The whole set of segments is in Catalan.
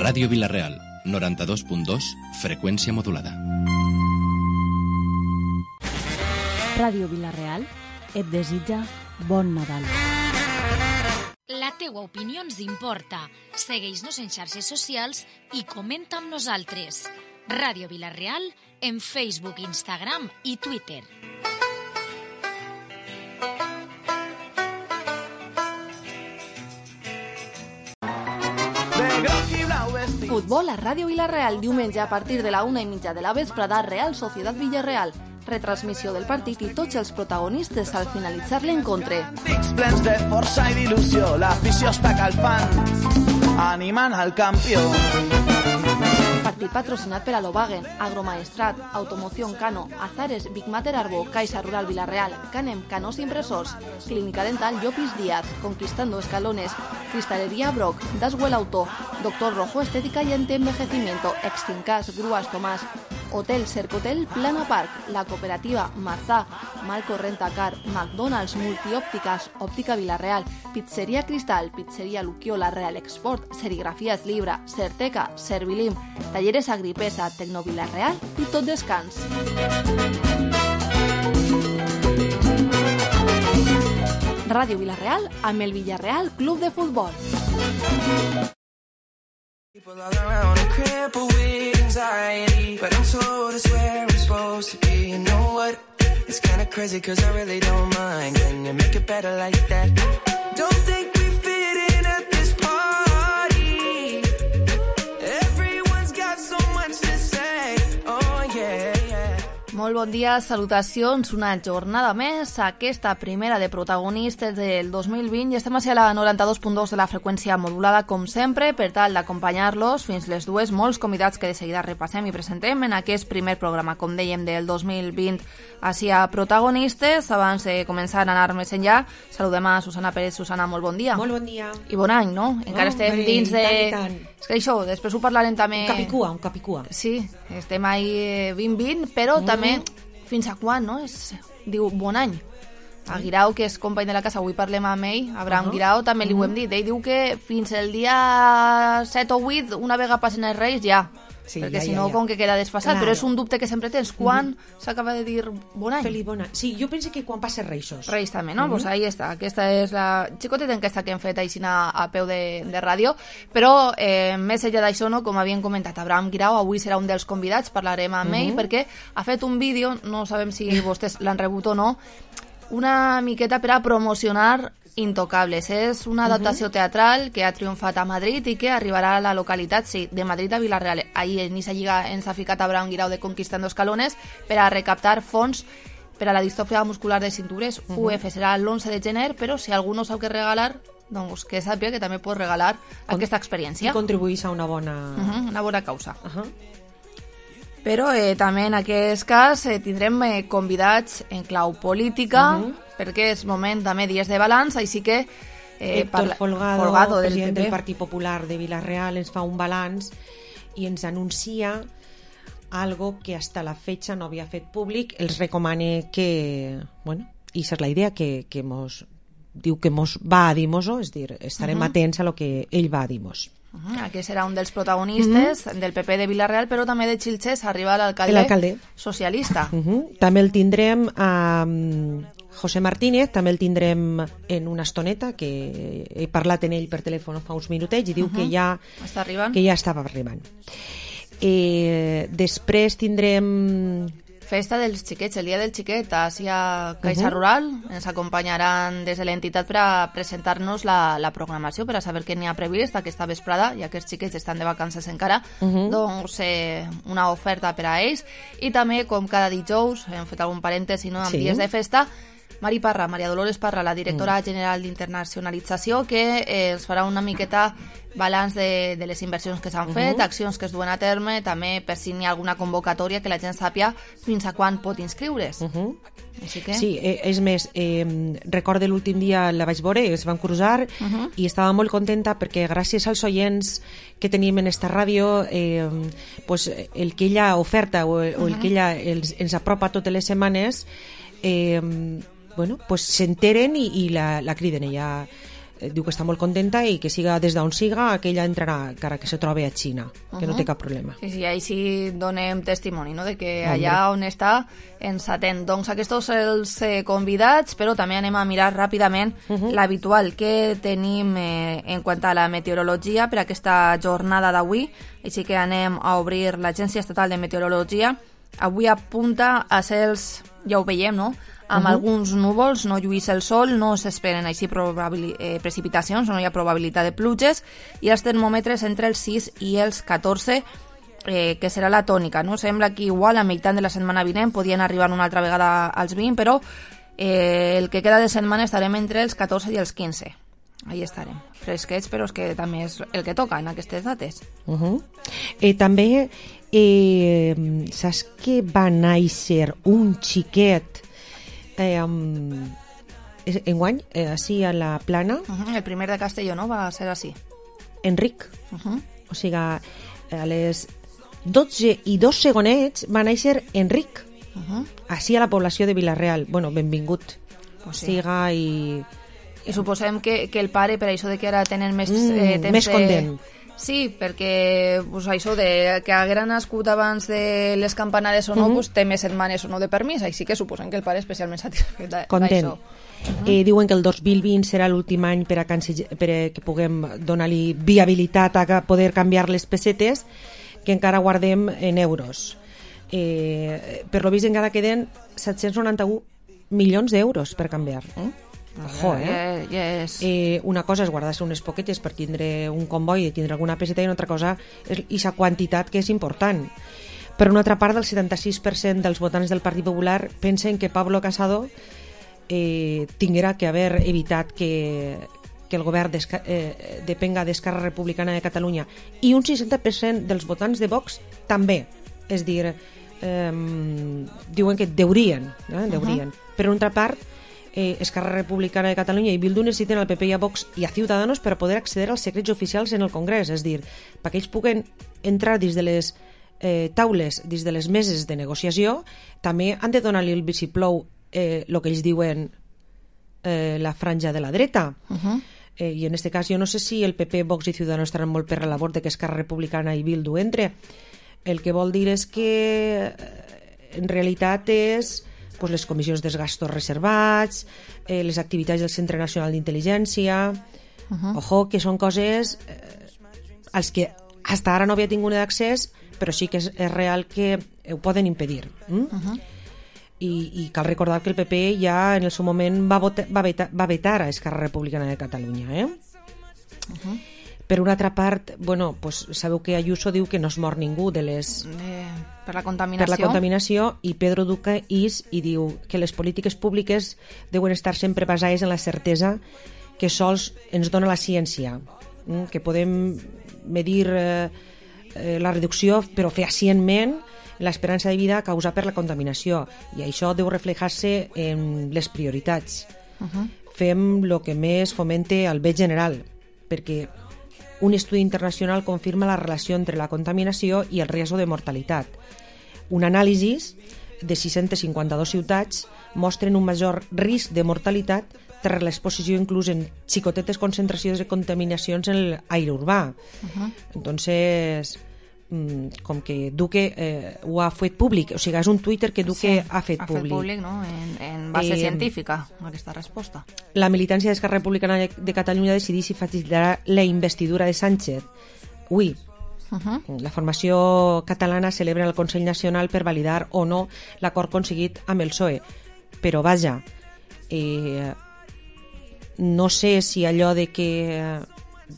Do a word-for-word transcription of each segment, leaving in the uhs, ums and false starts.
Ràdio Vila-real, noranta-dos punt dos, freqüència modulada. Ràdio Vila-real et desitja bon Nadal. La teua opinió ens importa. Segueix-nos en xarxes socials i comenta amb nosaltres. Ràdio Vila-real en Facebook, Instagram i Twitter. Futbol a Ràdio Vila-real, diumenge a partir de la una i mitja de la vesprada, Real Societat Villarreal. Retransmissió del partit i tots els protagonistes al finalitzar l'encontre. Plens de força i d'il·lusió, l'afició està calfant, animant al campió. Partit patrocinat per Alobagen, Agromaestrat, Automoción Cano, Azares, Big Mater Arbo, Caixa Rural Vila-real, Canem, Canos Impresors, Clínica Dental Llopis Díaz, Conquistando Escalones, Cristalería Brock, Daswell Auto, Doctor Rojo Estética y Antienvejecimiento, Extincas, Grúas Tomás, Hotel Cercotel, Plana Park, La Cooperativa, Marzá, Malco Rentacar, McDonald's, Multiópticas, Óptica Vila-real, Pizzería Cristal, Pizzería Luquiola, Real Export, Serigrafías Libra, Certeca, Servilim, Talleres Agripesa, Tecno Vila-real i Tot Descans. Ràdio Vila-real amb el Villarreal Club de Futbol. People all around are crippled with anxiety, but I'm told it's where I'm supposed to be. You know what? It's kinda crazy cause I really don't mind. Can you make it better like that? Don't think we fit in at this party. Everyone's got so much to say. Oh yeah, yeah. Molt bon dia, salutacions, una jornada més, aquesta primera de protagonistes del dos mil vint i estem a la noranta-dos punt dos de la freqüència modulada com sempre per tal d'acompanyar-los fins les dues, molts convidats que de seguida repassem i presentem en aquest primer programa, com dèiem, del dos mil vint hacia protagonistes. Abans de començar a anar més enllà, saludem a Susana Pérez. Susana, molt bon dia. Molt bon dia. I bon any, no? Encara oh, estem bé, dins de... Tant, tant. És que això, després ho parlarem també... Un capicua, un capicua. Sí, estem ahí vint vint, però mm. també fins a quan, no? Es diu bon any. A Guirao, que és company de la casa, avui parlem amb ell, Abraham uh -huh. Guirao, també li uh -huh. ho hem dit. Ell diu que fins el dia set o vuit, una vegada passen els Reis, ja. Sí, perquè ja, si no, ja, ja. com que queda desfasat. Claro. Però és un dubte que sempre tens. Quan uh -huh. s'acaba de dir bon any? Feliç bon any. Sí, jo penso que quan passa Reixos. Reis també, no? Uh -huh. Pues ahí està. Aquesta és la xicoteta enquesta que hem fet així a, a peu de, de ràdio. Però eh, més enllà d'això, no, com havien comentat, Abraham Guirao avui serà un dels convidats, parlarem amb uh -huh. ell, perquè ha fet un vídeo, no sabem si vostès l'han rebut o no, una miqueta per a promocionar Intocables. És una adaptació uh-huh. teatral que ha triomfat a Madrid i que arribarà a la localitat, sí, de Madrid a Vila-real. Ahir en aquesta lliga ens ha ficat Abraham Guirao de Conquistando Escalones per a recaptar fons per a la distròfia muscular de cintures. Uh-huh. U F serà l'onze de gener, però si algú no sap què regalar, doncs que sàpiga que també pot regalar Con- aquesta experiència. I contribuís a una bona... Uh-huh, una bona causa. Uh-huh. Però eh, també en aquest cas eh, tindrem eh, convidats en clau política, uh-huh. perquè és moment també dies de balanç, així que eh, Héctor parla... Folgado, Folgado del president del Partit Popular de Vila-real, ens fa un balanç i ens anuncia algo que hasta la fecha no havia fet públic. Els recomane que, bueno, i és la idea que, que mos diu que mos va a dir-mos-ho, és dir, estarem uh-huh. atents a lo que ell va a dir-mos. Uh-huh. Aquest serà un dels protagonistes uh-huh. del P P de Vila-real, però també de Xilxes arriba l'alcalde socialista. Uh-huh. També el tindrem a um, José Martínez, també el tindrem en una estoneta, que he parlat en ell per telèfon fa uns minutets i diu uh-huh. que, ja, Està arribant. que ja estava arribant. Eh, després tindrem... Festa dels xiquets, el dia del xiquet, així a Caixa uh-huh. Rural. Ens acompanyaran des de l'entitat per a presentar-nos la, la programació, per a saber què n'hi ha previst aquesta vesprada, ja que els xiquets estan de vacances encara, uh-huh. doncs eh, una oferta per a ells. I també, com cada dijous, hem fet algun parèntesi, no?, amb sí. dies de festa, Mari Parra, Maria Dolores Parra, la directora mm. general d'Internacionalització, que eh, ens farà una miqueta balanç de, de les inversions que s'han uh-huh. fet, accions que es duen a terme, també per si n'hi ha alguna convocatòria que la gent sàpia fins a quan pot inscriure's. Uh-huh. Així que... Sí, eh, és més, eh, recordo l'últim dia la vaig veure, es van cruzar uh-huh. i estava molt contenta perquè gràcies als oients que tenim en esta ràdio, eh, pues, el que ella oferta o, uh-huh. o el que ella els, ens apropa totes les setmanes, eh, bueno, pues s'enteren i, i la, la criden. Ella diu que està molt contenta i que siga des d'on siga, que ella entrarà, encara que se trobi a Xina, que uh -huh. no té cap problema. Sí, sí, ahí sí donem testimoni, no?, de que allà on està ens atén. Doncs aquests són els eh, convidats, però també anem a mirar ràpidament uh -huh. l'habitual que tenim eh, en quant a la meteorologia per aquesta jornada d'avui. Així que anem a obrir l'Agència Estatal de Meteorologia. Avui apunta a cels, ja ho veiem, no?, amb uh -huh. alguns núvols, no lluís el sol, no s'esperen així eh, precipitacions, no hi ha probabilitat de pluges, i els termòmetres entre els sis i els catorze, eh, que serà la tònica, no? Sembla que igual a meitat de la setmana vinent podien arribar una altra vegada als vint, però eh, el que queda de setmana estarem entre els catorze i els quinze. Ahí estarem, fresquets, però és que també és el que toca en aquestes dates. Uh -huh. eh, també, eh, saps que va néixer un xiquet eh, um, enguany, eh, així a la Plana? Uh -huh. El primer de Castelló, no? Va ser així. Enric. Uh -huh. O sigui, a les dotze i dos segonets va néixer Enric, uh -huh. així a la població de Vila-real. Bueno, benvingut. Pues sí. Siga i... I suposem que, que el pare, per això de que ara tenen més mm, eh, temps... Més content. Sí, perquè pues, això de que haguera nascut abans de les campanades o no, mm-hmm. pues, té més setmanes o no de permís, així que suposem que el pare és especialment satisfet d'això. Content. Mm-hmm. Eh, diuen que el dos mil vint serà l'últim any per a, canse... per a que puguem donar-li viabilitat a poder canviar les pessetes, que encara guardem en euros. Eh, per lo vist encara queden set-cents noranta-un milions d'euros per canviar. Eh? Ojo, eh? Yeah, yes. eh? Una cosa és guardar-se unes poquetes per tindre un comboi i tindre alguna peseta, i una altra cosa és aquesta quantitat, que és important. Per una altra part, el setanta-sis per cent dels votants del Partit Popular pensen que Pablo Casado eh, tinguera que haver evitat que, que el govern eh, depenga d'Esquerra Republicana de Catalunya, i un seixanta per cent dels votants de Vox també. És dir, eh, diuen que deurien, eh? deurien. Uh -huh. Per una altra part, Eh, Esquerra Republicana de Catalunya i Bildu necessiten al P P i a Vox i a Ciudadanos per a poder accedir als secrets oficials en el Congrés, és dir, perquè ells puguen entrar dins de les eh, taules, dins de les meses de negociació, també han de donar-li el visiplou eh, el que ells diuen eh, la franja de la dreta. Uh -huh. eh, i en aquest cas jo no sé si el P P, Vox i Ciudadanos estaran molt per la labor de que Esquerra Republicana i Bildu entre. El que vol dir és que en realitat és pues, les comissions dels gastos reservats, eh, les activitats del Centre Nacional d'Intel·ligència. Uh -huh. Ojo, que són coses eh, als que hasta ara no havia tingut d'accés, però sí que és, és real que ho poden impedir. Mm? Uh -huh. I, I cal recordar que el P P ja en el seu moment va, vota, va, vetar, va vetar a Esquerra Republicana de Catalunya. Eh? Uh -huh. Per una altra part, bueno, pues, sabeu que Ayuso diu que no es mor ningú de les... De... Per la contaminació. Per la contaminació, i Pedro Duque is i diu que les polítiques públiques deuen estar sempre basades en la certesa que sols ens dona la ciència, que podem medir eh, la reducció, però fehacientment, l'esperança de vida causada per la contaminació, i això deu reflejar-se en les prioritats. Uh -huh. Fem el que més fomente el bé general, perquè un estudi internacional confirma la relació entre la contaminació i el risc de mortalitat. Un anàlisi de sis-centes cinquanta-dues ciutats mostren un major risc de mortalitat per l'exposició inclús en xicotetes concentracions de contaminacions en l'aire urbà. Uh -huh. Entonces, com que Duque eh, ho ha fet públic, o sigui, és un Twitter que Duque sí, ha fet ha públic. Fet públic, no?, en, en base eh, científica, aquesta resposta. La militància d'Esquerra Republicana de Catalunya decideix si facilitarà la investidura de Sánchez. Ui, uh -huh. La formació catalana celebra el Consell Nacional per validar o no l'acord aconseguit amb el P S O E. Però, vaja, eh, no sé si allò de que... Eh,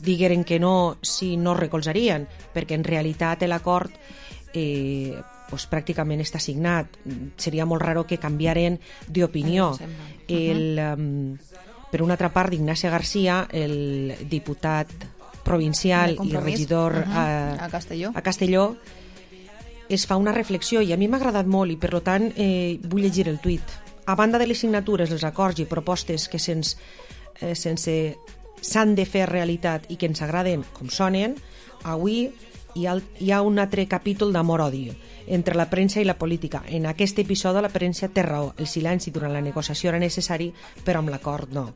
digueren que no, si no recolzarien, perquè en realitat l'acord eh, pues, pràcticament està signat. Seria molt raro que canviaren d'opinió. Uh -huh. um, per una altra part, Ignacio García, el diputat provincial i regidor uh -huh. a, a Castelló, a Castelló es fa una reflexió, i a mi m'ha agradat molt, i per tant eh, vull llegir el tuit. A banda de les signatures, els acords i propostes que sense, eh, sense s'han de fer realitat i que ens agraden com sonen, avui hi ha, hi ha un altre capítol d'amor-odi entre la premsa i la política. En aquest episodi la premsa té raó, el silenci durant la negociació era necessari, però amb l'acord no.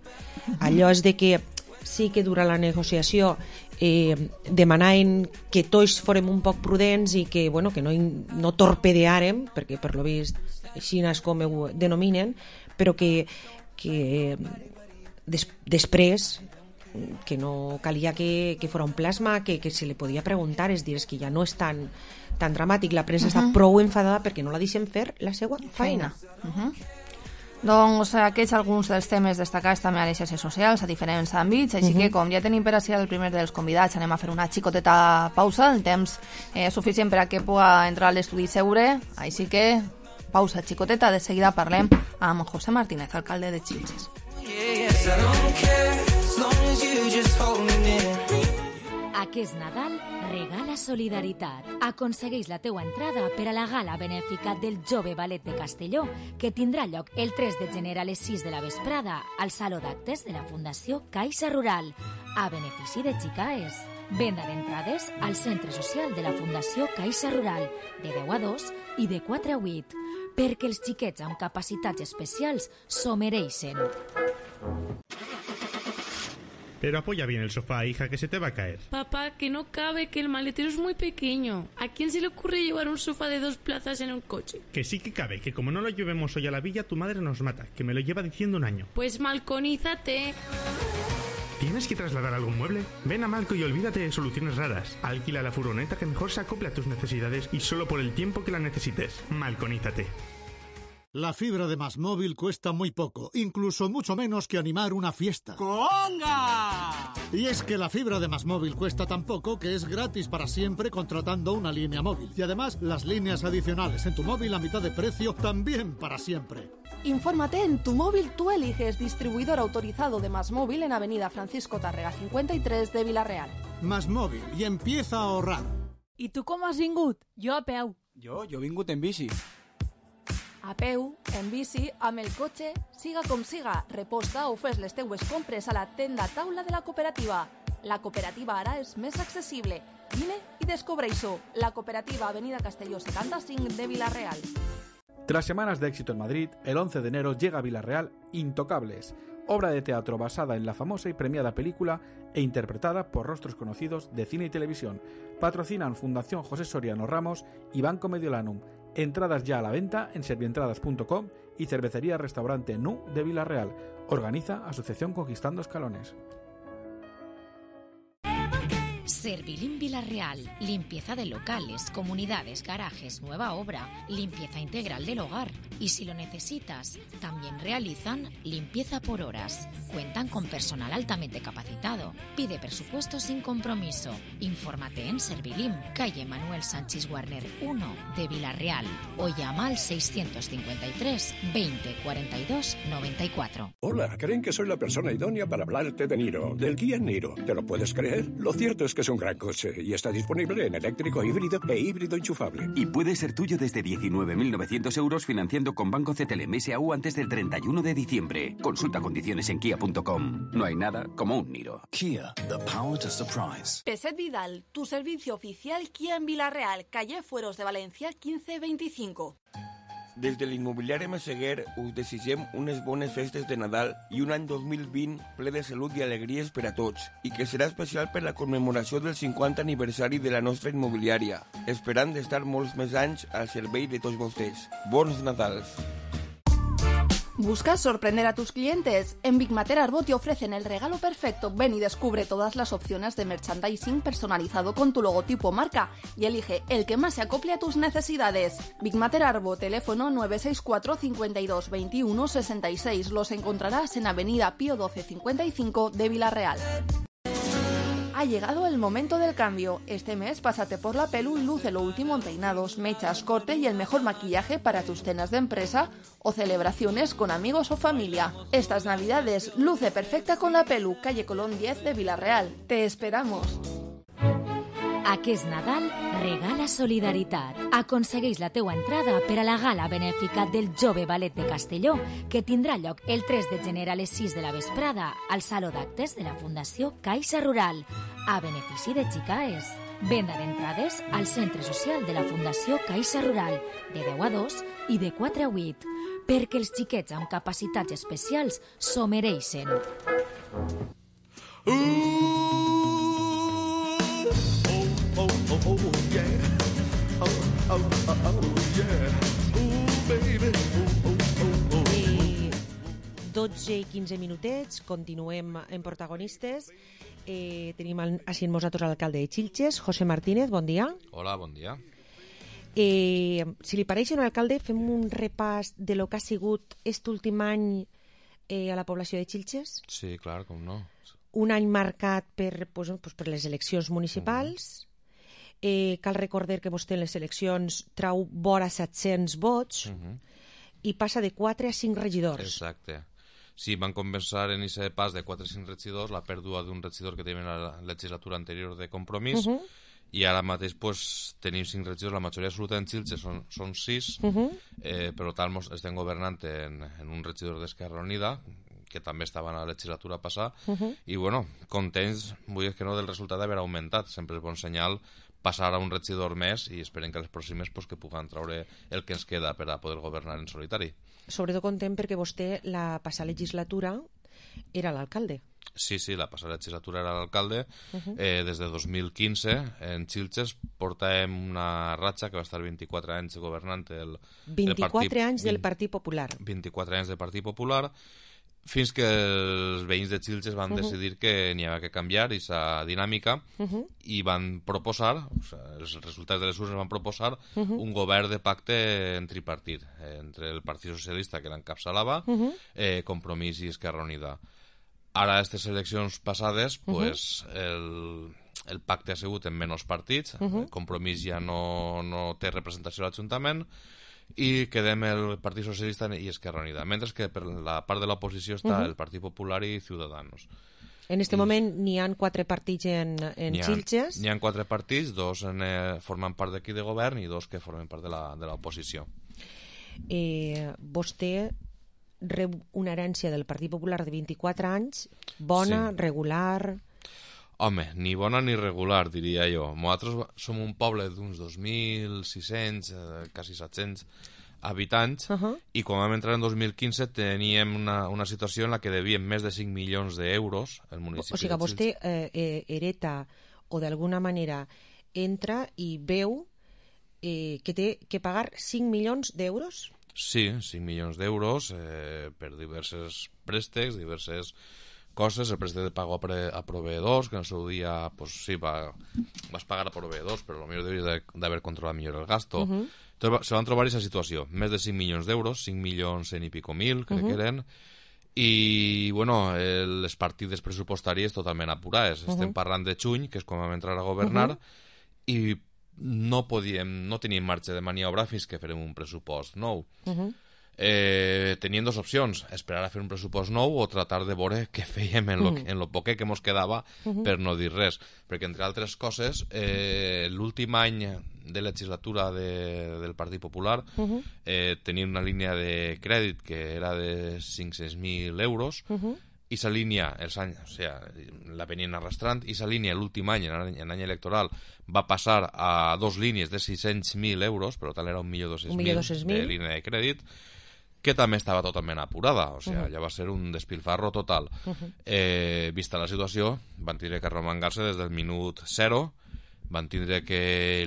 Allò és de que sí que durant la negociació eh, demanaven que tots fórem un poc prudents i que, bueno, que no, no torpedeàrem, perquè per lo vist així és com ho denominen, però que, que des, després que no calia que, que fos un plasma, que, que se li podia preguntar, és dir, és que ja no és tan, tan dramàtic, la premsa uh -huh. està prou enfadada perquè no la deixen fer la seva feina. Uh -huh. Doncs aquests alguns dels temes destacats també a les xarxes socials, a diferents àmbits, així uh -huh. que com ja tenim per a ser el primer dels convidats, anem a fer una xicoteta pausa, el temps eh, suficient per a que pugui entrar a l'estudi segure, així que pausa xicoteta, de seguida parlem amb José Martínez, alcalde de Xilxes. Aquest Nadal regala solidaritat. Aconsegueix la teua entrada per a la gala benèfica del Jove Ballet de Castelló, que tindrà lloc el tres de gener a les sis de la vesprada al Saló d'Actes de la Fundació Caixa Rural, a benefici de Xicaes. Venda d'entrades al Centre Social de la Fundació Caixa Rural, de deu a dos i de quatre a vuit, perquè els xiquets amb capacitats especials s'ho mereixen. Pero apoya bien el sofá, hija, que se te va a caer. Papá, que no cabe, que el maletero es muy pequeño. ¿A quién se le ocurre llevar un sofá de dos plazas en un coche? Que sí que cabe, que como no lo llevemos hoy a la villa, tu madre nos mata, que me lo lleva diciendo un año. Pues malconízate. ¿Tienes que trasladar algún mueble? Ven a Malco y olvídate de soluciones raras. Alquila la furgoneta que mejor se acople a tus necesidades y solo por el tiempo que la necesites. Malconízate. La fibra de Más Móvil cuesta muy poco, incluso mucho menos que animar una fiesta. ¡Conga! Y es que la fibra de Más Móvil cuesta tan poco que es gratis para siempre contratando una línea móvil. Y además, las líneas adicionales en tu móvil a mitad de precio también para siempre. Infórmate en Tu Móvil, tú eliges, distribuidor autorizado de Más Móvil en Avenida Francisco Tàrrega cincuenta y tres de Vila-real. Más Móvil, y empieza a ahorrar. I tu com has vingut? Jo a peu. Jo, jo he vingut en bici. A peu, en bici, amb el cotxe, siga com siga, reposta o fes les teues compres a la tenda taula de la cooperativa. La cooperativa ara és més accessible. Vine i descobreix-ho. La cooperativa Avenida Castelló setenta-cinc de Vila-real. Tras semanas de éxito en Madrid, el once de enero llega a Vila-real Intocables, obra de teatro basada en la famosa y premiada película e interpretada por rostros conocidos de cine y televisión. Patrocinan Fundación José Soriano Ramos y Banco Mediolanum. Entradas ya a la venta en servientradas punto com y Cervecería Restaurante Nu de Vila-real. Organiza Asociación Conquistando Escalones. Servilim Vila-real, limpieza de locales, comunidades, garajes, nueva obra, limpieza integral del hogar. Y si lo necesitas, también realizan limpieza por horas. Cuentan con personal altamente capacitado. Pide presupuesto sin compromiso. Infórmate en Servilim, calle Manuel Sánchez Warner uno de Vila-real o llama al seiscientos cincuenta y tres veinte cuarenta y dos noventa y cuatro. Hola, creen que soy la persona idónea para hablarte de Niro, del Kia Niro. ¿Te lo puedes creer? Lo cierto es que es un gran coche y está disponible en eléctrico híbrido e híbrido enchufable. Y puede ser tuyo desde diecinueve mil novecientos euros financiando con Banco C T L M S A U antes del treinta y uno de diciembre. Consulta condiciones en kia punto com. No hay nada como un Niro. Kia, the power to surprise. Peset Vidal, tu servicio oficial Kia en Vila-real, calle Fueros de Valencia quinze veinticinco. Des de l'immobiliari Massaguer us desitgem unes bones festes de Nadal i un any dos mil vint ple de salut i alegries per a tots, i que serà especial per la commemoració del cinquanta aniversari de la nostra immobiliària, esperant d'estar molts més anys al servei de tots vostès. Bons Nadals! ¿Buscas sorprender a tus clientes? En Big Mater Arbó te ofrecen el regalo perfecto. Ven y descubre todas las opciones de merchandising personalizado con tu logotipo marca y elige el que más se acople a tus necesidades. Big Mater Arbó, teléfono nueve seis cuatro, cincuenta y dos, veintiuno, sesenta y seis. Los encontrarás en Avenida Pío doce cincuenta y cinco de Vila-real. Ha llegado el momento del cambio. Este mes pásate por la Pelu y luce lo último en peinados, mechas, corte y el mejor maquillaje para tus cenas de empresa o celebraciones con amigos o familia. Estas navidades luce perfecta con la Pelu, calle Colón diez de Vila-real. Te esperamos. Aquest Nadal regala solidaritat. Aconsegueix la teua entrada per a la gala benèfica del Jove Ballet de Castelló, que tindrà lloc el tres de gener a les sis de la vesprada al Saló d'Actes de la Fundació Caixa Rural, a benefici de Xicaes. Venda d'entrades al Centre Social de la Fundació Caixa Rural, de deu a dos i de quatre a vuit, perquè els xiquets amb capacitats especials s'ho mereixen. Ooh, oh, oh, oh, oh, yeah. Oh, oh, oh, oh, yeah. Ooh, baby. Ooh, oh, oh, oh. I dotze i quinze minutets, continuem en protagonistes. Eh, tenim així amb nosaltres l'alcalde de Xilxes, José Martínez, bon dia. Hola, bon dia. Eh, si li pareix, senyor alcalde, fem un repàs de lo que ha sigut aquest últim any eh, a la població de Xilxes. Sí, clar, com no. Un any marcat per, pues, pues, per les eleccions municipals. Uh-huh. Eh, cal recordar que vostè en les eleccions trau vora set-cents vots uh-huh. i passa de quatre a cinc regidors. Exacte. Sí, van compensar en aquest pas de quatre a cinc regidors la pèrdua d'un regidor que tenim en la legislatura anterior de Compromís uh-huh. i ara mateix pues, tenim cinc regidors, la majoria absoluta en Xilxes són, són sis, uh-huh. eh, però tal estem governant en, en un regidor d'Esquerra Unida, que també estava en la legislatura passada, uh-huh. i bueno, contents, vull dir que no, del resultat d'haver augmentat, sempre és bon senyal passar a un regidor més i esperem que les pròximes pues, que puguen traure el que ens queda per a poder governar en solitari. Sobretot content perquè vostè la passada legislatura era l'alcalde. Sí, sí, la passada legislatura era l'alcalde. Uh-huh. eh, des de dos mil quinze, en Xilxes, portàvem una ratxa que va estar vint-i-quatre anys governant el, vint-i-quatre el partit, anys del Partit Popular. vint-i-quatre anys del Partit Popular, fins que els veïns de Xilxes van uh-huh. decidir que n'hi havia que canviar aquesta dinàmica uh-huh. i van proposar, o sigui, els resultats de les urnes van proposar uh-huh. un govern de pacte en tripartit, eh, entre el Partit Socialista, que l'encapçalava, uh-huh. eh, Compromís i Esquerra Unida. Ara, a aquestes eleccions passades, pues, uh-huh. el, el pacte ha sigut en menys partits, uh-huh. Compromís ja no, no té representació a l'Ajuntament, i quedem el Partit Socialista i Esquerra Unida, mentre que per la part de l'oposició està uh-huh. el Partit Popular i Ciudadanos. En aquest I... moment n'hi ha quatre partits en, en n'hi ha, Xilxes? N'hi ha quatre partits, dos en, eh, formen part d'aquí de govern i dos que formen part de l'oposició. Eh, vostè rep una herència del Partit Popular de vint-i-quatre anys, bona, sí. regular... Home, ni bona ni regular, diria jo. Nosaltres som un poble d'uns dos mil sis-cents, eh, quasi set-cents habitants, uh-huh. i quan vam entrar en dos mil quinze teníem una, una situació en la que devíem més de cinc milions d'euros al municipi. O sigui que vostè eh, eh, hereta o d'alguna manera entra i veu eh, que té que pagar cinc milions d'euros? Sí, cinc milions d'euros eh, per diversos préstecs, diverses coses, el préstec de pago a, pre, a proveedors, que en el seu dia, pues sí, va, vas pagar a proveedors, però potser hauries d'haver controlat millor el gasto. Uh-huh. Entonces, se van trobar aquesta situació, més de cinc milions d'euros, cinc milions en i pico mil, crec uh-huh. que eren, i, bueno, el, les partides pressupostàries totalment apurades. Uh-huh. Estem parlant de juny, que és quan vam entrar a governar, uh-huh. i no podíem, no teníem marge de maniobra fins que farem un pressupost nou. Uh-huh. Eh, tenien dues opcions, esperar a fer un pressupost nou o tratar de veure què fèiem en lo, uh-huh. en lo poquet que mos quedava uh-huh. per no dir res, perquè entre altres coses eh, l'últim any de legislatura de, del Partit Popular uh-huh. eh, tenia una línia de crèdit que era de cinc-cents mil euros uh-huh. i sa línia, els anys, o sigui, la venien arrastrant, i sa línia l'últim any, en any, en any electoral, va passar a dos línies de sis-cents mil euros, per tant era un milió dos-cents mil de línia de crèdit, que també estava totalment apurada, o sigui, uh-huh. ja va ser un despilfarro total. Uh-huh. Eh, vista la situació, van tindre que remangar-se des del minut zero, van tindre que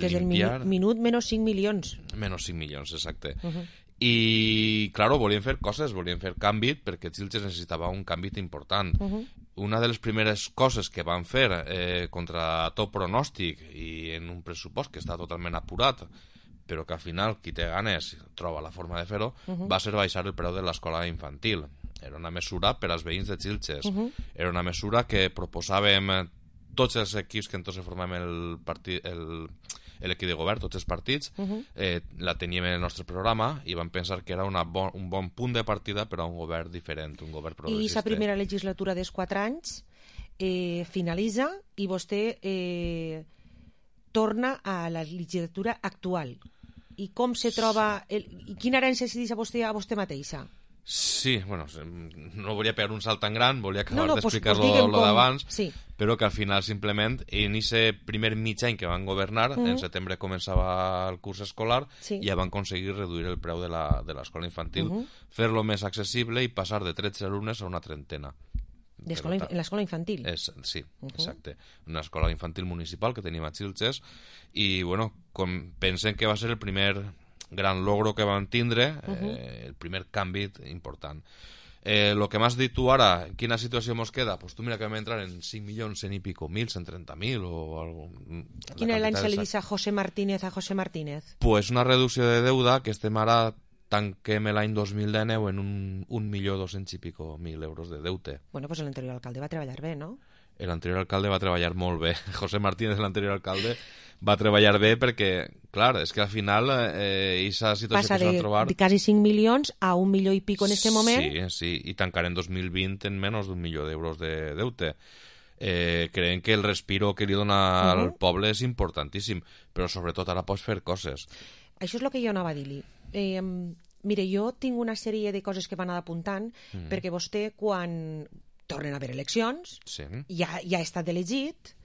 des limpiar... Des del minut, minut menys cinc milions. Menys cinc milions, exacte. Uh-huh. I, claro, volien fer coses, volien fer canvi, perquè Xilxes necessitava un canvi important. Uh-huh. Una de les primeres coses que van fer eh, contra tot pronòstic i en un pressupost que està totalment apurat, però que al final qui té ganes troba la forma de fer-ho, uh-huh. va ser baixar el preu de l'escola infantil. Era una mesura per als veïns de Xilxes. Uh-huh. Era una mesura que proposàvem tots els equips que entonces formàvem el partit, el, l'equip de govern, tots els partits, uh-huh. eh, la teníem en el nostre programa i vam pensar que era una bon, un bon punt de partida per a un govern diferent, un govern progressista. I la primera legislatura dels quatre anys eh, finalitza i vostè eh, torna a la legislatura actual. I com se troba... El, i quina herència se diu a vostè, a vostè mateixa? Sí, bueno, no volia pegar un salt tan gran, volia acabar no, no, d'explicar-lo pues, pues d'abans, sí. però que al final simplement, en aquest primer mig any que van governar, mm. en setembre començava el curs escolar, sí. i ja van aconseguir reduir el preu de l'escola infantil, mm -hmm. fer-lo més accessible i passar de tretze alumnes a una trentena. En l'escola infantil? És, sí, uh -huh. exacte. Una escola infantil municipal que tenim a Xilxes i, bueno, com pensen que va ser el primer gran logro que van tindre, uh -huh. eh, el primer canvi important. Eh, lo que m'has dit tu ara, quina situació mos queda? Pues tu mira que vam entrar en cinc milions, cent i pico mil, cent trenta mil o algo. Quin any se li dice a José Martínez a José Martínez? Pues una reducció de deuda que estem ara tanquem l'any dos mil dinou en un, un milió dos-cents i pico mil euros de deute. Bueno, pues l'anterior alcalde va treballar bé, no? L'anterior alcalde va treballar molt bé. José Martínez, l'anterior alcalde, va treballar bé perquè, clar, és que al final eh, aquesta situació passa que s'ha de trobar... de quasi cinc milions a un milió i pico en este moment. Sí, sí, i tancarem dos mil vint en menys d'un milió d'euros de deute. Eh, creiem que el respiro que li dona al uh -huh. poble és importantíssim, però sobretot ara pots fer coses. Això és el que jo anava a dir-li. Eh, mire, jo tinc una sèrie de coses que van anar apuntant mm. perquè vostè, quan tornen a haver eleccions, sí. ja, ja ha estat elegit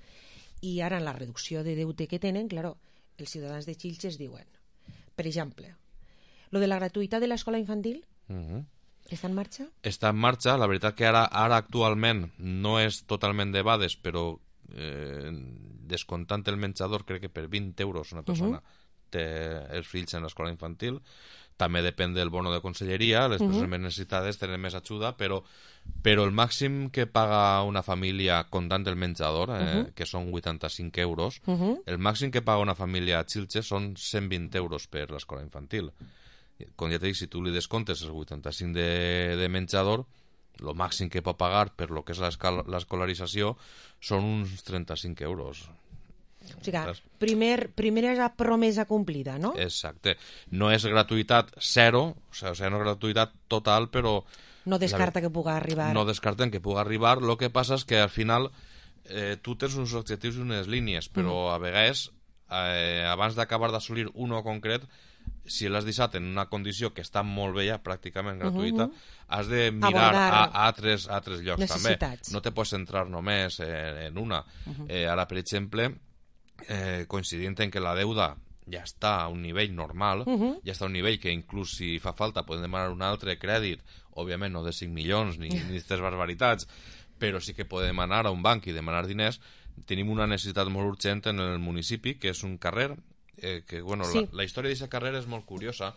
i ara en la reducció de deute que tenen, claro, els ciutadans de Xilxes diuen, per exemple, lo de la gratuïtat de l'escola infantil mm -hmm. està en marxa? Està en marxa, la veritat que ara, ara actualment no és totalment de bades, però eh, descomptant el menjador crec que per vint euros una persona uh -huh. té els fills en l'escola infantil. També depèn del bono de conselleria, les persones uh -huh. més necessitades tenen més ajuda, però, però el màxim que paga una família comptant el menjador, eh, uh -huh. que són vuitanta-cinc euros, uh -huh. el màxim que paga una família a Xilxes són cent vint euros per l'escola infantil. Com ja t'he dit, si tu li descomptes els vuitanta-cinc de, de menjador, el màxim que pot pagar per lo que és l'escolarització són uns trenta-cinc euros. O sigui, primer, primer és la promesa complida, no? Exacte. No és gratuïtat zero, o sigui, no és gratuïtat total, però... No descarta la... que pugui arribar. No descarten que pugui arribar. El que passa és que al final eh, tu tens uns objectius i unes línies, però mm. a vegades, eh, abans d'acabar d'assolir un o concret, si l'has deixat en una condició que està molt bé ja, pràcticament gratuïta, uh -huh. has de mirar a, a, altres, a altres llocs també. No te pots centrar només en, en una. Uh -huh. eh, ara, per exemple... Eh, coincidint en que la deuda ja està a un nivell normal, uh -huh. ja està a un nivell que inclús si fa falta podem demanar un altre crèdit, òbviament no de cinc milions ni aquestes barbaritats, però sí que podem anar a un banc i demanar diners. Tenim una necessitat molt urgent en el municipi, que és un carrer, eh, que bueno, sí. la, la història d'aquest carrer és molt curiosa,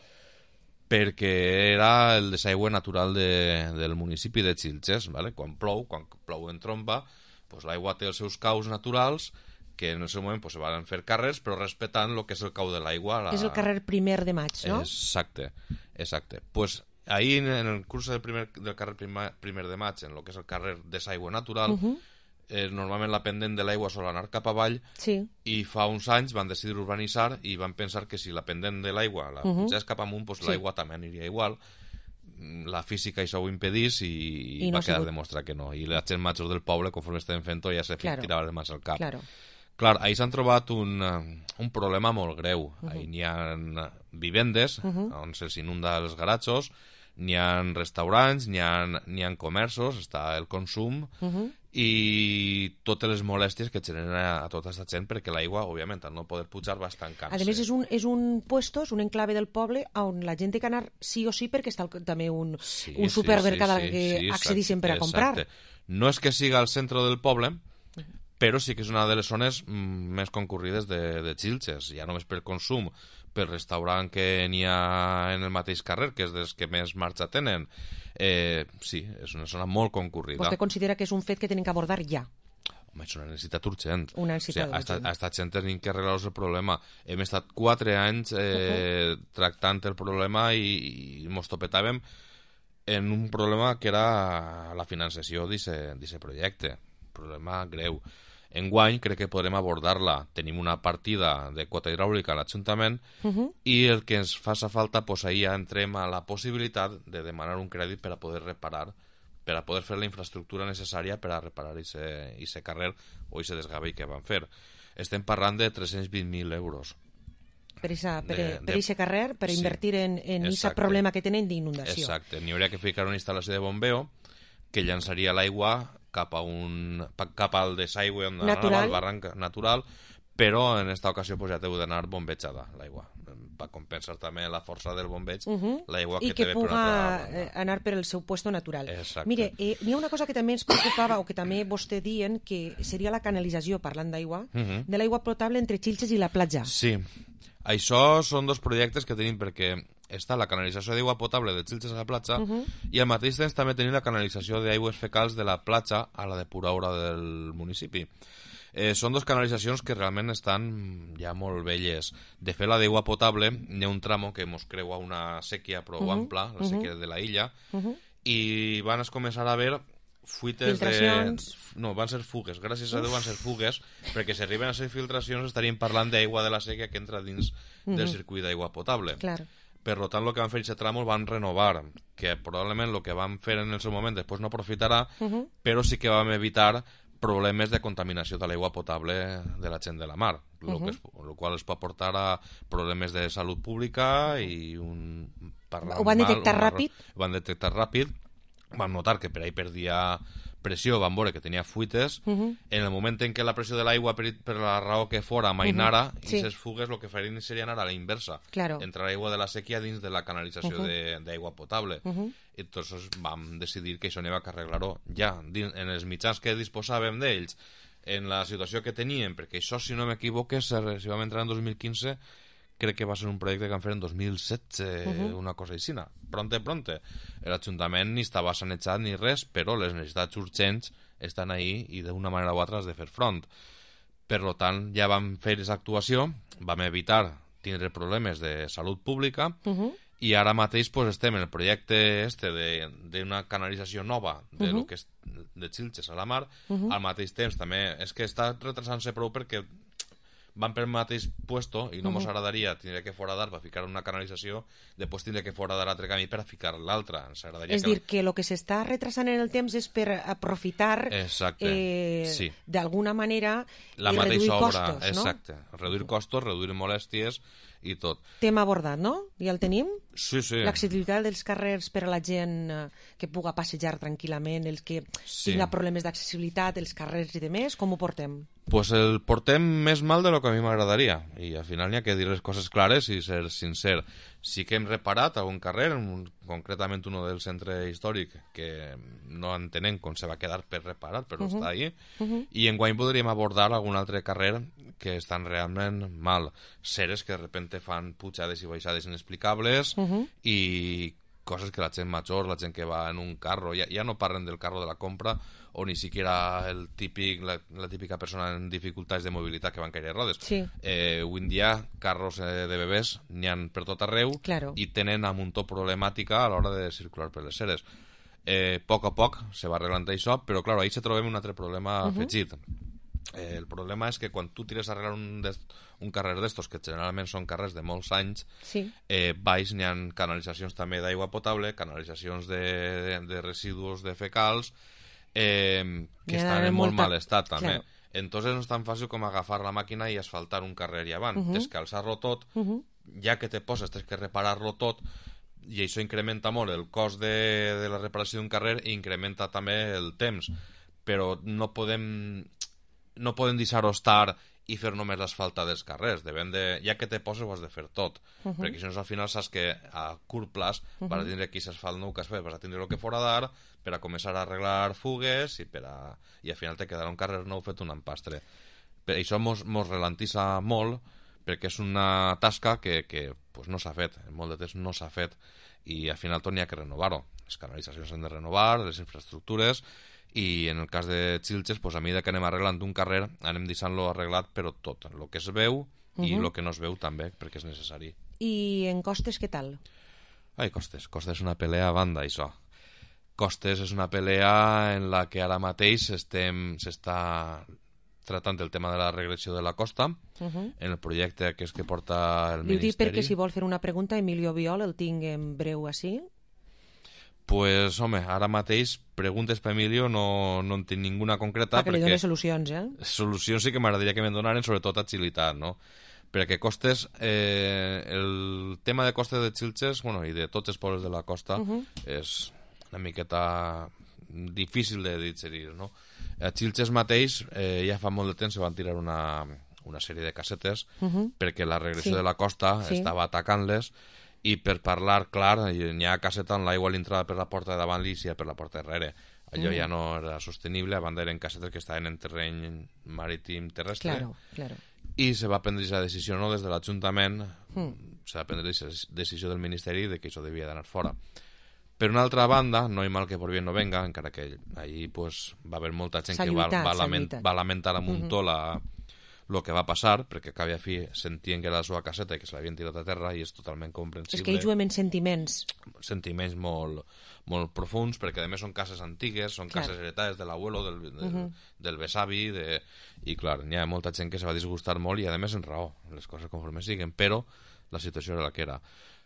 perquè era el desaigüe natural de, del municipi de Xilxes, ¿vale? Quan plou, quan plou en tromba, pues l'aigua té els seus caus naturals, que en el seu moment pues, se van fer carrers, però respectant el que és el cau de l'aigua. La... És el carrer primer de maig, no? Exacte, exacte. Pues ahí en el curs del, primer, del carrer primer, primer de maig, en el que és el carrer desaigüe natural, uh -huh. eh, normalment la pendent de l'aigua sol anar cap avall, sí. i fa uns anys van decidir urbanitzar i van pensar que si la pendent de l'aigua la uh -huh. pugés cap amunt, pues, sí. l'aigua també aniria igual. La física això ho impedís i, I no va quedar demostrat que no. I la gent major del poble, conforme estem fent-ho, ja se claro. tirava les mans al cap. Claro. Clar, ahir s'han trobat un, un problema molt greu. Uh -huh. Ahir n'hi ha vivendes, uh -huh. on se'ls inunda els garatjos, n'hi ha restaurants, n'hi ha, n'hi ha comerços, està el consum, uh -huh. i totes les molèsties que genera a tota aquesta gent, perquè l'aigua, òbviament, al no poder pujar, va estancant-se. A més, és un, és un puesto, és un enclave del poble on la gent té que anar sí o sí perquè està el, també un, sí, un supermercat sí, sí, que sí, accedissin per a comprar. Exacte. No és que siga al centre del poble, però sí que és una de les zones mm, més concurrides de, de Xilxes, ja només per consum, per restaurant que n'hi ha en el mateix carrer, que és dels que més marxa tenen. Eh, sí, és una zona molt concurrida. Vostè considera que és un fet que tenen que abordar ja? Home, és una necessitat urgent. Una necessitat o sigui, urgent. Ha estat gent tenint que arreglar el problema. Hem estat quatre anys eh, uh-huh. tractant el problema i, i mos topetàvem en un problema que era la finançació d'aquest projecte. Problema greu. Enguany crec que podrem abordar-la. Tenim una partida de quota hidràulica a l'Ajuntament uh -huh. i el que ens faça falta, pues ahir ja entrem a la possibilitat de demanar un crèdit per a poder reparar, per a poder fer la infraestructura necessària per a reparar aquest carrer o aquest desgavell que van fer. Estem parlant de tres-cents vint mil euros. Per aquest carrer, per sí, invertir en aquest problema que tenen d'inundació. Exacte. N'hi hauria que ficar una instal·lació de bombeo que llançaria l'aigua cap a un cap al desaigüe on anava el barranc natural, però en aquesta ocasió pues, ja t'heu d'anar bombejada l'aigua per compensar també la força del bombeig, uh -huh. l'aigua que, que té per una altra I que puga anar per el seu puesto natural. Exacte. Mire, eh, n'hi ha una cosa que també ens preocupava, o que també vostè dient, que seria la canalització, parlant d'aigua, uh -huh. de l'aigua potable entre Xilxes i la platja. Sí, això són dos projectes que tenim, perquè està la canalització d'aigua potable de Xilxes a la platja uh -huh. i al mateix temps també tenim la canalització d'aigües fecals de la platja a la depuradora del municipi. Eh, són dos canalitzacions que realment estan ja molt velles. De fet, la d'aigua potable, hi ha un tramo que mos creua una sèquia prou uh -huh. ampla, la sèquia uh -huh. de la illa, uh -huh. i van començar a haver fuites de... No, van ser fugues. Gràcies a Déu van ser fugues, perquè si arriben a ser filtracions estaríem parlant d'aigua de la sèquia que entra dins uh -huh. del circuit d'aigua potable. Claro. Per tant, el que van fer aquest tramo el van renovar, que probablement el que van fer en el seu moment després no aprofitarà, uh -huh. però sí que vam evitar problemes de contaminació de l'aigua potable de la gent de la mar, el uh -huh. que es, lo qual es pot portar a problemes de salut pública i un... Ho van detectar mal, ràpid? Ho van detectar ràpid, van notar que per ahí perdia pressió, van veure que tenia fuites, uh -huh. en el moment en què la pressió de l'aigua, per, per la raó que fora, mainara, uh -huh. sí. i aquestes fugues el que farien seria anar a la inversa, claro. entrar l'aigua de la sèquia dins de la canalització uh -huh. d'aigua potable. Uh -huh. I entonces vam decidir que això n'hi va que arreglar-ho ja, en els mitjans que disposàvem d'ells, en la situació que teníem, perquè això, si no m'equivoque, si vam entrar en dos mil quinze, crec que va ser un projecte que van fer en dos mil setze, uh -huh. una cosa així. Pronte, pronte. L'Ajuntament ni estava sanejat ni res, però les necessitats urgents estan ahí i d'una manera o altra has de fer front. Per tant, ja vam fer aquesta actuació, vam evitar tindre problemes de salut pública uh -huh. i ara mateix pues, estem en el projecte este d'una canalització nova de, uh -huh. lo que és de Xilxes a la mar. Uh -huh. Al mateix temps també és que està retrasant-se prou perquè van per el mateix puesto i no mos uh -huh. agradaria tindre que foradar per ficar una canalització, després tindre que foradar l'altre camí per a ficar l'altra. És dir, que el que s'està retrasant en el temps és per aprofitar eh, sí. d'alguna manera la i reduir obra, costos, exacte. no? Reduir costos, reduir molèsties i tot. Tema abordat, no? Ja el tenim? Sí, sí. L'accessibilitat dels carrers per a la gent eh, que puga passejar tranquil·lament, els que sí. tinga problemes d'accessibilitat, els carrers i demés, com ho portem? Pues el portem més mal de lo que a mi m'agradaria i al final n'hi ha que dir les coses clares i ser sincer. Sí que hem reparat algun carrer, un, concretament un del centre històric, que no entenem com se va quedar per reparar, però uh -huh. està ahí, uh -huh. i enguany podríem abordar algun altre carrer que estan realment mal. Seres que de repente fan pujades i baixades inexplicables uh -huh. i coses que la gent major, la gent que va en un carro, ja, ja no parlen del carro de la compra o ni siquiera el típic, la, la típica persona en dificultats de mobilitat que van caure rodes. Sí. Eh, avui en dia, carros eh, de bebès n'hi ha per tot arreu claro. i tenen a muntó problemàtica a l'hora de circular per les seres. Eh, a poc a poc se va arreglant això, però clar, ahí se trobem un altre problema uh -huh. afegit. Eh, el problema és que quan tu tires a arreglar un, un carrer d'estos, que generalment són carrers de molts anys, sí. eh, baix n'hi ha canalitzacions també d'aigua potable, canalitzacions de, de, de residus de fecals, eh, que ja estan en molt molta... mal estat també. Claro. Entonces no és tan fàcil com agafar la màquina i asfaltar un carrer i avant. Uh -huh. Tens que alçar-lo tot, uh -huh. ja que te poses tens que reparar-lo tot, i això incrementa molt el cost de, de la reparació d'un carrer i incrementa també el temps. Però no podem... no podem deixar-ho estar i fer només l'asfalta dels carrers. Devem de, ja que te poses ho has de fer tot. Uh -huh. Perquè si no, al final saps que a curt plaç uh -huh. vas a tindre aquí l'asfalt nou que has fet, vas a tindre el que foradar per a començar a arreglar fugues i, per a... i al final te quedarà un carrer nou fet un empastre. Per això mos, mos ralentissa molt perquè és una tasca que, que pues, no s'ha fet. En molt de temps no s'ha fet i al final tot n'hi ha que renovar-ho. Les canalitzacions s'han de renovar, les infraestructures, i en el cas de Xilxes, pues, a mesura que anem arreglant un carrer anem deixant-lo arreglat, però tot el que es veu uh -huh. i el que no es veu també, perquè és necessari. I en costes què tal? Ai, costes, costes és una pelea a banda, això. Costes és una pelea en la que ara mateix estem s'està tratant el tema de la regressió de la costa uh -huh. en el projecte que és que porta el Li Ministeri. Li dic perquè si vol fer una pregunta, Emilio Biol, el tinc en breu així. Pues, home, ara mateix preguntes per Emilio no, no en tinc ninguna concreta. Perquè li doni solucions, eh? Solucions sí que m'agradaria que me'n donaren, sobretot agilitat, no? Perquè costes, eh, el tema de costes de Xilxes, bueno, i de tots els pobles de la costa, uh -huh. és una miqueta difícil de digerir, no? A Xilxes mateix, eh, ja fa molt de temps se van tirar una, una sèrie de cassetes, Mhm. perquè la regressió Sí. de la costa Sí. estava atacant-les, i per parlar clar, n'hi ha casseta on l'aigua l'entrava per la porta de davant i sia per la porta darrere. Allò Mm. ja no era sostenible, a banda eren cassetes que estaven en terreny marítim terrestre. Claro, claro. I se va prendre la decisió, no, des de l'Ajuntament, Mm. se va prendre la decisió del Ministeri de que això devia d'anar fora. Per una altra banda, no hi mal que por bien no venga, encara que allí pues, va haver molta gent S'ha que va, lluitat, va, s'ha lament, lluitat. va lamentar a muntó Mhm. la, lo que va passar, perquè a cap i a fi sentien que era la seva caseta i que se l'havien tirat a terra, i és totalment comprensible. És que ells juguem en sentiments. Sentiments molt, molt profuns, perquè a més són cases antigues, són Clar. cases heretades de l'abuelo, del, del, Mhm. del besavi, de... i clar, hi ha molta gent que se va disgustar molt, i a més en raó, les coses conforme siguen, però la situació era la que era.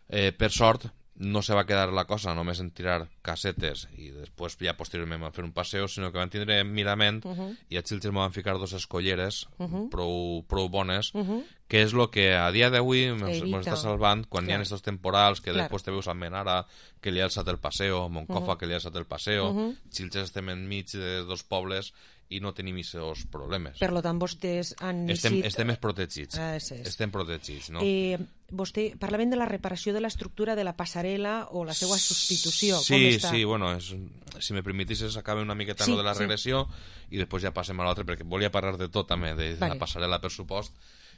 Eh, per sort, no se va quedar la cosa només en tirar cassetes i després ja posteriorment van fer un passeo, sinó que van tindre mirament Mhm. i a Xilxes me van ficar dos escolleres Mhm. prou, prou bones, Mhm. que és el que a dia d'avui ens Evita. està salvant quan hi ha Clar. estos temporals que Clar. després te veus a Menara, que li ha alçat el passeo, Moncofa, Mhm. que li ha alçat el passeo, Mhm. Xilxes estem enmig de dos pobles i no tenim aquests problemes. Per lo tant, vostès han Estem, eixit- estem més protegits. Ah, és, és. Estem protegits, no? Eh, vostè parlaven de la reparació de l'estructura de la passarel·la o la seva substitució. Sí, Com està? sí, bueno, és, si me permetisses acabe una miqueta Sí, lo de la sí. regressió i després ja passem a l'altre, perquè volia parlar de tot també, de, de Vale. la passarel·la, per supost.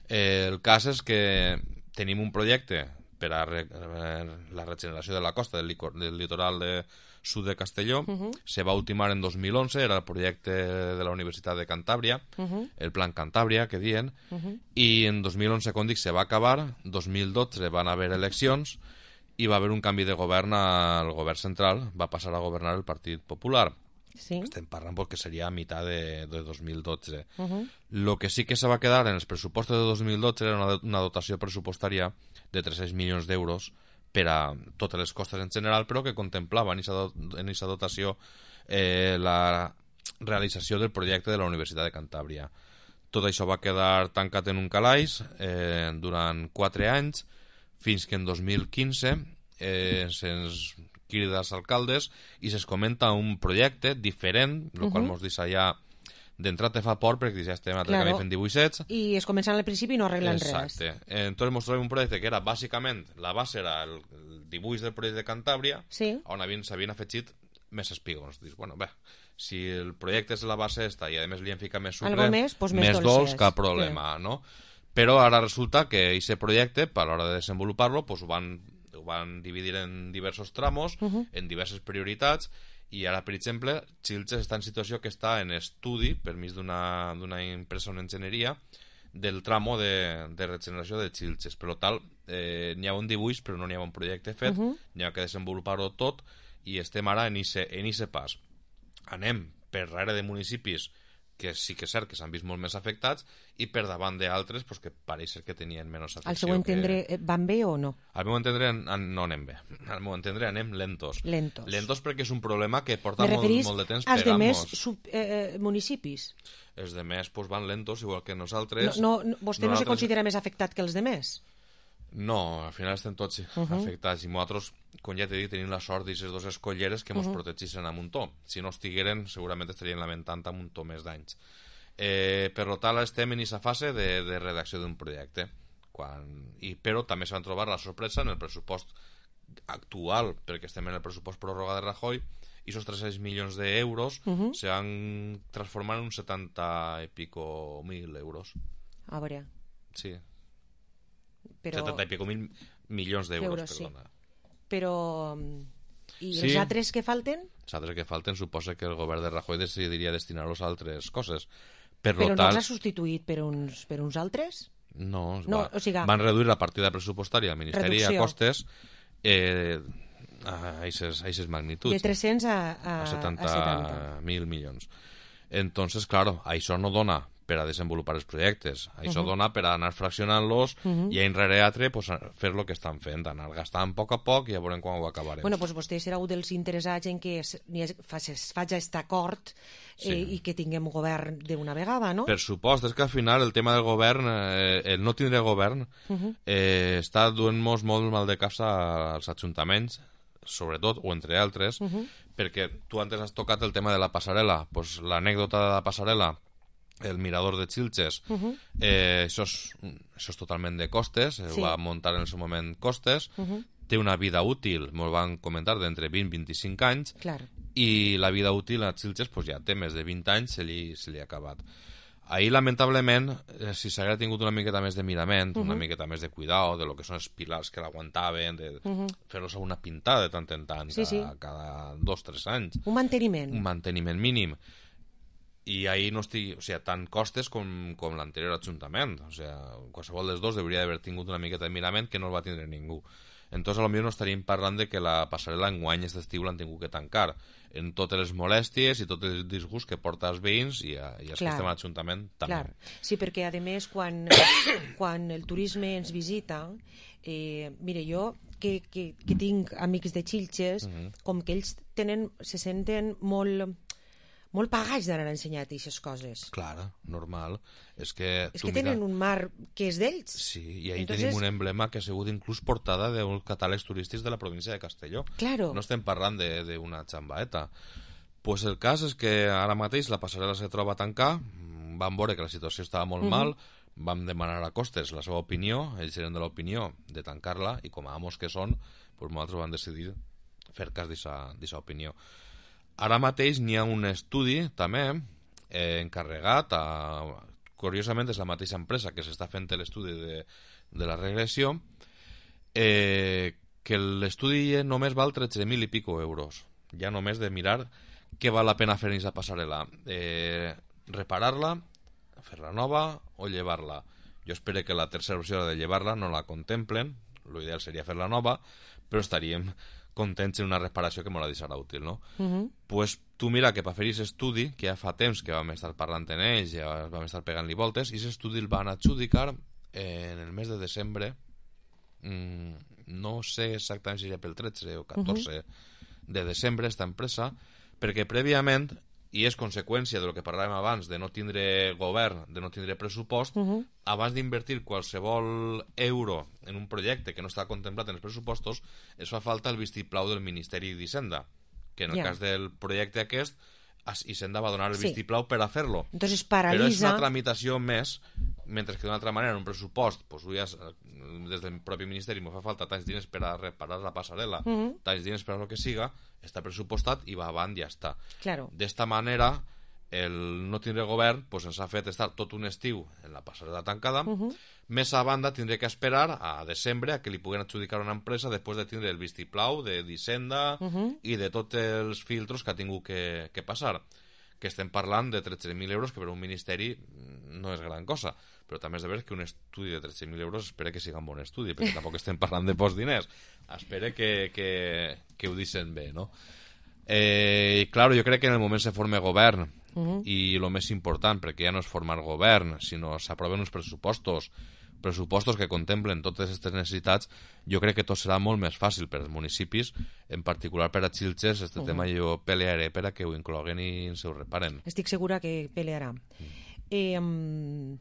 Eh, el cas és que tenim un projecte per a re, eh, la regeneració de la costa del, licor, del litoral de sud de Castelló. Mhm. Se va ultimar en dos mil onze, era el projecte de la Universitat de Cantàbria, Mhm. el Plan Cantàbria, que diuen, Mhm. i en dos mil onze, com dic, se va acabar, dos mil dotze van haver eleccions i va haver un canvi de govern al govern central, va passar a governar el Partit Popular. Sí. Estem parlant perquè seria a mitjà de, de dos mil dotze. Mhm. Lo que sí que se va quedar en els pressupostos de dos mil dotze era una, una dotació pressupostària de tres-cents milions d'euros per a totes les costes en general, però que contemplava en aquesta dotació eh, la realització del projecte de la Universitat de Cantàbria. Tot això va quedar tancat en un calaix eh, durant quatre anys, fins que en dos mil quinze eh, se'ns crida als alcaldes i se'ns comenta un projecte diferent, el qual Mhm. mos deixa ja d'entrat te fa por perquè ja estem a Claro. claro. fent divuit sets. I es comencen al principi i no arreglen Exacte. res. Entonces mos trobem un projecte que era bàsicament, la base era el, el dibuix del projecte de Cantàbria, sí. on havien, s'havien afegit més espígons. Dius, bueno, bé, si el projecte és la base esta i a més li hem ficat més sucre, Algo més, pues més més dolces. dolç, cap problema, Sí. no? Però ara resulta que aquest projecte, a l'hora de desenvolupar-lo, pues ho van, ho van dividir en diversos tramos, Mhm. en diverses prioritats, i ara, per exemple, Xilxes està en situació que està en estudi, permís d'una d'una empresa en enginyeria, del tramo de, de regeneració de Xilxes. Per tant, eh, n'hi ha un dibuix, però no n'hi ha un projecte fet, Mhm. n'hi ha que desenvolupar-ho tot, i estem ara en ixe, en ixe pas. Anem per darrere de municipis que sí que és cert que s'han vist molt més afectats, i per davant d'altres pues, que pareix ser que tenien menys afecció. Al seu entendre, que... eh, van bé o no? Al meu entendre an- no anem bé. Al meu entendre anem lentos. Lentos. Lentos perquè és un problema que porta Me molt, referís molt de temps als demés pegant-nos. sub, eh, eh, municipis. Els demés pues, van lentos, igual que nosaltres. No, no, vostè no se Nosaltres- considera més afectat que els demés? No, al final estem tots Mhm. afectats, i nosaltres, com ja t'he dit, tenim la sort d'aquestes dues escolleres que ens Mhm. protegeixen a muntó. Si no estigueren, segurament estarien lamentant a muntó més d'anys. Eh, per tant, estem en aquesta fase de, de redacció d'un projecte. Quan... I, però també se van trobar la sorpresa en el pressupost actual, perquè estem en el pressupost pròrroga de Rajoy, i esos tres-cents milions d'euros Mhm. se han transformat en uns setanta i pico mil euros. A veure, Sí, però... setanta i pico mil milions d'euros, Euros, sí. perdona. Però... mm, I Sí. els altres que falten? Els altres que falten suposa que el govern de Rajoy decidiria destinar-los a altres coses. Per Però lo no tant, els ha substituït per uns, per uns altres? no, es No, va, o siga, van reduir la partida pressupostària al Ministeri reducció. a costes eh, a aquestes magnituds. De tres-cents a, a, a setanta a setanta. mil milions. Entonces, claro, això no dona per a desenvolupar els projectes. Això Mhm. dona per a anar fraccionant-los Mhm. i a enrere altre pues, a fer el que estan fent, anar gastant a poc a poc i ja veurem quan ho acabarem. Bueno, doncs vostè serà un dels interessats en que es, ni es, faci- es faci aquest acord eh, Sí. i que tinguem govern d'una vegada, no? Per supost, és que al final el tema del govern, eh, el no tindre govern, Mhm. eh, està duent-nos molt mal de cap als ajuntaments, sobretot, o entre altres, Mhm. perquè tu antes has tocat el tema de la passarel·la. Pues l'anècdota de la passarel·la el mirador de Xilxes, Uh -huh. eh, això, és, això és totalment de costes, sí. va muntar en el seu moment costes, uh -huh. té una vida útil, m'ho van comentar, d'entre vint i vint-i-cinc anys, Clar. i la vida útil a Xilxes pues, ja té més de vint anys, se li, se li ha acabat. Ahir, lamentablement, eh, si s'haguera tingut una miqueta més de mirament, uh -huh. una miqueta més de cuidado, de lo que són els pilars que l'aguantaven, de uh -huh. fer-los a una pintada de tant en tant, sí, cada, sí. cada dos o tres anys. Un manteniment. Un manteniment mínim. I ahir no estic... O sigui, tant costes com, com l'anterior Ajuntament. O sigui, qualsevol dels dos hauria d'haver tingut una miqueta de mirament que no el va tindre ningú. Entonces, potser no estaríem parlant de que la passarel·la enguany aquest estiu l'han tingut que tancar, en totes les molèsties i tot el disgust que porta als veïns i, a, i els que estem a l'Ajuntament també. Clar. Sí, perquè a més quan, quan el turisme ens visita, eh, mire, jo que, que, que tinc amics de Xilxes, uh -huh. com que ells tenen, se senten molt... molt pagats d'anar a ensenyar aquestes coses. Clar, normal. És que, és que tenen mira... un mar que és d'ells. Sí, i ahí Entonces... tenim un emblema que ha sigut inclús portada d'uns catàlegs turístics de la província de Castelló. Claro. No estem parlant d'una xambaeta. Pues el cas és que ara mateix la passarel·la se troba a tancar, vam veure que la situació estava molt uh -huh. mal, vam demanar a Costes la seva opinió, ells eren de l'opinió de tancar-la, i com a amos que són, pues nosaltres vam decidir fer cas d'aquesta opinió. Ara mateix n'hi ha un estudi també eh, encarregat a... Curiosament és la mateixa empresa que s'està fent l'estudi de, de la regressió, eh, que l'estudi només val tretze mil i pico euros. Ja només de mirar què val la pena fer aquesta passarel·la. Eh, reparar-la, fer-la nova o llevar-la. Jo espero que la tercera opció de llevar-la no la contemplen, l'ideal seria fer-la nova, però estaríem contents en una reparació que m'ho deixarà útil, no? Uh -huh. Pues tu mira que per fer aquest estudi, que ja fa temps que vam estar parlant en ells, ja vam estar pegant-li voltes, i aquest estudi el van adjudicar en el mes de desembre, mm, no sé exactament si seria pel tretze o catorze uh -huh. de desembre, esta empresa, perquè prèviament, i és conseqüència del que parlàvem abans, de no tindre govern, de no tindre pressupost, uh -huh. abans d'invertir qualsevol euro en un projecte que no està contemplat en els pressupostos, es fa falta el vistiplau del Ministeri d'Hisenda, que en el yeah. cas del projecte aquest, Hisenda va donar el sí. vistiplau per a fer-lo. Entonces paralitza... Però és una tramitació més, mentre que d'una altra manera en un pressupost, pues, ja, des del propi Ministeri me fa falta tants diners per a reparar la passarel·la, uh -huh. tants diners per a lo que siga, està pressupostat i va avant i ja està. Claro. D'esta manera, el no tindre govern pues, ens ha fet estar tot un estiu en la passarel·la tancada, uh -huh. més a banda tindré que esperar a desembre a que li puguen adjudicar una empresa després de tindre el vistiplau de d'Hisenda uh -huh. i de tots els filtros que ha tingut que, que passar, que estem parlant de tretze mil euros, que per un ministeri no és gran cosa, però també és de veure que un estudi de tretze mil euros espera que siga un bon estudi, perquè tampoc estem parlant de pocs diners, espera que, que, que ho deixen bé, no? Eh, claro, jo crec que en el moment se forma govern, uh -huh. i el més important, perquè ja no és formar govern, sinó s'aproven uns pressupostos, pressupostos que contemplen totes aquestes necessitats, jo crec que tot serà molt més fàcil per als municipis, en particular per a Xilxes, este uh -huh. tema jo pelearé per a que ho incloguen i ens ho reparen. Estic segura que pelearà. Mm. Eh, um,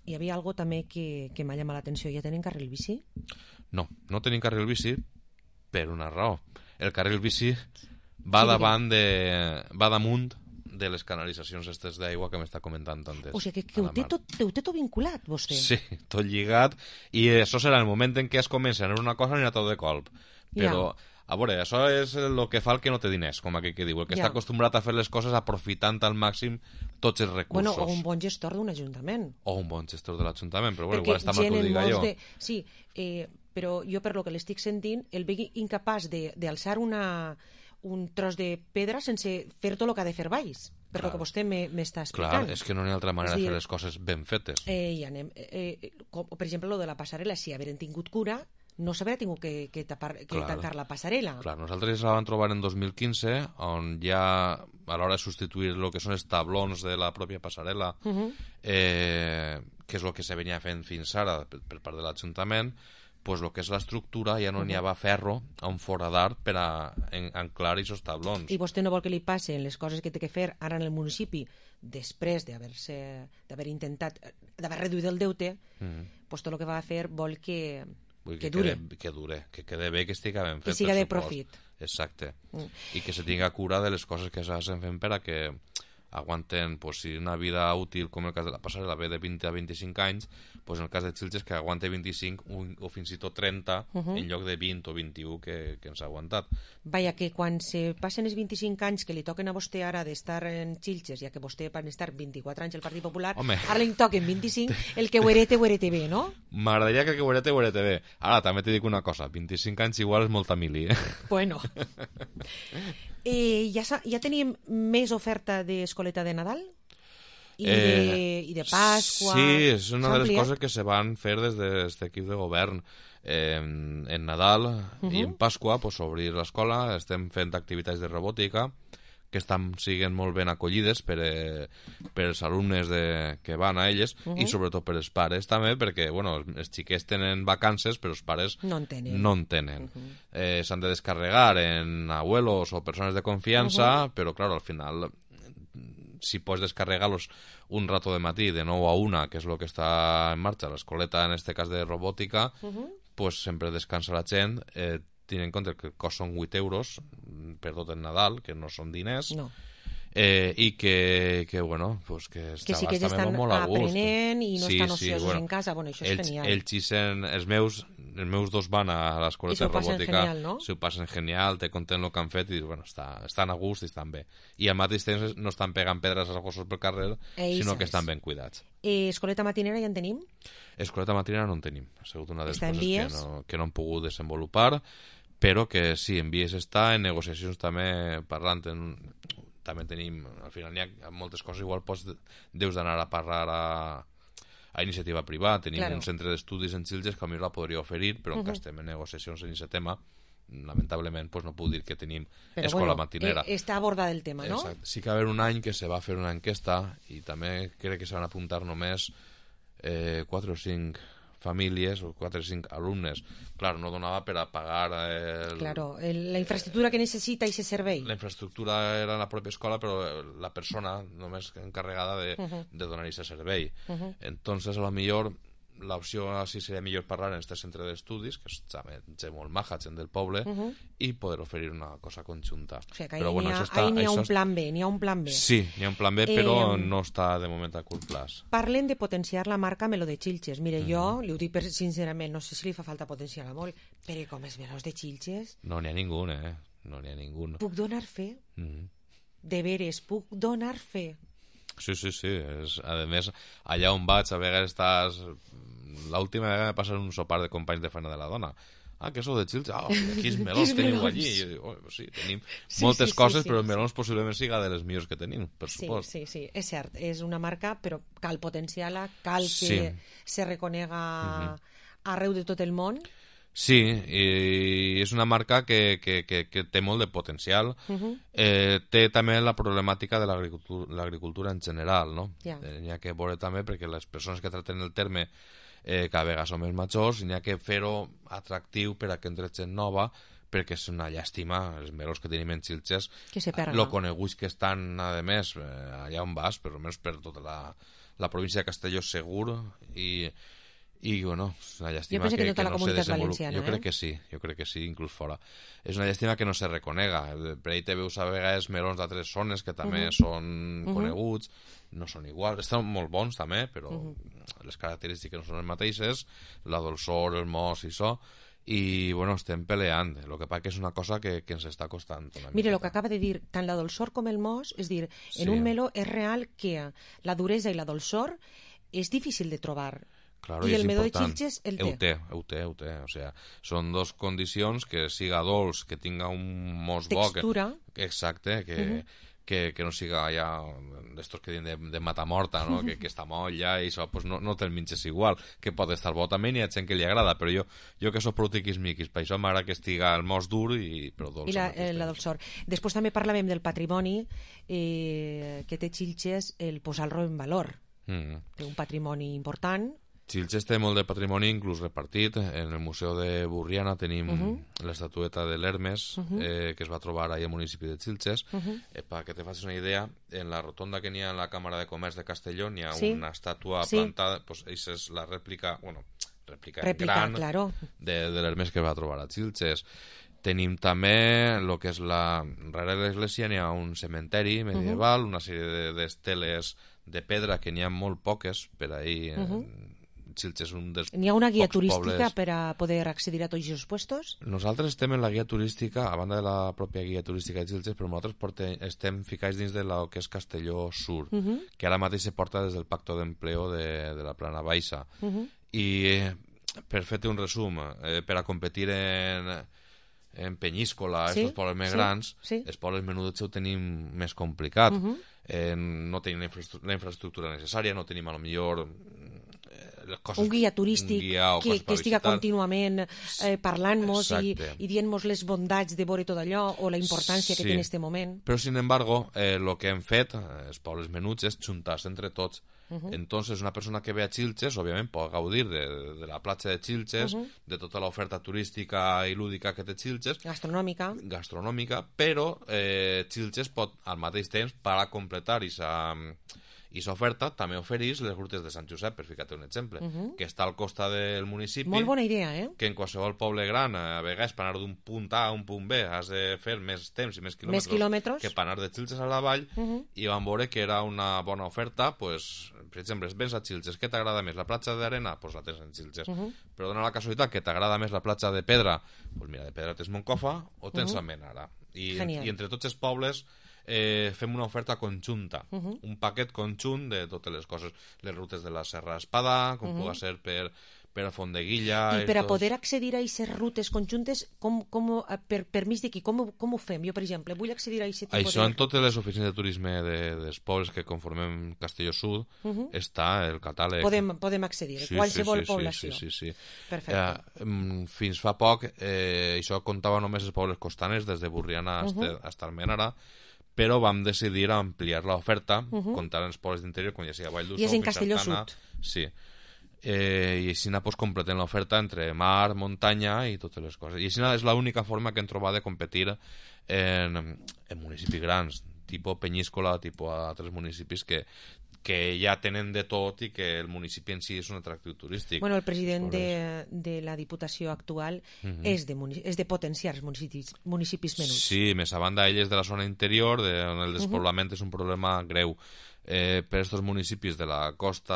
hi havia algo també que, que m'ha llamat l'atenció. Ja tenen carril bici? No, no tenim carril bici per una raó. El carril bici va sí, davant de... va damunt de les canalitzacions estes d'aigua que m'està comentant antes. O sigui, que, que ho, té tot, ho té tot vinculat, vostè. Sí, tot lligat, i això serà el moment en què es comença a anar una cosa i anar tot de colp. Però, ja. a veure, això és el que fa el que no té diners, com aquell que diu, el que ja. està acostumbrat a fer les coses aprofitant al màxim tots els recursos. Bueno, o un bon gestor d'un ajuntament. O un bon gestor de l'Ajuntament, però bueno, igual està mal que ho diga jo. De... Sí, eh, però jo per lo que l'estic sentint, el veig incapaç d'alçar una... un tros de pedra sense fer tot el que ha de fer baix, per lo que vostè m'està explicant. Clar, és que no hi ha altra manera de fer les coses ben fetes. Eh, i anem, eh, com, per exemple, lo de la passarel·la, si hagueren tingut cura, no s'hauria tingut que, que, tapar, que clar, tancar la passarel·la. Clar, nosaltres la vam trobar en dos mil quinze, on ja a l'hora de substituir el que són els tablons de la pròpia passarel·la, uh -huh. eh, que és el que se venia fent fins ara per, per part de l'Ajuntament, pues lo que és l'estructura ja no n'hi havia ferro a un foradar per a anclar aquests tablons. I vostè no vol que li passin les coses que té que fer ara en el municipi després d'haver-se d'haver intentat, d'haver reduït el deute, mm -hmm. pues tot el que va a fer vol que, Vull que, que dure. Quede, que dure, que quede bé, que estigui ben fet. Que siga de profit. Exacte. Mm. I que se tinga cura de les coses que s'hacen fent per a que aguanten, pues, si una vida útil, com el cas de la passarel·la, ve de vint a vint-i-cinc anys, pues en el cas de Xilxes que aguante vint-i-cinc o, o fins i tot trenta uh -huh. en lloc de vint o vint-i-u que, que ens ha aguantat. Vaja, que quan se passen els vint-i-cinc anys que li toquen a vostè ara d'estar en Xilxes, ja que vostè van estar vint-i-quatre anys al Partit Popular, Home. ara li toquen vint-i-cinc, el que ho herete, ho herete bé, no? M'agradaria que el que ho herete, ho herete bé. Ara, també te dic una cosa, vint-i-cinc anys igual és molta mili, eh? Bueno. eh, ja, ja tenim més oferta d'escoleta de Nadal? I, eh, de, i de Pasqua... Sí, és una de les coses que se van fer des d'aquest equip de govern. Eh, en Nadal uh -huh. i en Pasqua, pues, obrir l'escola, estem fent activitats de robòtica que estan siguent molt ben acollides per, eh, per els alumnes de, que van a elles uh -huh. i sobretot per els pares també, perquè bueno, els xiquets tenen vacances però els pares no en tenen, no en tenen. Uh -huh. eh, s'han de descarregar en abuelos o persones de confiança, uh -huh. però clar, al final si pots descarregar-los un rato de matí de nou a una, que és el que està en marxa l'escoleta, en este cas de robòtica, uh -huh. pues sempre descansa la gent, eh, tenint en compte que el cost són vuit euros per tot el Nadal, que no són diners, no. eh, i que, que bueno, pues que els que sí que xavals també molt a gust. aprenent i no sí, estan sí, ociosos bueno, en casa, bueno, això és ells, genial. Ells xisen, els meus, els meus dos van a l'escoleta de robòtica, genial, no? s'ho passen genial, te conten el que han fet i bueno, està, estan a gust i estan bé. I al mateix temps no estan pegant pedres als gossos pel carrer, Ells sinó que és. estan ben cuidats. Eh, escoleta matinera ja en tenim? Escoleta matinera no en tenim. Ha sigut una de les Està en coses que vies? no, que no hem pogut desenvolupar, però que sí, en vies està, en negociacions també parlant, en, també tenim, al final hi ha moltes coses, igual pots, deus d'anar a parlar a, a iniciativa privada, tenim claro. un centre d'estudis en Xilxes que a mi la podria oferir, però uh -huh. que estem en negociacions en aquest tema, lamentablement pues no puc dir que tenim però escola bueno, matinera. Eh, està abordat el tema, no? Exacte. Sí que va haver un any que se va fer una enquesta i també crec que se van apuntar només eh, quatre o cinc famílies o quatre o cinc alumnes. Clar, no donava per a pagar el... Claro, el, la infraestructura que necessita i se servei. La infraestructura era la pròpia escola, però la persona només encarregada de, uh -huh. de donar aquest servei. Uh -huh. Entonces, a lo millor l'opció així seria millor parlar en aquest centre d'estudis, que és gent molt maja, gent del poble, uh -huh. i poder oferir una cosa conjunta. O sigui, que però, bueno, n'hi ha, està, ha un plan B, n'hi ha un plan B. Sí, n'hi ha un plan B, però eh, no està de moment a curt plaç. Parlen de potenciar la marca Meló de Xilxes. Mire, uh -huh. jo li ho dic sincerament, no sé si li fa falta potenciar-la molt, però com els melons de Xilxes... No n'hi ha ningú, eh? No n'hi ha ningú. Puc donar fe? Uh -huh. De veres, puc donar fe? Sí, sí, sí. És, a més, allà on vaig, a vegades estàs... L'última vegada me passa un sopar de companys de feina de la dona. Ah, que sou de Xilxes? Ah, quins melons teniu allí? I jo dic, oh, sí, tenim sí, moltes sí, coses, sí, però sí, el melons possiblement siga de les millors que tenim, per sí, supost. Sí, sí, és cert. És una marca, però cal potenciar-la, cal sí. que se reconega uh -huh. arreu de tot el món. Sí, i és una marca que, que, que, que té molt de potencial. Uh -huh. eh, té també la problemàtica de l'agricultura en general, no? Yeah. N'hi ha que veure també, perquè les persones que traten el terme eh, cada vegada són més majors, i n'hi ha que fer-ho atractiu per a que entre gent nova, perquè és una llàstima els melons que tenim en Xilxes, lo coneguts que estan, a més, eh, allà on vas, però almenys per tota la, la província de Castelló segur, i i bueno, és una llàstima que, que, tota que no se desenvolupi. Jo eh? crec que sí, jo crec que sí, inclús fora. És una llàstima que no se reconega. Per ahí te veus a vegades melons d'altres zones que també uh -huh. són uh -huh. coneguts, no són iguals, estan molt bons també, però uh -huh. les característiques no són les mateixes, la dolçor, el mos i això, i bueno, estem peleant. El que passa que és una cosa que, que ens està costant una Mire, mica. el que acaba de dir, tant la dolçor com el mos, és dir, sí. en un meló és real que la duresa i la dolçor és difícil de trobar. Claro, I el meló de important. Xilxes el té. Ho té, ho té, ho té. O sea, són dos condicions, que siga dolç, que tinga un mos bo... Textura. Que, exacte, que, uh -huh. que, que no siga ja d'estos que diuen de, de matamorta, no? que, que està moll ja i això, pues no, no te'l menges igual, que pot estar bo també, n'hi ha gent que li agrada, però jo, jo que soc prou tiquismiquis, per això m'agrada que estiga el mos dur i però dolç. I la, eh, la dolçor. Després també parlàvem del patrimoni eh, que té Xilxes, el posar-lo en valor. Mm. Té un patrimoni important. Xilxes té molt de patrimoni, inclús repartit. En el Museu de Burriana tenim uh -huh. l'estatueta de l'Hermes, uh -huh. eh, que es va trobar ahir al municipi de Xilxes. Uh -huh. eh, perquè te facis una idea, en la rotonda que n'hi ha en la Càmera de Comerç de Castelló n'hi ha sí. una estàtua sí. plantada, pues, això és la rèplica, bueno, rèplica, rèplica gran claro. de, de l'Hermes que va trobar a Xilxes. Tenim també el que és la... Darrere de l'església n'hi ha un cementeri medieval, uh-huh. una sèrie d'esteles de, de pedra que n'hi ha molt poques per ahir. Uh-huh. Sitges és un dels N'hi ha una guia turística pobles. Per a poder accedir a tots els puestos? Nosaltres estem en la guia turística, a banda de la pròpia guia turística de Sitges, però nosaltres portem, estem ficats dins de lo que és Castelló Sur, uh-huh. que ara mateix se porta des del Pacto d'Empleo de, de la Plana Baixa. Uh-huh. I eh, per fer-te un resum, eh, per a competir en... en Penyíscola, sí, aquests pobles més sí, grans, sí. Els pobles menuts ho tenim més complicat. Uh-huh. eh, no tenim la, infraestructura, la infraestructura necessària, no tenim a lo millor eh, les coses, un guia turístic un guia que, que estiga contínuament eh, parlant-nos i, i dient-nos les bondats de veure tot allò o la importància sí. que té en aquest moment. Però, sin embargo, el eh, que hem fet, els pobles menuts, és juntar-se entre tots. Uh-huh. Entonces, una persona que ve a Xilxes, òbviament, pot gaudir de, de la platja de Xilxes, uh-huh. de tota l'oferta turística i lúdica que té Xilxes. Gastronòmica. Gastronòmica, però eh, Xilxes pot, al mateix temps, per a completar aquesta oferta, també ofereix les rutes de Sant Josep, per ficar-te un exemple, uh-huh. que està al costat del municipi. Molt bona idea, eh? Que en qualsevol poble gran, a vegades, per anar d'un punt A a un punt B, has de fer més temps i més quilòmetres, més quilòmetres. que per anar de Xilxes a la vall, uh-huh. i vam veure que era una bona oferta, pues, per exemple, vens a Xilxes, què t'agrada més? La platja d'arena? Doncs pues la tens en Xilxes. Uh-huh. Però dona la casualitat que t'agrada més la platja de pedra, doncs pues mira, de pedra tens Moncofa o tens uh-huh. Almenara. I, I entre tots els pobles eh, fem una oferta conjunta, uh-huh. un paquet conjunt de totes les coses, les rutes de la Serra Espada, com uh-huh. pugui ser per... per a Fondeguilla... I per a poder accedir a aquestes rutes conjuntes, com, com, per permís de qui? Com, com ho fem? Jo, per exemple, vull accedir a aquest tipus de... Això en totes les oficines de turisme de, dels pobles que conformem Castelló Sud uh-huh. està el catàleg. Podem, podem accedir, sí, qualsevol sí, sí, població. Sí, sí, sí. Perfecte. Eh, fins fa poc, eh, això comptava només els pobles costaners, des de Burriana uh-huh. fins a Almenara, però vam decidir ampliar l'oferta, uh-huh. comptant els pobles d'interior, com ja sigui a Vall d'Uixó, I és en Castelló Sud. Sí. Eh, i així pues, completem l'oferta entre mar, muntanya i totes les coses. I així és l'única forma que hem trobat de competir en, en municipis grans, tipus Penyíscola, tipus altres municipis que, que ja tenen de tot i que el municipi en si és un atractiu turístic. Bueno, el president de, de la Diputació actual uh-huh. és, de, és de potenciar els municipis, municipis menuts. Sí, més a banda ell és de la zona interior, de, on el despoblament uh-huh. és un problema greu. Eh, per aquests municipis de la costa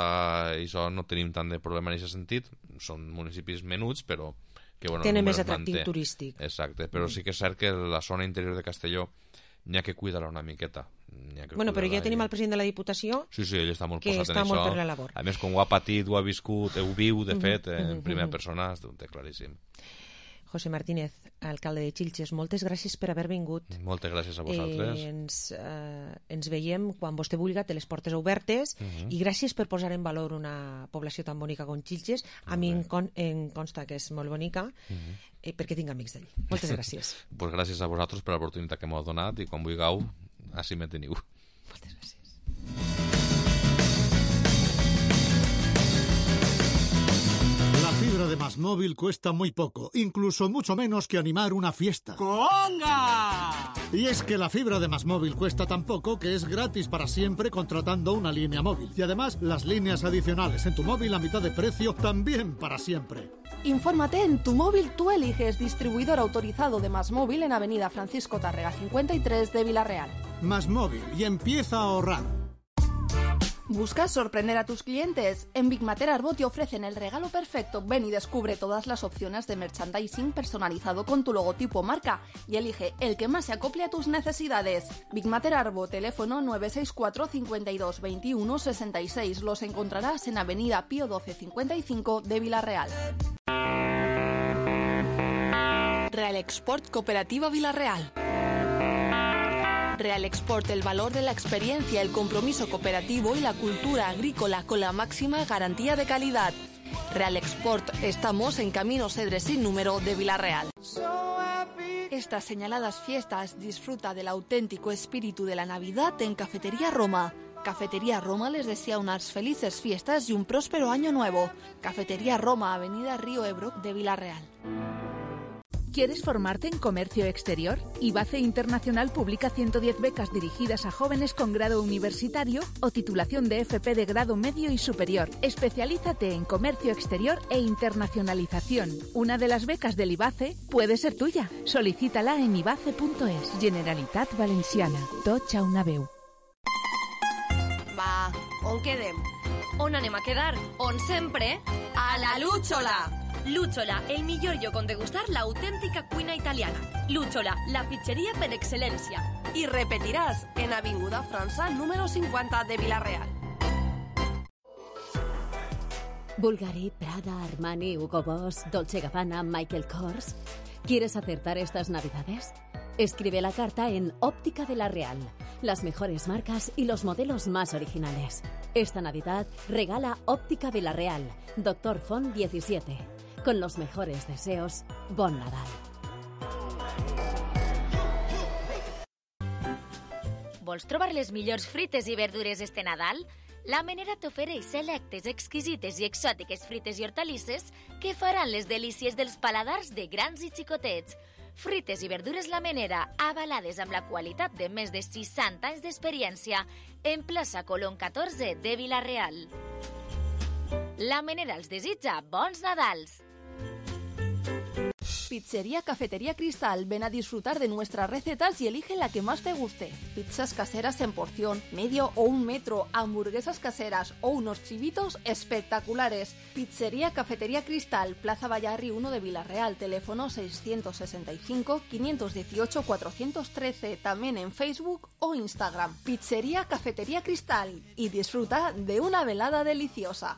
i això no tenim tant de problema en aquest sentit, són municipis menuts però que, bueno, tenen més atractiu manté. Turístic. Exacte, però mm. sí que és cert que la zona interior de Castelló n'hi ha que cuidar-la una miqueta. Que bueno, però ja tenim el president de la Diputació sí, sí, ell està molt que posat està en molt això. Per la labor. A més, com ho ha patit, ho ha viscut, ho viu, de mm-hmm. fet, en mm-hmm. primera persona, ho té claríssim. José Martínez, alcalde de Xilxes, moltes gràcies per haver vingut. Moltes gràcies a vosaltres. Eh, ens, eh, ens veiem quan vostè vulgui, té les portes obertes, uh-huh. i gràcies per posar en valor una població tan bonica com Xilxes. A mi em, con, em consta que és molt bonica, uh-huh. eh, perquè tinc amics d'ell. Moltes gràcies. Pues gràcies a vosaltres per l'oportunitat que m'heu donat i quan vulgueu, així me teniu. Moltes gràcies. La fibra de Más Móvil cuesta muy poco, incluso mucho menos que animar una fiesta. ¡Conga! Y es que la fibra de Más Móvil cuesta tan poco que es gratis para siempre contratando una línea móvil. Y además, las líneas adicionales en tu móvil a mitad de precio también para siempre. Infórmate en Tu Móvil Tú Eliges, distribuidor autorizado de Más Móvil en Avenida Francisco Tárrega cincuenta y tres de Villarreal. Más Móvil y empieza a ahorrar. ¿Buscas sorprender a tus clientes? En Big Mater Arbo te ofrecen el regalo perfecto. Ven y descubre todas las opciones de merchandising personalizado con tu logotipo marca y elige el que más se acople a tus necesidades. Big Mater Arbo, teléfono nueve seis cuatro, cinco dos, veintiuno, sesenta y seis. Los encontrarás en Avenida Pío doce cincuenta y cinco de Villarreal. Real Export Cooperativa Villarreal. Real Export, el valor de la experiencia, el compromiso cooperativo y la cultura agrícola con la máxima garantía de calidad. Real Export, estamos en Camino Cedre sin número de Villarreal. Estas señaladas fiestas disfruta del auténtico espíritu de la Navidad en Cafetería Roma. Cafetería Roma les desea unas felices fiestas y un próspero año nuevo. Cafetería Roma, Avenida Río Ebro de Villarreal. ¿Quieres formarte en comercio exterior? IBACE Internacional publica ciento diez becas dirigidas a jóvenes con grado universitario o titulación de F P de grado medio y superior. Especialízate en comercio exterior e internacionalización. Una de las becas del IBACE puede ser tuya. Solicítala en ibace punto es. Generalitat Valenciana. Tots a una veu. Va, on quedem? On anem a quedar? On sempre? A la Lúchola! Lúchola, el millor lloc on degustar l'autèntica cuina italiana. Lúchola, la pizzeria per excel·lència. I repetiràs en Avinguda França número cinquanta de Vila-real. Bulgari, Prada, Armani, Hugo Boss, Dolce Gabbana, Michael Kors. ¿Quieres acertar estas navidades? Escribe la carta en Óptica de la Real. Las mejores marcas y los modelos más originales. Esta Navidad regala Óptica Vila-real, Doctor Font diecisiete. Con los mejores deseos, Bon Nadal. Vols trobar les millors frites i verdures este Nadal? La Menera t'ofereix selectes, exquisites i exòtiques frites i hortalisses que faran les delícies dels paladars de grans i xicotets. Frites i verdures La Menera, avalades amb la qualitat de més de seixanta anys d'experiència, en plaça Colón catorze de Vila-real. La Menera els desitja bons Nadals. Pizzería Cafetería Cristal, ven a disfrutar de nuestras recetas y elige la que más te guste. Pizzas caseras en porción, medio o un metro, hamburguesas caseras o unos chivitos espectaculares. Pizzería Cafetería Cristal, Plaza Vallarri uno de Vila-real, teléfono seiscientos sesenta y cinco, quinientos dieciocho, cuatrocientos trece, también en Facebook o Instagram. Pizzería Cafetería Cristal y disfruta de una velada deliciosa.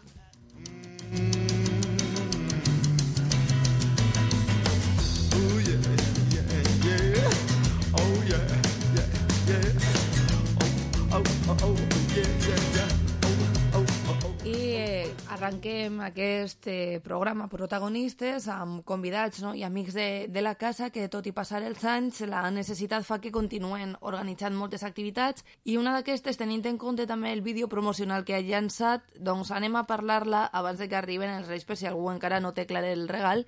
I arranquem aquest eh, programa protagonistes amb convidats, no? I amics de, de la casa que, tot i passar els anys, la necessitat fa que continuen organitzant moltes activitats, i una d'aquestes, tenint en compte també el vídeo promocional que ha llançat, doncs anem a parlar-la abans de que arriben els Reis, per si algú encara no té clar el regal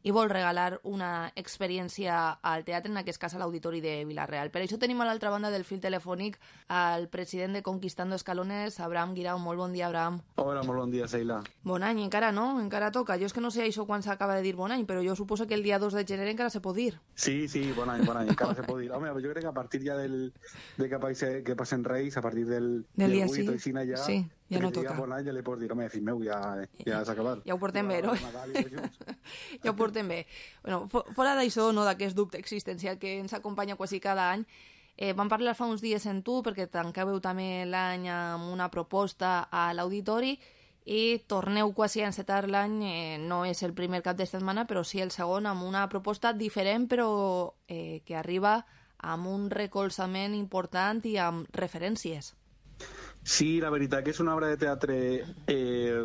i vol regalar una experiència al teatre, en aquest cas a l'Auditori de Vila-real. Per això tenim a l'altra banda del fil telefònic el president de Conquistando Escalones, Abraham Guirao. Molt bon dia, Abraham. Hola, molt bon dia, Seila. Bon any, encara no? Encara toca. Jo és que no sé això quan s'acaba de dir bon any, però jo suposo que el dia dos de gener encara se pot dir. Sí, sí, bon any, bon any, encara se pot dir. Home, jo crec que a partir ja del, de que, passe, que passen Reis, a partir del, del dia sí, ja, sí, ja no toca. Bon any ja li pots dir, home, fill meu, ja, ja s'ha acabat. Ja ho portem bé, no? Ja ho portem bé. Bueno, fora d'això, no, d'aquest dubte existencial que ens acompanya quasi cada any, eh, vam parlar fa uns dies en tu, perquè tancàveu també l'any amb una proposta a l'auditori i torneu quasi a encetar l'any, eh, no és el primer cap de setmana, però sí el segon, amb una proposta diferent, però eh, que arriba amb un recolzament important i amb referències. Sí, la veritat que és una obra de teatre eh,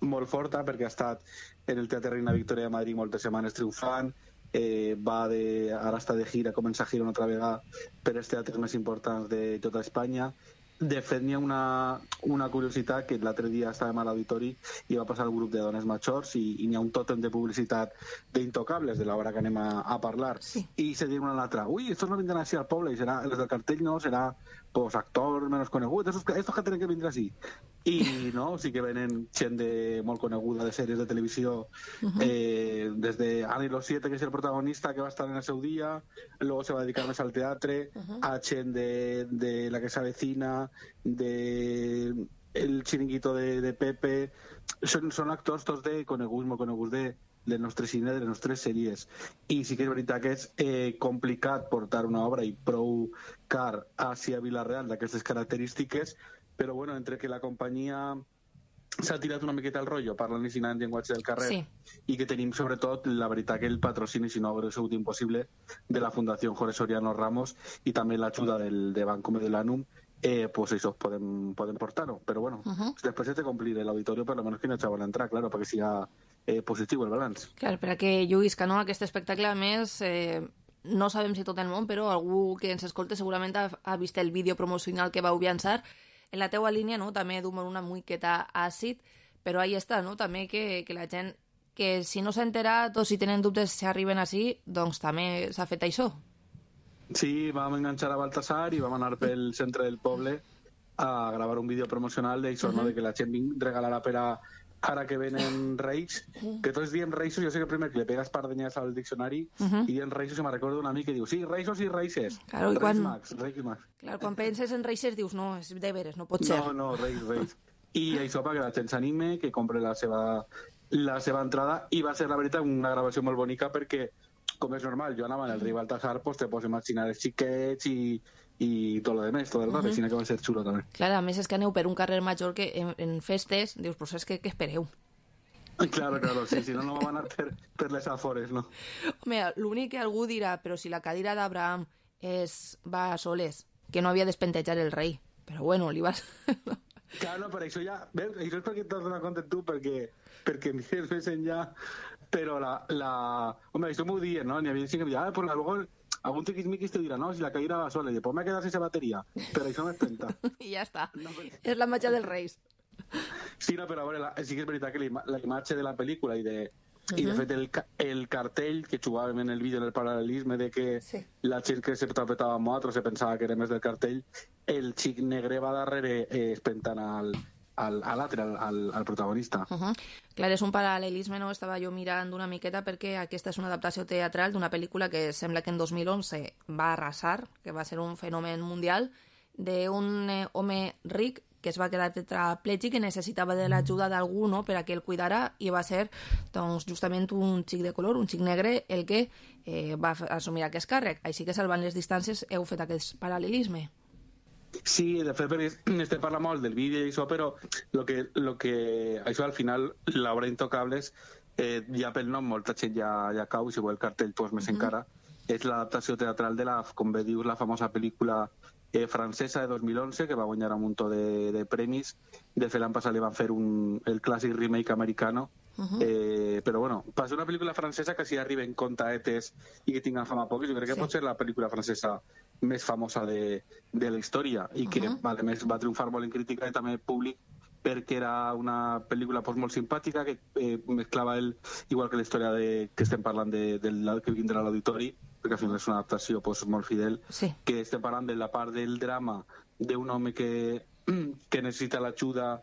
molt forta, perquè ha estat en el Teatre Reina Victoria de Madrid moltes setmanes triomfant, eh, va de, ara està de gira, comença a gira una altra vegada per els teatres més importants de tota Espanya. De fet, n'hi ha una, una curiositat, que l'altre dia estàvem a l'auditori i va passar el grup de dones majors i, i n'hi ha un tòtem de publicitat d'Intocables, de l'obra que anem a, a parlar. Sí. I se diu una a l'altra, ui, estos no vindran així al poble, i serà, els del cartell no, serà pues, actor menos conegut, estos, estos que tenen que vindre així. I no, sí que venen gent de, molt coneguda de sèries de televisió, uh-huh. eh, des de Ani Los Siete, que és el protagonista, que va estar en el seu dia, luego se va dedicar més al teatre, uh-huh. a gent de, de La que se avecina, de El Chiringuito de, de Pepe, són, són actors tots de coneguts, molt coneguts de, del nostre cine, de les nostres sèries. I sí que és veritat que és eh, complicat portar una obra i prou car hacia Vila-real d'aquestes característiques, però bueno, entre que la companyia s'ha tirat una miqueta el rotllo parlant i sinant llenguatge del carrer, sí. I que tenim sobretot la veritat que el patrocini, si no hagués sigut impossible, de la Fundació Jorge Soriano Ramos i també l'ajuda del de Banco Mediolanum, eh, pues això podem, podem portar-ho, però bueno, uh-huh. després de complir l'auditorio, per lo menos que no eixaven a entrar, claro, perquè siga eh, positiu el balanç. Clar, per a que lluïsca, no?, aquest espectacle, a més, eh, no sabem si tot el món, però algú que ens escolta segurament ha, ha vist el vídeo promocional que vau llançar. En la teua línia, no?, també d'humor una miqueta àcid, però ahí està, no?, també que, que la gent que si no s'ha enterat o si tenen dubtes si arriben així, doncs també s'ha fet això. Sí, vam enganxar a Baltasar i vam anar pel centre del poble a gravar un vídeo promocional d'això, uh-huh. no? De que la gent regalarà per a ara que venen Reis, que tots diem Reisos, jo sé que primer que le pegas pardenyes al diccionari uh-huh. i diem Reisos i me'n recordo un amic que diu sí, Reisos i Reises, claro, Reis quan... Max, Reis Max. Clar, quan penses en Reises dius no, és de veres, no pot ser. No, no, Reis, Reis. I això perquè la gent s'anime, que compre la seva, la seva entrada, i va ser la veritat una gravació molt bonica perquè, com és normal, jo anava en el rei Baltasar, pues te pots imaginar els xiquets i i tot lo de més, tot el rato, uh-huh. Així que va ser xulo també. Clar, a més és que aneu per un carrer major que en, en festes, dius, però saps què, què espereu? Claro, claro, sí, si no, no vam anar per, per les afores, no? Home, l'únic que algú dirà, però si la cadira d'Abraham és, va a soles, que no havia d'espentejar el rei, però bueno, li vas... Claro, no, per això ja... Veus, això és perquè t'has donat compte tu, perquè, perquè mires més enllà, però la... la... Home, això m'ho dient, no? N'hi havia gent que deia, ah, pues luego... Algún tiquismiquis te dirà, no, si la cadira va sola, i después me quedas sense bateria, però això m'espenta. I ja està. No, però... És la matxa dels Reis. Sí, no, però a veure, la, sí que és veritat que la, la imatge de la pel·lícula i de, uh-huh. i de fet el, el cartell que jugàvem en el vídeo en el paral·lelisme de que sí. La gent que se tapetava amb nosaltres se pensava que era més del cartell, el xic negre va darrere eh, espentant al, al, a l'altre, al, al, al protagonista. Uh-huh. Clar, és un paral·lelisme, no? Estava jo mirant una miqueta perquè aquesta és una adaptació teatral d'una pel·lícula que sembla que en dos mil onze va arrasar, que va ser un fenomen mundial, d'un eh, home ric que es va quedar tetraplègic i necessitava de l'ajuda d'algú, no?, per a que el cuidara, i va ser doncs, justament un xic de color, un xic negre, el que eh, va assumir aquest càrrec. Així que, salvant les distàncies, heu fet aquest paral·lelisme. Sí, de fet, estem parlant molt del vídeo i això, però lo que, lo que, això al final, l'obra Intocables, eh, ja pel nom molta gent ja, ja cau, i si vol el cartell pues, més uh-huh. encara, és l'adaptació teatral de la, com bé dius, la famosa pel·lícula eh, francesa de dos mil onze, que va guanyar un munt de, de premis. De fet, l'any passat li van fer un, el clàssic remake americano. Uh-huh. eh, però bueno, per ser una pel·lícula francesa que si arriben contaetes i que tinguin fama pocs, jo crec que sí. Pot ser la pel·lícula francesa més famosa de, de la història i que uh-huh. a més va triomfar molt en crítica i també públic perquè era una pel·lícula pues, molt simpàtica que eh, mesclava el, igual que la història de, que estem parlant de, del que vindrà a l'auditori, perquè al final és una adaptació pues, molt fidel, sí. Que estem parlant de la part del drama d'un home que, que necessita l'ajuda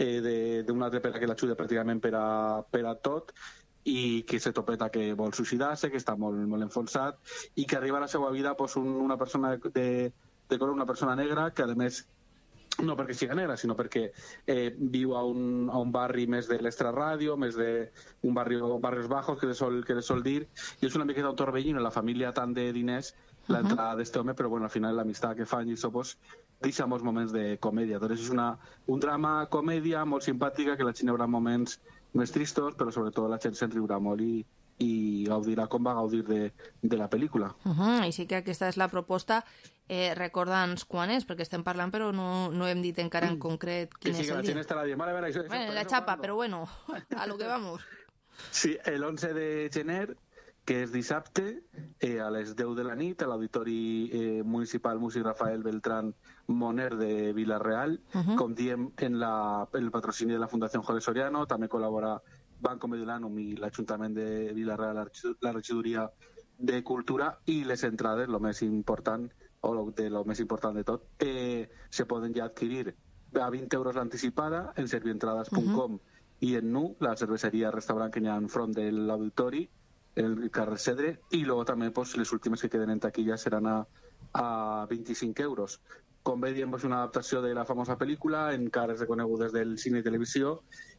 eh, d'una altra per a que l'ajuda pràcticament per a, per a tot, i que se topeta que vol suïcidar-se, que està molt, molt enfonsat i que arriba a la seva vida pues, un, una persona de, de color, una persona negra que a més no perquè sigui negra, sinó perquè eh, viu a un, a un barri més de l'extraràdio, més de un barri, barrios bajos que le sol, que le sol dir, i és una miqueta un torbellino, la família tant de diners, l'entrada uh-huh. d'este home, però bueno, al final l'amistat que fan i això pues, deixa molts moments de comèdia. Doncs és una, un drama comèdia molt simpàtica, que la gent hi haurà moments més tristos, però sobretot la gent se'n riurà molt i, i gaudirà com va gaudir de, de la pel·lícula. Uh-huh. Així que aquesta és la proposta. Eh, recorda'ns quan és, perquè estem parlant però no, no hem dit encara en concret quin sí, és el el dia. dia. Estarà dient, vale, vale, això, bueno, la xapa, però bueno, a lo que vamos. Sí, el onze de gener, que és dissabte, eh, a les deu de la nit, a l'Auditori eh, Municipal Músic Rafael Beltrán Moner de Vila-real. Uh-huh. Com diem, en la, el patrocini de la Fundació Jorge Soriano, també col·labora Banco Mediolanum i l'Ajuntament de Vila-real, la regidoria de Cultura, i les entrades, el més important, o lo, de lo més important de tot, eh, se poden ja adquirir a vint euros l'anticipada en servientrades punt com uh-huh. i en Nu, la cerveseria restaurant que hi ha enfront de l'auditori, el carrer Cedre, i luego també pues, les últimes que queden en taquilla seran a, a vint-i-cinc euros. Com bé diem, és una adaptació de la famosa pel·lícula en cares reconegudes del cine i televisió,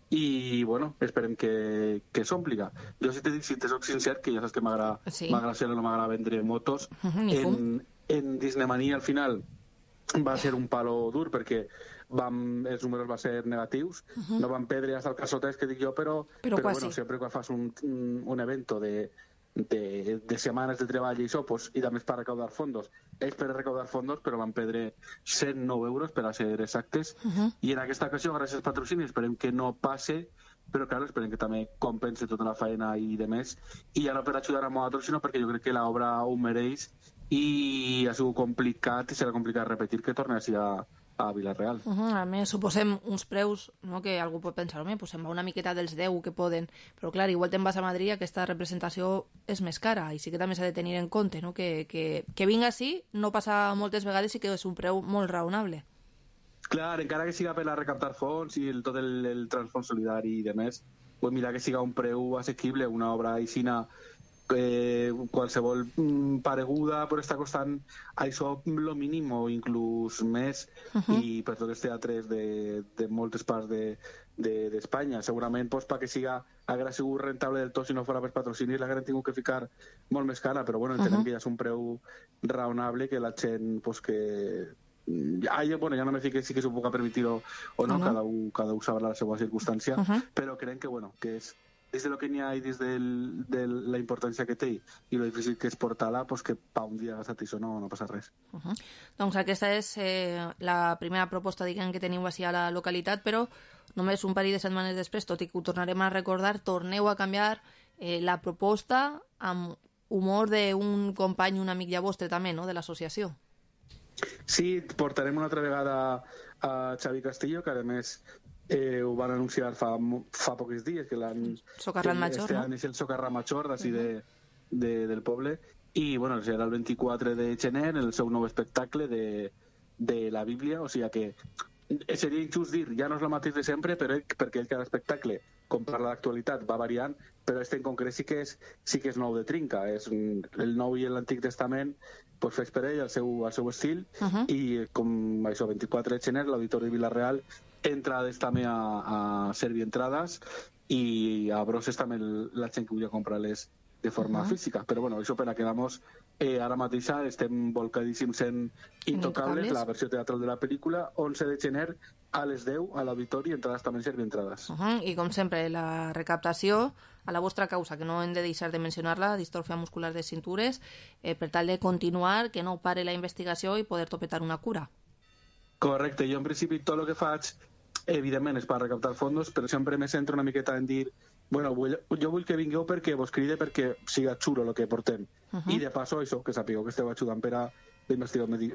i bueno, esperem que, que s'ompliga. Jo si te dic, si te soc sincer, que ja saps que m'agrada sí. ser o no m'agrada vendre motos, uh-huh, en, en Disneymania al final va ser un palo dur perquè vam, els números van ser negatius, uh-huh. no van perdre hasta el casotès que dic jo, però, però, però bueno, sempre quan fas un, un, un evento de, de, de setmanes de treball i això, pues, i també per recaudar fondos, ells per recaudar fondos, però van perdre cent nou euros per a ser exactes, uh-huh. i en aquesta ocasió, gràcies al patrocini, esperem que no passe, però clar, esperem que també compense tota la feina i de més, i ja no per ajudar a nosaltres, sinó perquè jo crec que l'obra ho mereix, i ha sigut complicat i serà complicat repetir que torni a, a Vila-real. Uh -huh. A més, suposem uns preus, no?, que algú pot pensar, home, pues se'n va una miqueta dels deu que poden, però clar, igual te'n vas a Madrid, aquesta representació és més cara, i sí que també s'ha de tenir en compte, no?, que, que, que vinga així no passa moltes vegades i que és un preu molt raonable. Clar, encara que siga per a recaptar fons i el, tot el, el transfons solidari i demés, pues mira que siga un preu assequible, una obra aixina, eh, qualsevol mm, pareguda però està costant això lo mínim o inclús més, uh -huh. i per tots els teatres de, de moltes parts de, de, d'Espanya. Segurament pues, perquè siga haguera sigut rentable del tot si no fos per patrocinis l'hagueren tingut que ficar molt més cara, però bueno, entenem uh -huh. que ja és un preu raonable que la gent pues, que ja, bueno, ja no me fico si que s'ho puc permitir o, o no, uh -huh. cada, un, cada un sabrà la seva circumstància, uh -huh. però crec que, bueno, que és des de lo que n'hi ha i des de la importància que té i lo difícil que és portar-la, pues que pa un dia gastat això no, no passa res. Uh -huh. Doncs aquesta és eh, la primera proposta, diguem, que teniu així a la localitat, però només un parell de setmanes després, tot i que ho tornarem a recordar, torneu a canviar eh, la proposta amb humor d'un company, un amic ja vostre també, no?, de l'associació. Sí, portarem una altra vegada a Xavi Castillo, que a més Eh, ho van anunciar fa, fa pocs dies que l'han Socarrat Major, este no? any és el Socarrat Major d'ací uh -huh. de, de, del poble, i bueno, serà el vint-i-quatre de gener el seu nou espectacle de, de la Bíblia, o sigui que seria injust dir, ja no és el mateix de sempre, però ell, perquè ell cada espectacle, com parla d'actualitat, va variant, però este en concret sí que és, sí que és nou de trinca, és el Nou i l'Antic Testament, pues fes per ell al seu, al seu estil, uh -huh. i com això, vint-i-quatre de gener, l'Auditori de Vila-real, entrades també a, a servir entrades, i a brosses també la gent que volia comprar-les de forma uh -huh. física, però bueno, això per a quedamos eh, ara mateix estem volcadíssims en Intocables, la versió teatral de la pel·lícula, onze de gener a les deu a l'Auditori, entrades també servir entrades. Uh -huh. I com sempre, la recaptació a la vostra causa, que no hem de deixar de mencionar-la, distròfia muscular de cintures, eh, per tal de continuar, que no pare la investigació i poder topetar una cura. Correcte, jo en principi tot el que faig evidentment és per recaptar fondos, però sempre me centro una miqueta en dir, bueno, vull, jo vull que vingueu perquè vos cride perquè siga xulo el que portem. Uh -huh. I de passo això, que sapigueu que esteu ajudant per a la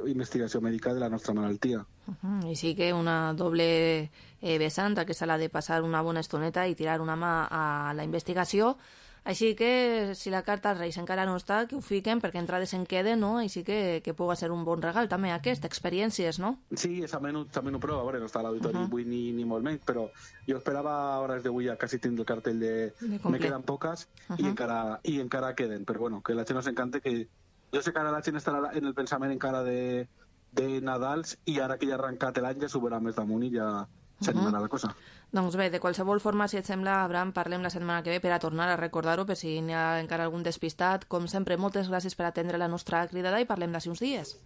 investigació mèdica de la nostra malaltia. Uh -huh. I sí que una doble eh, vessant, que s'ha de passar una bona estoneta i tirar una mà a la investigació. Així que, si la carta als Reis encara no està, que ho fiquen, perquè entrades en queden, no? Així que, que pugui ser un bon regal, també, aquest, experiències, no? Sí, també no prova, a veure, no està a l'auditori uh -huh. avui ni, ni molt menys, però jo esperava a hores d'avui ja quasi tindre el cartell de, de me queden poques, uh -huh. i, encara, i encara queden, però bueno, que la gent nos encanta, que jo sé que ara la gent estarà en el pensament encara de, de Nadals, i ara que ja ha arrencat l'any ja s'ho veurà més damunt i ja s'animarà uh -huh. la cosa. Doncs bé, de qualsevol forma, si et sembla, Abraham, parlem la setmana que ve per a tornar a recordar-ho, per si n'hi ha encara algun despistat. Com sempre, moltes gràcies per atendre la nostra cridada i parlem d'ací uns dies.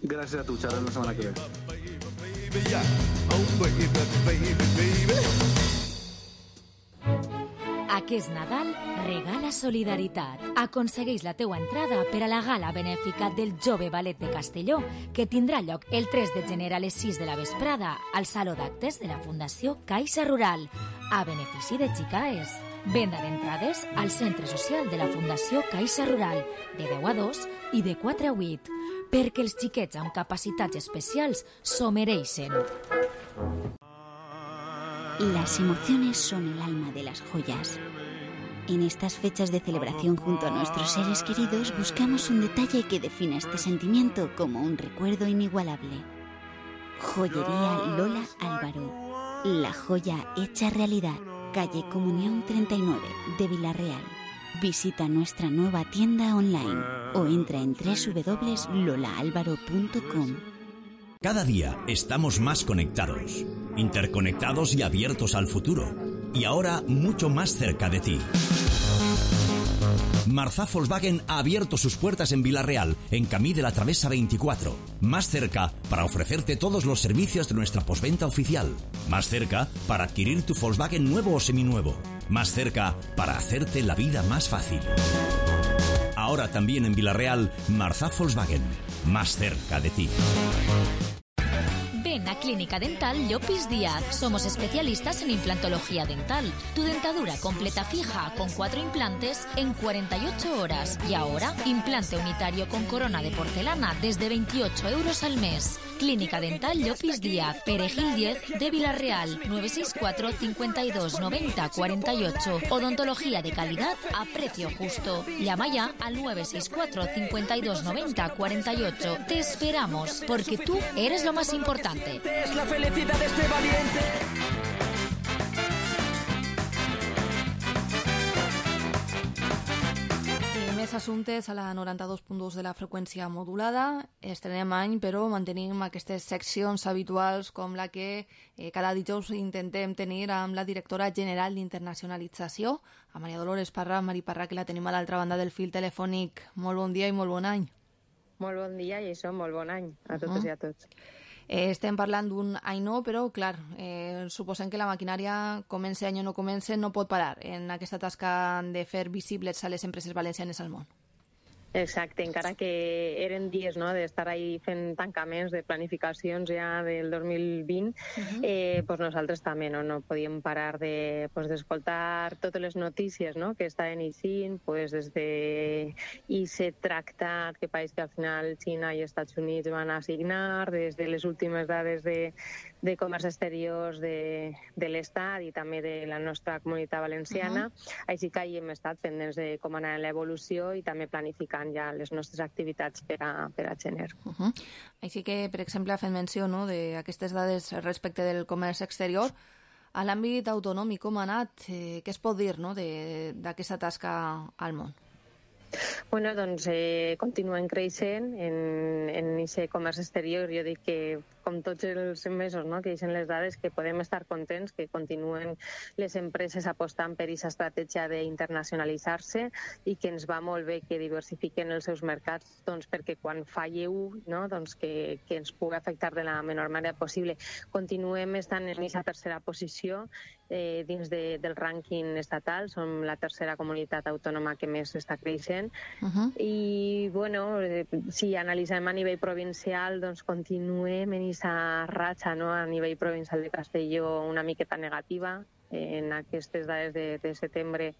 Gràcies a tu, xerrem la setmana que ve. Aquest Nadal regala solidaritat. Aconsegueix la teua entrada per a la gala benèfica del Jove Ballet de Castelló, que tindrà lloc el tres de gener a les sis de la vesprada al Saló d'Actes de la Fundació Caixa Rural, a benefici de Xicaes. Venda d'entrades al Centre Social de la Fundació Caixa Rural, de deu a dos i de quatre a vuit, perquè els xiquets amb capacitats especials s'ho mereixen. Las emociones son el alma de las joyas. En estas fechas de celebración junto a nuestros seres queridos buscamos un detalle que defina este sentimiento como un recuerdo inigualable. Joyería Lola Álvaro. La joya hecha realidad. Calle Comunión treinta y nueve de Vila-real. Visita nuestra nueva tienda online o entra en doble u doble u doble u punto lola álvaro punto com. Cada día estamos más conectados, interconectados y abiertos al futuro. Y ahora mucho más cerca de ti. Marzá Volkswagen ha abierto sus puertas en Vila-real, en Camí de la Travesa veinticuatro. Más cerca para ofrecerte todos los servicios de nuestra postventa oficial. Más cerca para adquirir tu Volkswagen nuevo o seminuevo. Más cerca para hacerte la vida más fácil. Ahora también en Vila-real, Marzá Volkswagen. Más cerca de ti. Ven a Clínica Dental Llopis Díaz. Somos especialistas en implantología dental. Tu dentadura completa fija con cuatro implantes en cuarenta y ocho horas. Y ahora, implante unitario con corona de porcelana desde veintiocho euros al mes. Clínica Dental Llopis Díaz, Perejil diez de Villarreal, nueve seis cuatro, cincuenta y dos, noventa, cuarenta y ocho. Odontología de calidad a precio justo. Llama ya al nueve seis cuatro, cincuenta y dos, noventa, cuarenta y ocho. Te esperamos, porque tú eres lo más importante. Es la felicidad de este valiente. Més assumptes a la noranta-dos punt dos de la freqüència modulada. Estrenem any, però mantenim aquestes seccions habituals com la que eh, cada dijous intentem tenir amb la directora general d'Internacionalització, a Maria Dolores Parra. Mari Parra, que la tenim a l'altra banda del fil telefònic. Molt bon dia i molt bon any. Molt bon dia i això, molt bon any a totes uh -huh. i a tots. Eh, estem parlant d'un any no, però, clar, eh, suposem que la maquinària, comença any o no comença, no pot parar en aquesta tasca de fer visibles a les empreses valencianes al món. Exacte, encara que eren dies no, d'estar ahí fent tancaments de planificacions ja del dos mil vint, uh-huh. eh, pues nosaltres també no, no podíem parar de, pues, d'escoltar totes les notícies no, que estaven eixint, pues, des de I C E tractat, que pareix que al final Xina i Estats Units van assignar, des de les últimes dades de, de comerç exteriors de, de l'Estat i també de la nostra comunitat valenciana. Uh-huh. Així que hi hem estat pendents de com anar l'evolució i també planificant ja les nostres activitats per a, per a gener. Uh-huh. Així que, per exemple, ha fet menció no, d'aquestes dades respecte del comerç exterior. A l'àmbit autonòmic, com ha anat? Eh, què es pot dir no, d'aquesta tasca al món? Bueno, doncs eh, continuem creixent en, en aquest comerç exterior. Jo dic que, com tots els mesos no, que deixen les dades, que podem estar contents, que continuen les empreses apostant per aquesta estratègia d'internacionalitzar-se i que ens va molt bé que diversifiquen els seus mercats, doncs, perquè quan falle un, no, doncs que, que ens pugui afectar de la menor manera possible. Continuem estant en aquesta tercera posició eh, dins de, del rànquing estatal. Som la tercera comunitat autònoma que més està creixent. Uh-huh. I, bueno, eh, si analitzem a nivell provincial, doncs continuem en aquesta ratxa no, a nivell provincial de Castelló una miqueta negativa. En aquestes dades de, de setembre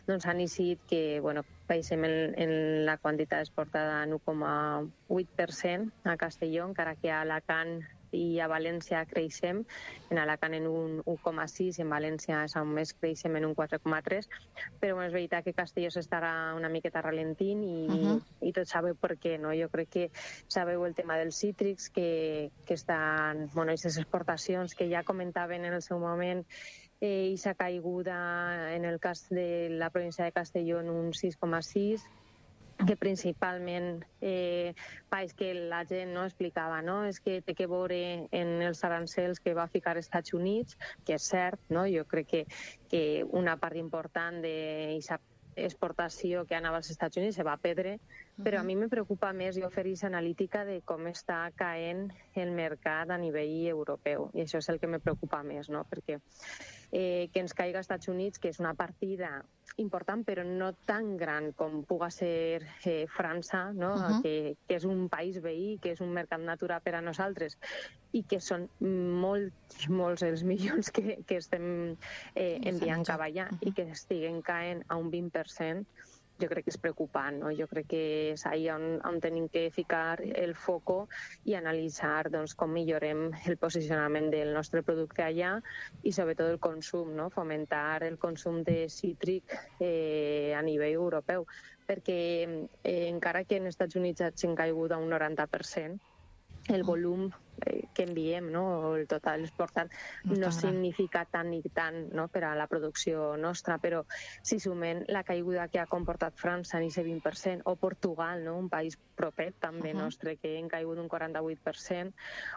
doncs, han eixit que bueno, baixem en, en la quantitat exportada en un coma vuit per cent a Castelló, encara que a Alacant i a València creixem, en Alacant en un un coma sis, en València és on més creixem en un quatre coma tres, però bueno, és veritat que Castelló s'estarà una miqueta ralentint i, uh-huh. i tot sabeu per què, no? Jo crec que sabeu el tema dels cítrics, que, que estan, bueno, aquestes exportacions que ja comentaven en el seu moment, eh, i s'ha caiguda en el cas de la província de Castelló en un sis coma sis, que principalment eh, país que la gent no explicava, no? És que té que veure en els arancels que va ficar als Estats Units, que és cert, no? Jo crec que, que una part important d'aquesta exportació que anava als Estats Units se va perdre, però a mi me preocupa més jo fer aquesta analítica de com està caent el mercat a nivell europeu, i això és el que me preocupa més, no? Perquè eh, que ens caiga als Estats Units, que és una partida important, però no tan gran com puga ser eh, França, no? Uh-huh. que, que és un país veí, que és un mercat natural per a nosaltres i que són molts, molts els milions que, que estem eh, enviant cap allà uh-huh. i que estiguen caent a un vint per cent. Jo crec que és preocupant, no? Jo crec que és allà on, on tenim que ficar el foco i analitzar doncs, com millorem el posicionament del nostre producte allà i sobretot el consum, no? Fomentar el consum de cítric eh, a nivell europeu, perquè eh, encara que en els Estats Units hagin caigut a un noranta per cent, el volum eh, que enviem, no? El total exportat no, no significa tant ni tant no? per a la producció nostra, però si sumem la caiguda que ha comportat França en aquest vint per cent, o Portugal, no? Un país propet també uh-huh. nostre, que hem caigut un quaranta-vuit per cent,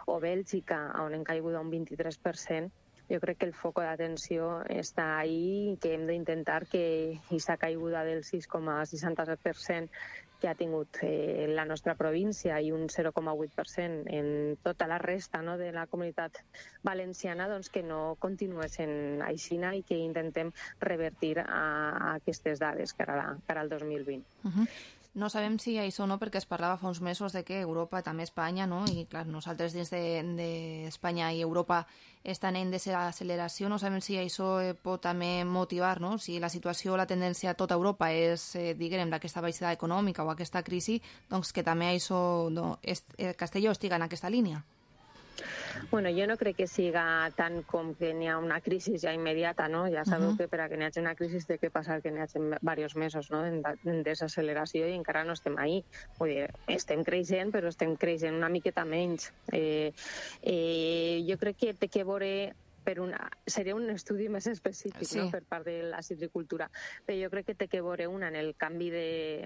o Bèlgica, on hem caigut un vint-i-tres per cent, jo crec que el foc d'atenció està ahí i que hem d'intentar que aquesta caiguda del sis coma seixanta-set per cent que ha tingut eh, la nostra província i un zero coma vuit per cent en tota la resta no, de la comunitat valenciana, doncs que no continuessin aixina i que intentem revertir a, a aquestes dades que ara, que ara el dos mil vint. Uh-huh. No sabem si això no, perquè es parlava fa uns mesos de que Europa, també Espanya, no? I clar, nosaltres dins d'Espanya de, de i Europa estan en desaceleració, no sabem si això pot també motivar, no? Si la situació, la tendència a tota Europa és, eh, diguem, d'aquesta baixada econòmica o aquesta crisi, doncs que també això, no, est, eh, Castelló estiga en aquesta línia. Bueno, jo no crec que siga tant com que n'hi ha una crisi ja immediata, no? Ja sabeu uh -huh. que per a que n'hi hagi una crisi té que passar que n'hi hagi diversos mesos, no?, en, en desacceleració, i encara no estem ahí. Vull dir, estem creixent, però estem creixent una miqueta menys. Eh, eh, jo crec que té que veure per una, seria un estudi més específic, sí, no?, per part de la citricultura, però jo crec que té que veure una en el canvi de,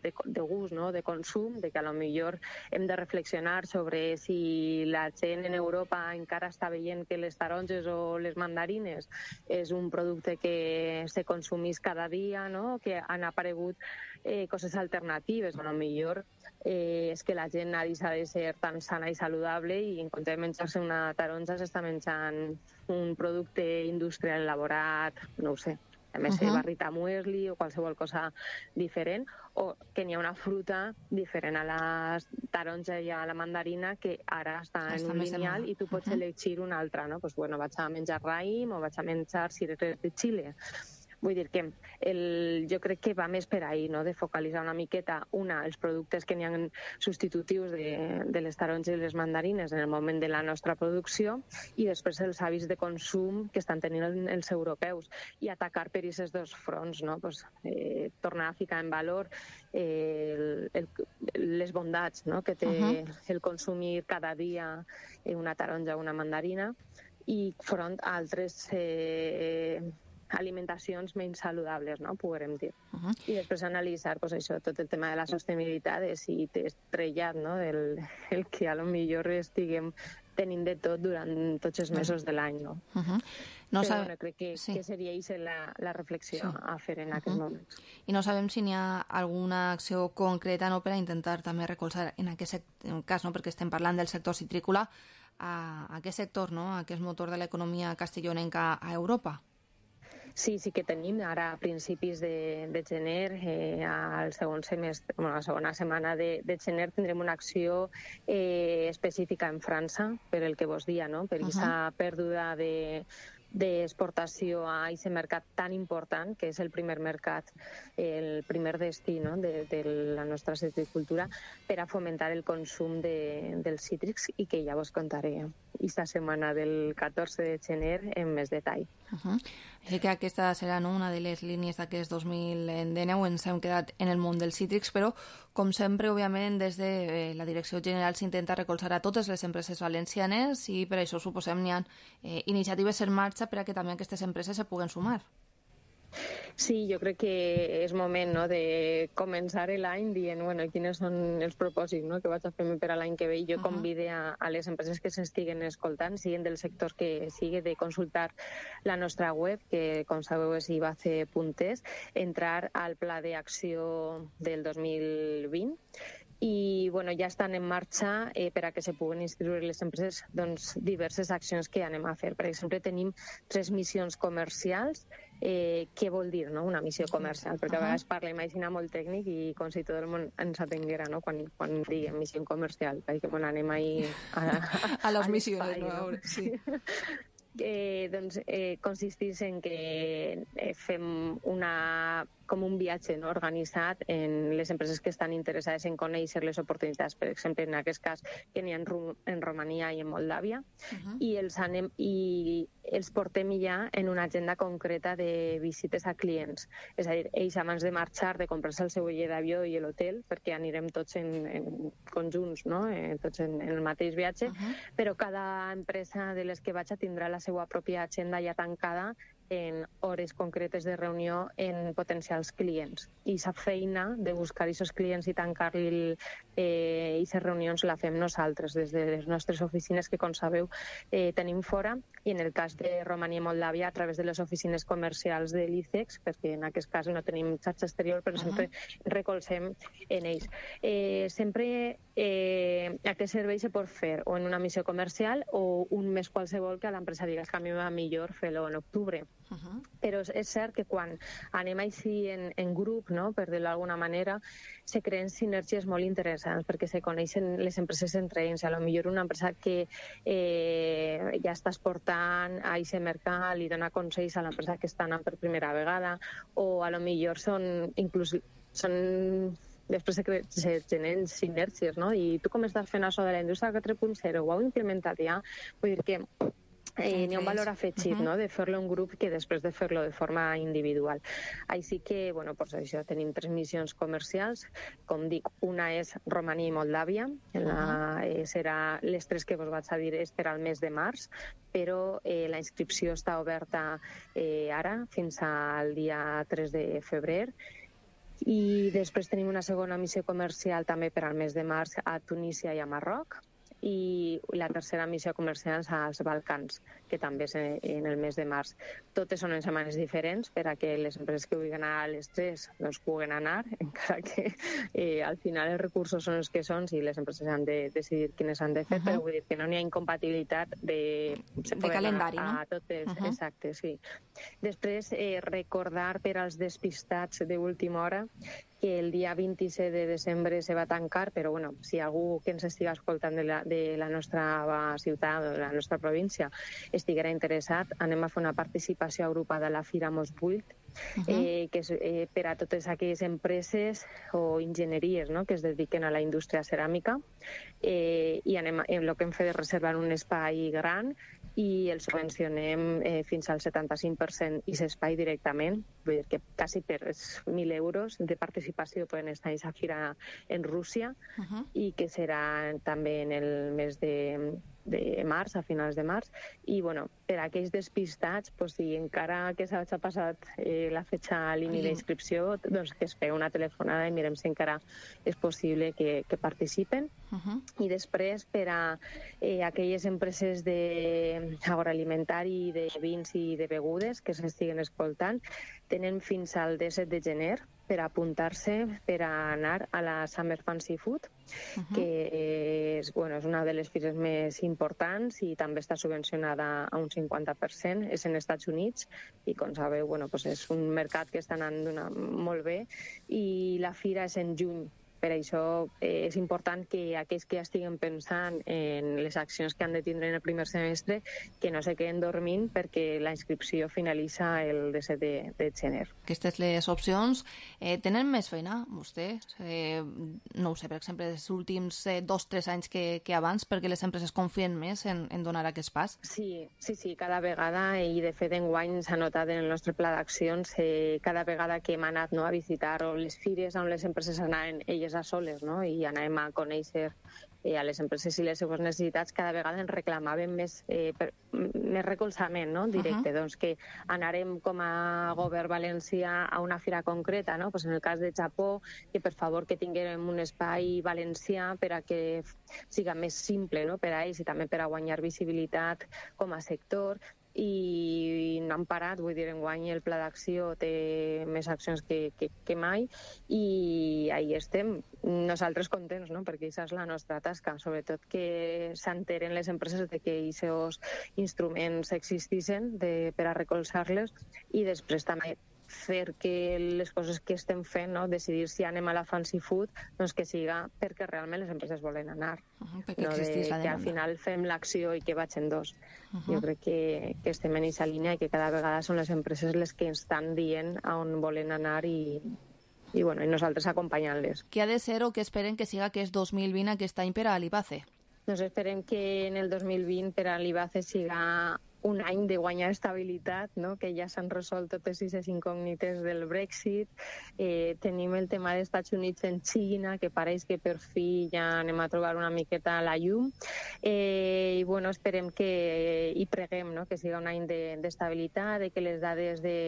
de, de gust, no?, de consum, de que a lo millor hem de reflexionar sobre si la gent en Europa encara està veient que les taronges o les mandarines és un producte que se consumís cada dia, no?, que han aparegut eh, coses alternatives. A lo millor eh, és que la gent ha deixat de ser tan sana i saludable i en compte de menjar-se una taronja s'està menjant un producte industrial elaborat, no ho sé, a més uh -huh. barrita muesli o qualsevol cosa diferent, o que n'hi ha una fruta diferent a la taronja i a la mandarina que ara està, està en un lineal i tu pots uh -huh. elegir una altra, no? Pues bueno, vaig a menjar raïm o vaig a menjar cireres de Xile. Vull dir que el, jo crec que va més per ahí, no?, de focalitzar una miqueta, una, els productes que n'hi ha substitutius de, de les taronges i les mandarines en el moment de la nostra producció, i després els hàbits de consum que estan tenint els europeus, i atacar per aquests dos fronts, no?, pues, eh, tornar a ficar en valor eh, el, el, les bondats, no?, que té uh -huh. el consumir cada dia una taronja o una mandarina, i front a altres eh, alimentacions menys saludables, no?, podrem dir. Uh -huh. I després analitzar, pues, això, tot el tema de la sostenibilitat, de si t'he estrellat, no?, del el que a lo millor estiguem tenint de tot durant tots els mesos de l'any, no? Uh -huh. No Però sabe... bueno, crec que, sí. que seria aquesta la, la reflexió sí. a fer en uh -huh. aquests moments. I no sabem si n'hi ha alguna acció concreta, no?, per a intentar també recolzar en aquest cas, no?, perquè estem parlant del sector citrícola, a, a aquest sector, no?, a aquest motor de l'economia castellonenca a Europa. Sí, sí que tenim. Ara, a principis de, de gener, eh, al segon semestre, bueno, la segona setmana de, de gener, tindrem una acció eh, específica en França, per el que vos dia, no?, per aquesta uh -huh. pèrdua de d'exportació a aquest mercat tan important, que és el primer mercat, el primer destí, no?, de, de la nostra citricultura, per a fomentar el consum de, dels cítrics, i que ja vos contaré esta setmana del catorze de gener en més detall. Uh -huh. Així que aquesta serà, no?, una de les línies d'aquest dos mil dinou. Ens hem quedat en el món dels cítrics, però, com sempre, òbviament, des de eh, la Direcció General s'intenta recolzar a totes les empreses valencianes, i per això, suposem, n'hi ha eh, iniciatives en marxa per a que també aquestes empreses se puguen sumar. Sí, jo crec que és moment, no?, de començar l'any dient, bueno, quins són els propòsits, no?, que vaig a fer per a l'any que ve. I jo uh -huh. convide a, a les empreses que s'estiguen escoltant, siguin del sector que sigui, de consultar la nostra web, que, com sabeu, és i b a c punt e s, entrar al pla d'acció del dos mil vint, i bueno, ja estan en marxa eh, per a que se puguen inscriure les empreses, doncs, diverses accions que anem a fer. Per exemple, tenim tres missions comercials. Eh, què vol dir, no?, una missió comercial? Perquè a vegades parlem així molt tècnic i com si tot el món ens atenguera, no?, quan, quan diguem missió comercial, perquè bueno, anem ahí a, a, a les missions, no? no? Sí. Eh, doncs eh, consistís en que eh, fem una, com un viatge, no?, organitzat en les empreses que estan interessades en conèixer les oportunitats, per exemple, en aquest cas que n'hi ha en, Ru en Romania i en Moldàvia, uh -huh. i, els anem, i els portem ja en una agenda concreta de visites a clients. És a dir, ells abans de marxar, de comprar-se el seu bitllet d'avió i l'hotel, perquè anirem tots en, en conjunts, no?, eh, tots en, en el mateix viatge, uh -huh. però cada empresa de les que vaig a tindrà la seva pròpia agenda ja tancada en hores concretes de reunió en potencials clients. I aquesta feina de buscar aquests clients i tancar-li eh, aquestes reunions la fem nosaltres des de les nostres oficines, que, com sabeu, eh, tenim fora, i en el cas de Romania i Moldàvia a través de les oficines comercials de l'I C E X, perquè en aquest cas no tenim xarxa exterior, però uh -huh. sempre recolzem en ells. Eh, sempre eh, aquest servei se pot fer o en una missió comercial o un mes qualsevol que a l'empresa digues que a mi va millor fer-lo en octubre. Uh -huh. Però és cert que quan anem així en, en grup, no?, per dir-ho d'alguna manera, se creen sinergies molt interessants, perquè se coneixen les empreses entre ells. A lo millor una empresa que eh, ja està exportant a aquest mercat li dona consells a l'empresa que està anant per primera vegada, o a lo millor són inclús són després se, se generen sinergies, no? I tu com estàs fent això de la indústria quatre punt zero, ho heu implementat ja? Vull dir que Eh, n'hi ha un valor afegit, uh -huh. no?, de fer-lo en grup que després de fer-lo de forma individual. Així que, bueno, pues això, tenim tres missions comercials. Com dic, una és Romania i Moldàvia. La, eh, serà les tres que vos vaig a dir és per al mes de març, però eh, la inscripció està oberta eh, ara, fins al dia tres de febrer. I després tenim una segona missió comercial també per al mes de març a Tunísia i a Marroc. I la tercera missió comercial als Balcans, que també és en el mes de març. Totes són en setmanes diferents per a que les empreses que vulguin anar a les tres doncs puguen anar, encara que eh, al final els recursos són els que són i les empreses han de decidir quines han de fer, uh-huh. però vull dir que no n'hi ha incompatibilitat de, de calendari, a, no? A totes, uh-huh. exacte, sí. Després, eh, recordar per als despistats d'última hora que el dia vint-i-set de desembre se va tancar, però bueno, si algú que ens estiga escoltant de la, de la nostra ciutat o de la nostra província estiguera interessat, anem a fer una participació agrupada a la Fira Mos vuit, uh-huh. eh, que és eh, per a totes aquelles empreses o enginyeries, no?, que es dediquen a la indústria ceràmica, eh, i anem a, el que hem fet és reservar un espai gran i el subvencionem eh, fins al setanta-cinc per cent i l'espai directament, vull dir que quasi per mil euros de participació poden estar a aquesta fira en Rússia, uh-huh. i que serà també en el mes de, de març, a finals de març, i bueno, per a aquells despistats, pues, si encara que s'ha passat eh, la fetxa límit d'inscripció, doncs que es feu una telefonada i mirem si encara és possible que, que participen. Uh-huh. I després, per a eh, aquelles empreses d'agroalimentari, de vins i de begudes que s'estiguen escoltant, tenen fins al disset de gener per apuntar-se per a anar a la Summer Fancy Food, uh-huh. que és, bueno, és una de les fires més importants i també està subvencionada a un cinquanta per cent, és en Estats Units i, com sabeu, bueno, pues és un mercat que està anant molt bé i la fira és en juny. Per això eh, és important que aquells que estiguen pensant en les accions que han de tindre en el primer semestre que no se queden dormint perquè la inscripció finalitza el disset de, de gener. Aquestes les opcions eh, tenen més feina, vostè? Eh, no ho sé, per exemple, els últims eh, dos o tres anys que, que abans, perquè les empreses confien més en, en donar aquest pas? Sí, sí, sí, cada vegada, i de fet enguany s'ha notat en el nostre pla d'accions, eh, cada vegada que hem anat, no, a visitar o les fires on les empreses anaven elles a soles, no?, i anàvem a conèixer eh, a les empreses i les seves necessitats, cada vegada ens reclamaven més, eh, per, més recolzament, no?, directe. Uh-huh. Doncs que anarem com a govern valencià a una fira concreta, no?, pues en el cas de Japó, que per favor que tinguem un espai valencià per a que siga més simple, no?, per a ells i també per a guanyar visibilitat com a sector. I no han parat, vull dir, enguany el pla d'acció té més accions que, que, que mai i ahí estem, nosaltres contents, no?, perquè això és la nostra tasca, sobretot que s'enteren les empreses de que aquests instruments existissin de, per a recolzar-les i després també fer que les coses que estem fent, no?, decidir si anem a la fancy food, doncs que siga perquè realment les empreses volen anar, uh-huh, no de que al final fem l'acció i que vaig en dos. Uh-huh. Jo crec que, que estem en aquesta línia i que cada vegada són les empreses les que ens estan dient a on volen anar i, i, bueno, i nosaltres acompanyant-les. Què ha de ser o què esperen que siga aquest dos mil vint aquest any per a l'Ibace? Doncs esperem que en el dos mil vint per a l'Ibace siga un any de guanyar estabilitat, no?, que ja s'han resolt totes aquestes incògnites del Brexit. Eh, tenim el tema dels Estats Units en Xina, que pareix que per fi ja anem a trobar una miqueta la llum. Eh, I bueno, esperem que, i preguem, no?, que siga un any d'estabilitat, de, de que les dades de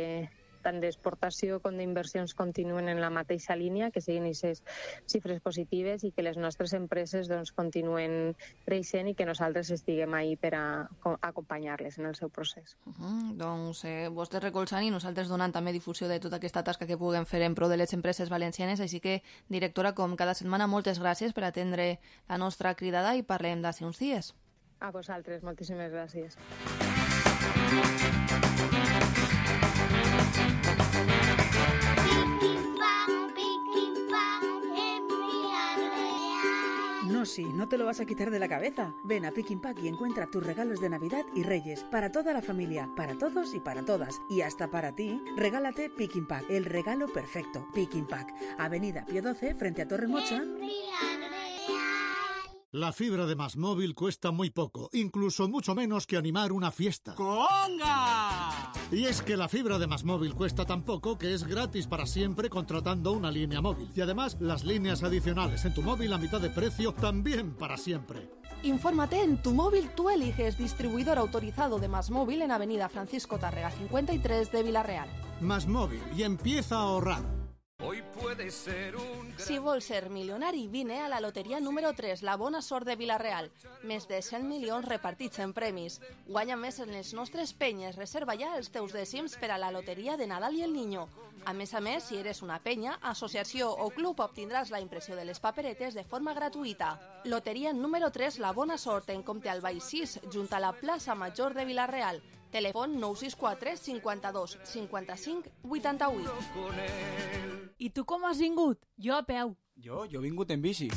tant d'exportació com d'inversions continuen en la mateixa línia, que siguin aquestes xifres positives i que les nostres empreses doncs, continuen creixent i que nosaltres estiguem ahí per a, a acompanyar-les en el seu procés. Uh-huh. Doncs eh, vostès recolzant i nosaltres donant també difusió de tota aquesta tasca que puguem fer en pro de les empreses valencianes, així que, directora, com cada setmana, moltes gràcies per atendre la nostra cridada i parlem d'ací uns dies. A vosaltres, moltíssimes gràcies. No, sí, no te lo vas a quitar de la cabeza. Ven a Picking Pack y encuentra tus regalos de Navidad y Reyes para toda la familia, para todos y para todas. Y hasta para ti, regálate Picking Pack, el regalo perfecto. Picking Pack, Avenida Pío doce, frente a Torre Mocha. La fibra de Más Móvil cuesta muy poco, incluso mucho menos que animar una fiesta. ¡Conga! Y es que la fibra de Más Móvil cuesta tan poco que es gratis para siempre contratando una línea móvil. Y además, las líneas adicionales en tu móvil a mitad de precio también para siempre. Infórmate en Tu Móvil Tú Eliges, distribuidor autorizado de Más Móvil en Avenida Francisco Tárrega cincuenta y tres de Vila-real. Más Móvil, y empieza a ahorrar. Hoy puede ser un... Si vols ser milionari, vine a la loteria número tres, la Bona Sort de Vila-real. Més de cent milions repartits en premis. Guanya més en les nostres penyes. Reserva ja els teus dècims per a la loteria de Nadal i el Niño. A més a més, si eres una penya, associació o club, obtindràs la impressió de les paperetes de forma gratuïta. Loteria número tres, la Bona Sort, en Comte Albay sis, junt a la plaça Major de Vila-real. Telèfon nou sis quatre cinquanta-dos cinquanta-cinc vuitanta-vuit. I tu com has vingut? Jo a peu. Jo, jo he vingut en bici.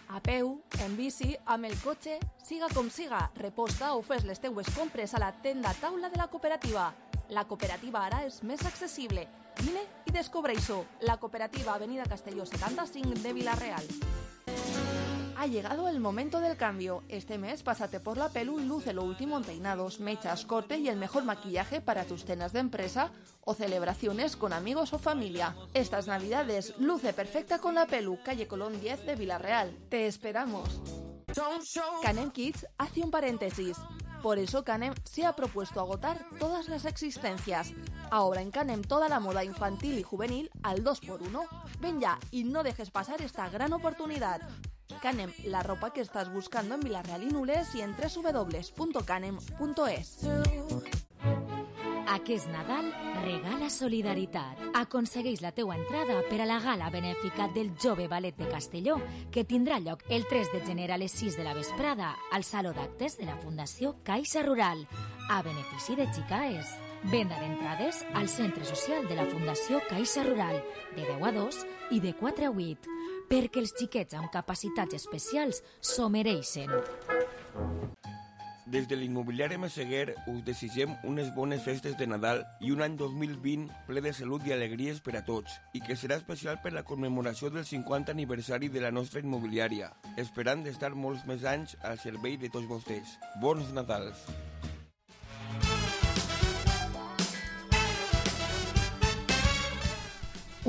A peu, en bici, amb el cotxe, siga com siga, reposta o fes les teues compres a la tenda taula de la cooperativa. La cooperativa ara és més accessible. Vine i descobreix-ho. La cooperativa Avenida Castelló setanta-cinc de Vila-real. Ha llegado el momento del cambio. Este mes pásate por la Pelu y luce lo último en peinados, mechas, corte y el mejor maquillaje para tus cenas de empresa o celebraciones con amigos o familia. Estas navidades luce perfecta con la Pelu, calle Colón diez de Vila-real. Te esperamos. Canem Kids hace un paréntesis. Por eso Canem se ha propuesto agotar todas las existencias. Ahora en Canem toda la moda infantil y juvenil al dos por uno. Ven ya y no dejes pasar esta gran oportunidad. Canem, la ropa que estás buscando en Vila-real i Nules i en doble u doble u doble u punto canem punto es. Aquest Nadal regala solidaritat. Aconsegueix la teua entrada per a la gala benèfica del Jove Ballet de Castelló, que tindrà lloc el tres de gener a les sis de la vesprada al Saló d'Actes de la Fundació Caixa Rural, a benefici de Xicaes. Venda d'entrades al Centre Social de la Fundació Caixa Rural, de deu a dos i de quatre a vuit, perquè els xiquets amb capacitats especials s'ho mereixen. Des de l'immobiliari Meseguer us desitgem unes bones festes de Nadal i un any dos mil vint ple de salut i alegries per a tots, i que serà especial per la commemoració del cinquanta aniversari de la nostra immobiliària, esperant d'estar molts més anys al servei de tots vostès. Bons Nadals!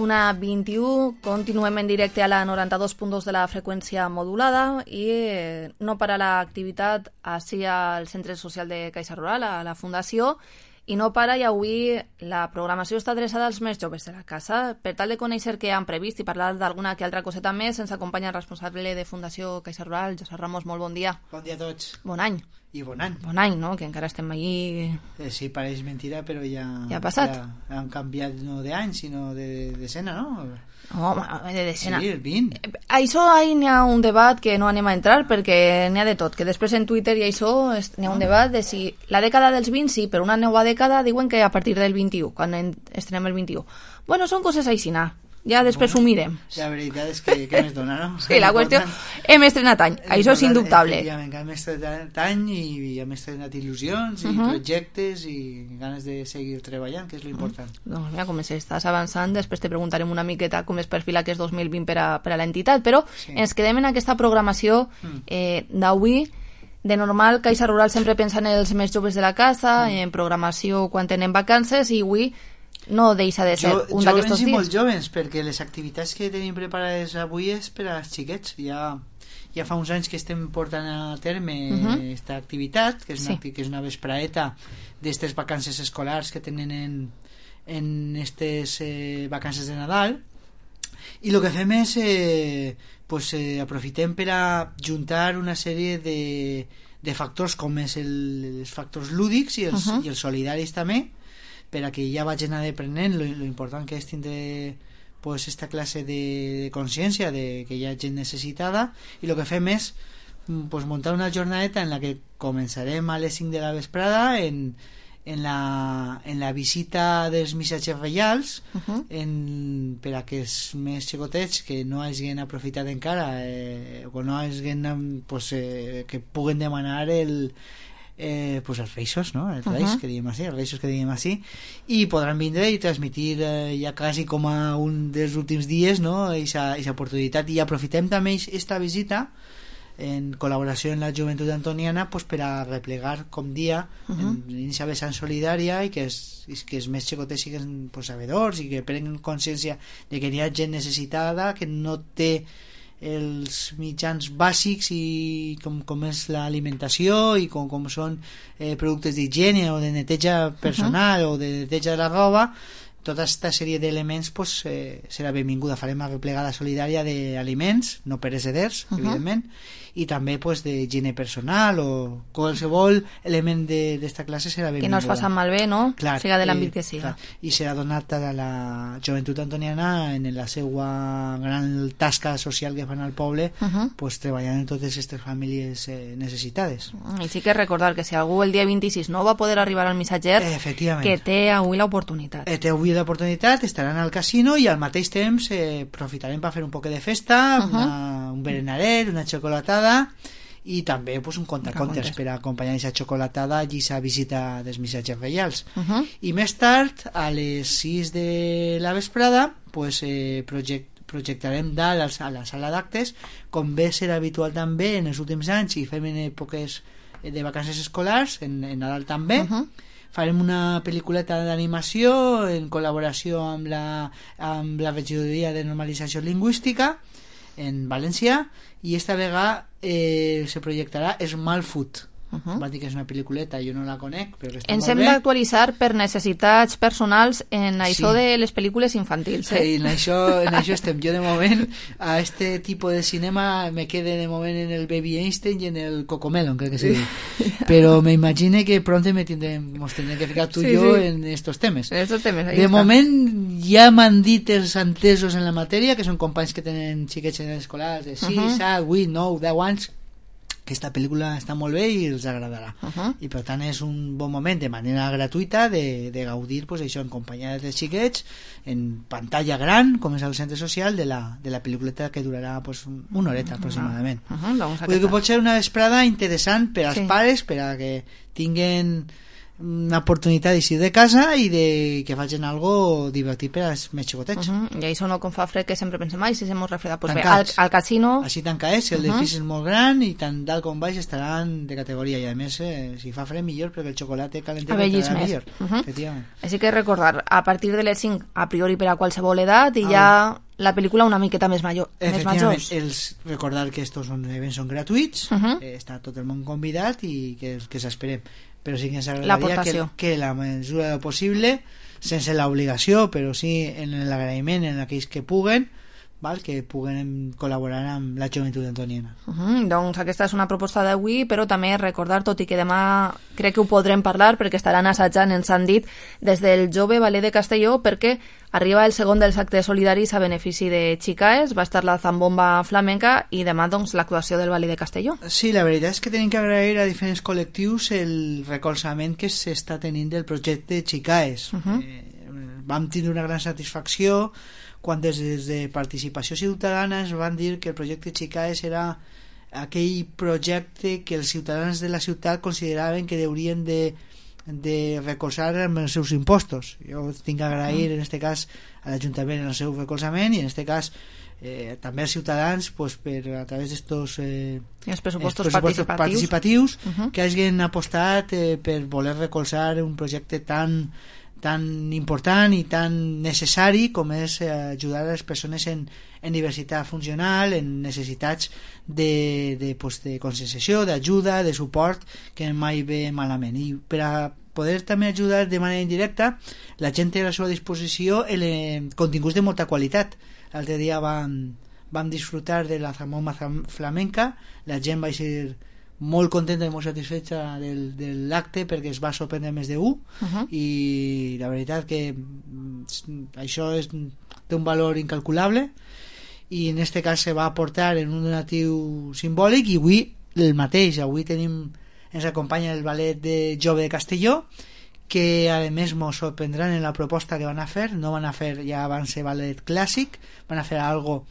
Una vint-i-u, continuem en directe a la noranta-dos punt dos de la freqüència modulada i no para l'activitat així al Centre Social de Caixa Rural, a la Fundació, i no para, i avui la programació està adreçada als més joves de la casa. Per tal de conèixer què han previst i parlar d'alguna que altra coseta més, ens acompanya el responsable de Fundació Caixa Rural, Josep Ramos. Molt bon dia. Bon dia a tots. Bon any. I bon any. Bon any, no? Que encara estem allí... Eh, sí, pareix mentira, però ja... Ja ha passat. Ja han canviat no d'any, sinó de decena, no? Home, de decena. Sí, el vint. Això ahí n'hi ha un debat que no anem a entrar perquè n'hi ha de tot, que després en Twitter i això n'hi ha un debat de si la dècada dels vint sí, però una nova dècada diuen que a partir del vint-i-u, quan estrenem el vint-i-u. Bueno, són coses així, ja després ho mirem. La veritat és que què més dona, no? Sí, la qüestió... Hem estrenat any, això és indubtable. Efectivament, hem estrenat any i hem estrenat il·lusions i uh -huh. projectes i ganes de seguir treballant, que és l'important. Uh -huh. Doncs mira, com estàs avançant, després te preguntarem una miqueta com es perfila aquest dos mil vint per a, per a l'entitat, però sí. Ens quedem en aquesta programació eh, d'avui. De normal, Caixa Rural sempre pensa en els més joves de la casa, uh -huh. en programació quan tenen vacances, i avui no deixa de ser jo, un d'aquests dies. Jovens i molt jovens, perquè les activitats que tenim preparades avui és per als xiquets. Ja, ja fa uns anys que estem portant a terme aquesta uh -huh. activitat, que és una, sí. que és una vespraeta d'estes vacances escolars que tenen en, en estes eh, vacances de Nadal, i el que fem és eh, pues, eh, aprofitem per a juntar una sèrie de, de factors com és el, els factors lúdics i els, uh -huh. i els solidaris també, per a que ja vagin aprenent lo, lo important que és tindre pues, esta classe de, de consciència de que hi ha gent necessitada, i el que fem és pues, muntar una jornadeta en la que començarem a les cinc de la vesprada en, en la, en la visita dels missatges reials, Uh -huh. en, per a que els més xicotets que no hagin aprofitat encara eh, o no hagin pues, eh, que puguen demanar el Eh, pues els reixos, no? Els reis, Uh-huh. que diguem així, els reixos que diguem així, i podran vindre i transmitir eh, ja quasi com a un dels últims dies, no? Eixa, eixa oportunitat, i aprofitem també esta visita en col·laboració amb la joventut antoniana pues, per a replegar com dia Uh-huh. en aquesta vessant solidària i que, es, i que els més xicotes siguin pues, sabedors i que prenguen consciència de que hi ha gent necessitada que no té els mitjans bàsics i com, com és l'alimentació i com, com són eh, productes d'higiene o de neteja personal uh-huh. o de neteja de la roba. Tota aquesta sèrie d'elements pues, eh, serà benvinguda. Farem una replegada solidària d'aliments no pereceders, uh-huh. evidentment, i també pues, d'higiene personal o qualsevol element d'esta classe serà benvinguda. Que no es faci malbé, no? Clar, siga de l'àmbit eh, que siga. Clar. I serà donat a la joventut antoniana en la seva gran tasca social que fan al poble, Uh-huh. pues, treballant en totes aquestes famílies eh, necessitades. I sí que recordar que si algú el dia vint-i-sis no va poder arribar al missatger, Efectivament. que té avui l'oportunitat. Eh, té avui l'oportunitat, estaran al casino i al mateix temps eh, aprofitarem per fer un poc de festa, Uh-huh. una, un berenaret, una xocolatada i també pues, un contacontes Contes. per acompanyar aquesta xocolatada i aquesta visita dels missatges reials. Uh-huh. I més tard, a les sis de la vesprada, pues, eh, project, projectarem dalt a la sala d'actes, com bé serà habitual també en els últims anys i fem en èpoques de vacances escolars, en, en Nadal també. Uh-huh. Farem una pel·lículeta d'animació en col·laboració amb la, amb la regidoria de normalització lingüística en València, i esta vegada eh, se projectarà Small Food. Uh-huh. Va dir que és una pel·lículeta, jo no la conec, però que està Ens molt hem bé. d'actualitzar per necessitats personals en això Sí. de les pel·lícules infantils. Eh? Sí, en això, en això estem. Jo de moment a este tipus de cinema me quede de moment en el Baby Einstein i en el Cocomelon, crec que se diu. Però me imagine que pronto me tindrem, nos tendrem que ficar tu i Sí, jo sí. en estos temes. En estos temes, ahí de está. moment ja m'han dit els entesos en la matèria, que són companys que tenen xiquets en escolars de sis, Uh-huh. set, vuit, nou, deu anys, que esta pel·lícula està molt bé i els agradarà. Uh-huh. I per tant és un bon moment de manera gratuïta de, de gaudir pues, això en companyia dels xiquets en pantalla gran, com és el centre social de la, de la pel·lículeta que durarà pues, una horeta aproximadament. Uh-huh, doncs Vull dir que aquesta. pot ser una vesprada interessant per als Sí. pares, per a que tinguen una oportunitat d'eixir de casa i de que facin algo divertit per als més xicotets. Uh -huh. I això no com fa fred, que sempre pensem, ai, si se mos refreda, pues bé, al, Tancats. al casino... Així tancats, el Uh-huh. edifici és molt gran i tant dalt com baix estaran de categoria, i a més eh, si fa fred millor perquè el xocolate calentet Abellis entrarà més. millor. Uh-huh. Efectivament. Així que recordar, a partir de les cinc, a priori per a qualsevol edat, i ja la pel·lícula una miqueta més major, més Efectivament, majors. els, recordar que estos són, events són gratuïts, Uh-huh. eh, està tot el món convidat i que, que s'esperem, però sí que ens agradaria L'aportació. que, que la mesura del possible, sense l'obligació, però sí en l'agraïment en aquells que puguen, val? Que puguen col·laborar amb la joventut antoniana. Uh -huh. Doncs aquesta és una proposta d'avui, però també recordar, tot i que demà crec que ho podrem parlar perquè estaran assajant, ens han dit, des del Jove Ballet de Castelló, perquè arriba el segon dels actes solidaris a benefici de Xicaes, va estar la zambomba flamenca i demà doncs l'actuació del Ballet de Castelló. Sí, la veritat és que tenim que agrair a diferents col·lectius el recolzament que s'està tenint del projecte Xicaes. Uh -huh. eh, vam tindre una gran satisfacció quan des de Participació Ciutadana es van dir que el projecte Xicaes era aquell projecte que els ciutadans de la ciutat consideraven que haurien de, de recolzar amb els seus impostos. Jo tinc que agrair en este cas a l'Ajuntament el seu recolzament i en este cas eh, també als ciutadans pues, per, a través d'estos eh, els pressupostos, pressupostos participatius, participatius uh -huh. que hagin apostat eh, per voler recolzar un projecte tan tan important i tan necessari com és eh, ajudar a les persones en, en diversitat funcional, en necessitats de, de, pues, de conscienciació, d'ajuda, de suport, que mai ve malament. I per a poder també ajudar de manera indirecta, la gent té a la seva disposició el, eh, continguts de molta qualitat. L'altre dia vam, vam disfrutar de la zambomba flamenca, la gent va ser molt contenta i molt satisfeta del, de l'acte perquè es va sorprendre més de u Uh-huh. i la veritat que mm, això és, té un valor incalculable i en este cas se va aportar en un donatiu simbòlic i avui el mateix, avui tenim ens acompanya el ballet de Jove de Castelló que a més mos sorprendran en la proposta que van a fer. No van a fer ja avance ballet clàssic, van a fer algo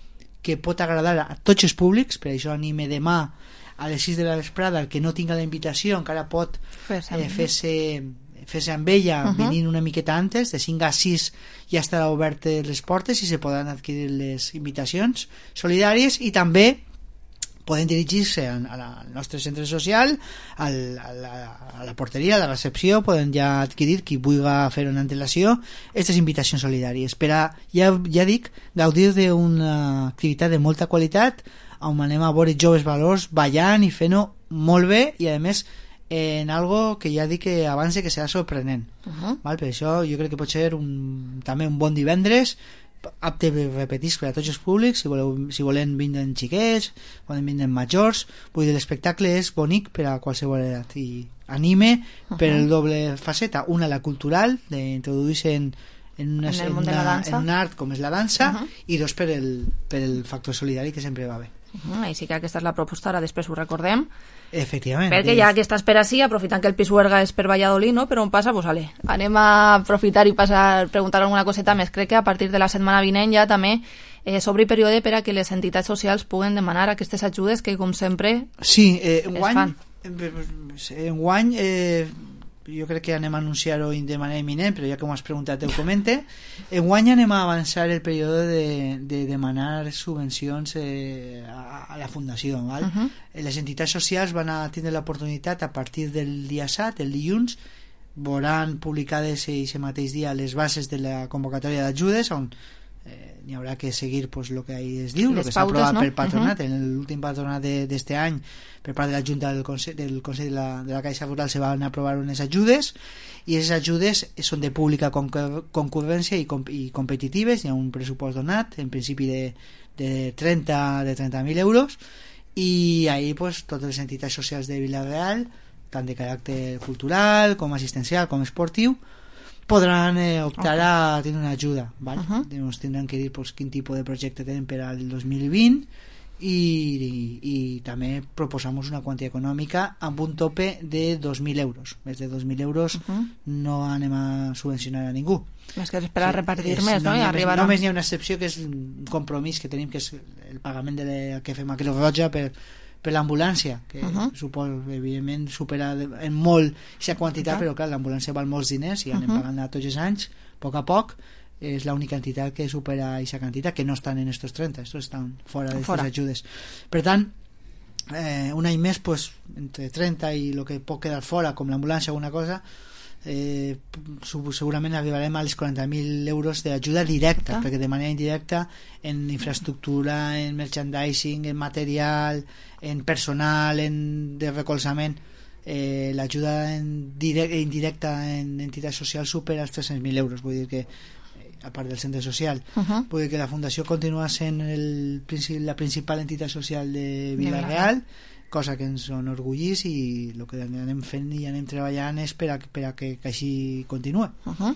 que pot agradar a tots els públics. Per això anime demà a les sis de la vesprada, el que no tinga la invitació encara pot fer-se eh, fer-se fer-se amb ella, uh -huh. venint una miqueta antes, de cinc a sis ja estarà obert les portes i se podran adquirir les invitacions solidàries, i també poden dirigir-se al nostre centre social, al, a, la, a la porteria, a la recepció, poden ja adquirir, qui vulgui fer una antelació, aquestes invitacions solidàries per a, ja, ja dic, gaudir d'una activitat de molta qualitat, on anem a veure joves valors ballant i fent-ho molt bé, i a més en algo que ja dic que abans que serà sorprenent. Uh -huh. Val? Per això jo crec que pot ser un, també un bon divendres, apte per repetir per a tots els públics. Si, voleu, si volen vindre xiquets, poden vindre majors. Vull dir, l'espectacle és bonic per a qualsevol edat, i anime uh -huh. per el doble faceta, una la cultural, d'introduir-se en, en, una, en, en, una, en un art com és la dansa, uh -huh. i dos per el, per el factor solidari, que sempre va bé. Uh-huh. I sí que aquesta és la proposta, ara després ho recordem. Efectivament. Perquè ja aquesta espera sí, aprofitant que el Pisuerga és per Valladolid, no? Però on passa, pues ale, anem a aprofitar i passar, preguntar alguna coseta més. Crec que a partir de la setmana vinent ja també eh, s'obri període per a que les entitats socials puguen demanar aquestes ajudes que, com sempre, sí, eh, es enguany, fan. Enguany eh, jo crec que anem a anunciar-ho de manera imminent, però ja que m'ho has preguntat ho comente. Enguany anem a avançar el període de, de demanar subvencions eh, a, a la fundació, val? Uh-huh. Les entitats socials van a tindre l'oportunitat a partir del dia set, el dilluns, veuran publicades aquest mateix dia les bases de la convocatòria d'ajudes, on eh, n'hi haurà que seguir pues, lo que ahí es diu, el que s'ha aprovat no? pel patronat. Uh-huh. En l'últim patronat d'este any, per part de la Junta del Consell, del Consell de, la, de la Caixa Rural, se van aprovar unes ajudes, i aquestes ajudes són de pública concurrència i, com, i competitives. Hi ha un pressupost donat, en principi de, de trenta mil euros, i ahí pues, totes les entitats socials de Vila-real, tant de caràcter cultural com assistencial com esportiu, podran eh, optar okay. a tenir una ajuda, ¿vale? Uh-huh. Ens tindran que dir pues, quin tipus de projecte tenen per al dos mil vint, i, i, i també proposamos una quantia econòmica amb un tope de dos mil euros. Més de dos mil euros uh-huh. no anem a subvencionar a ningú. Més que esperar a repartir és, més, no? no I arribar a... Només hi ha una excepció, que és un compromís que tenim, que és el pagament de la, que fem a Creu Roja per per l'ambulància, que uh-huh. suposa, evidentment, supera en molt aquesta quantitat, uh-huh. però clar, l'ambulància val molts diners i anem uh-huh. pagant tots els anys, a poc a poc. És l'única entitat que supera aquesta quantitat, que no estan en estos trenta, estos estan fora d'aquestes ajudes. Per tant, eh, un any més, pues, entre trenta i el que pot quedar fora, com l'ambulància o alguna cosa, eh, segurament arribarem a les quaranta mil euros d'ajuda directa, ah. perquè de manera indirecta en infraestructura, en merchandising, en material, en personal, en de recolzament, eh, l'ajuda en direct, indirecta en entitats socials supera els tres-cents mil euros. Vull dir que, a part del centre social, uh-huh. vull dir que la fundació continua sent el, la principal entitat social de Vila-real, cosa que ens enorgullís, i el que anem fent i anem treballant és per a, per a que, que així continuï. Uh-huh.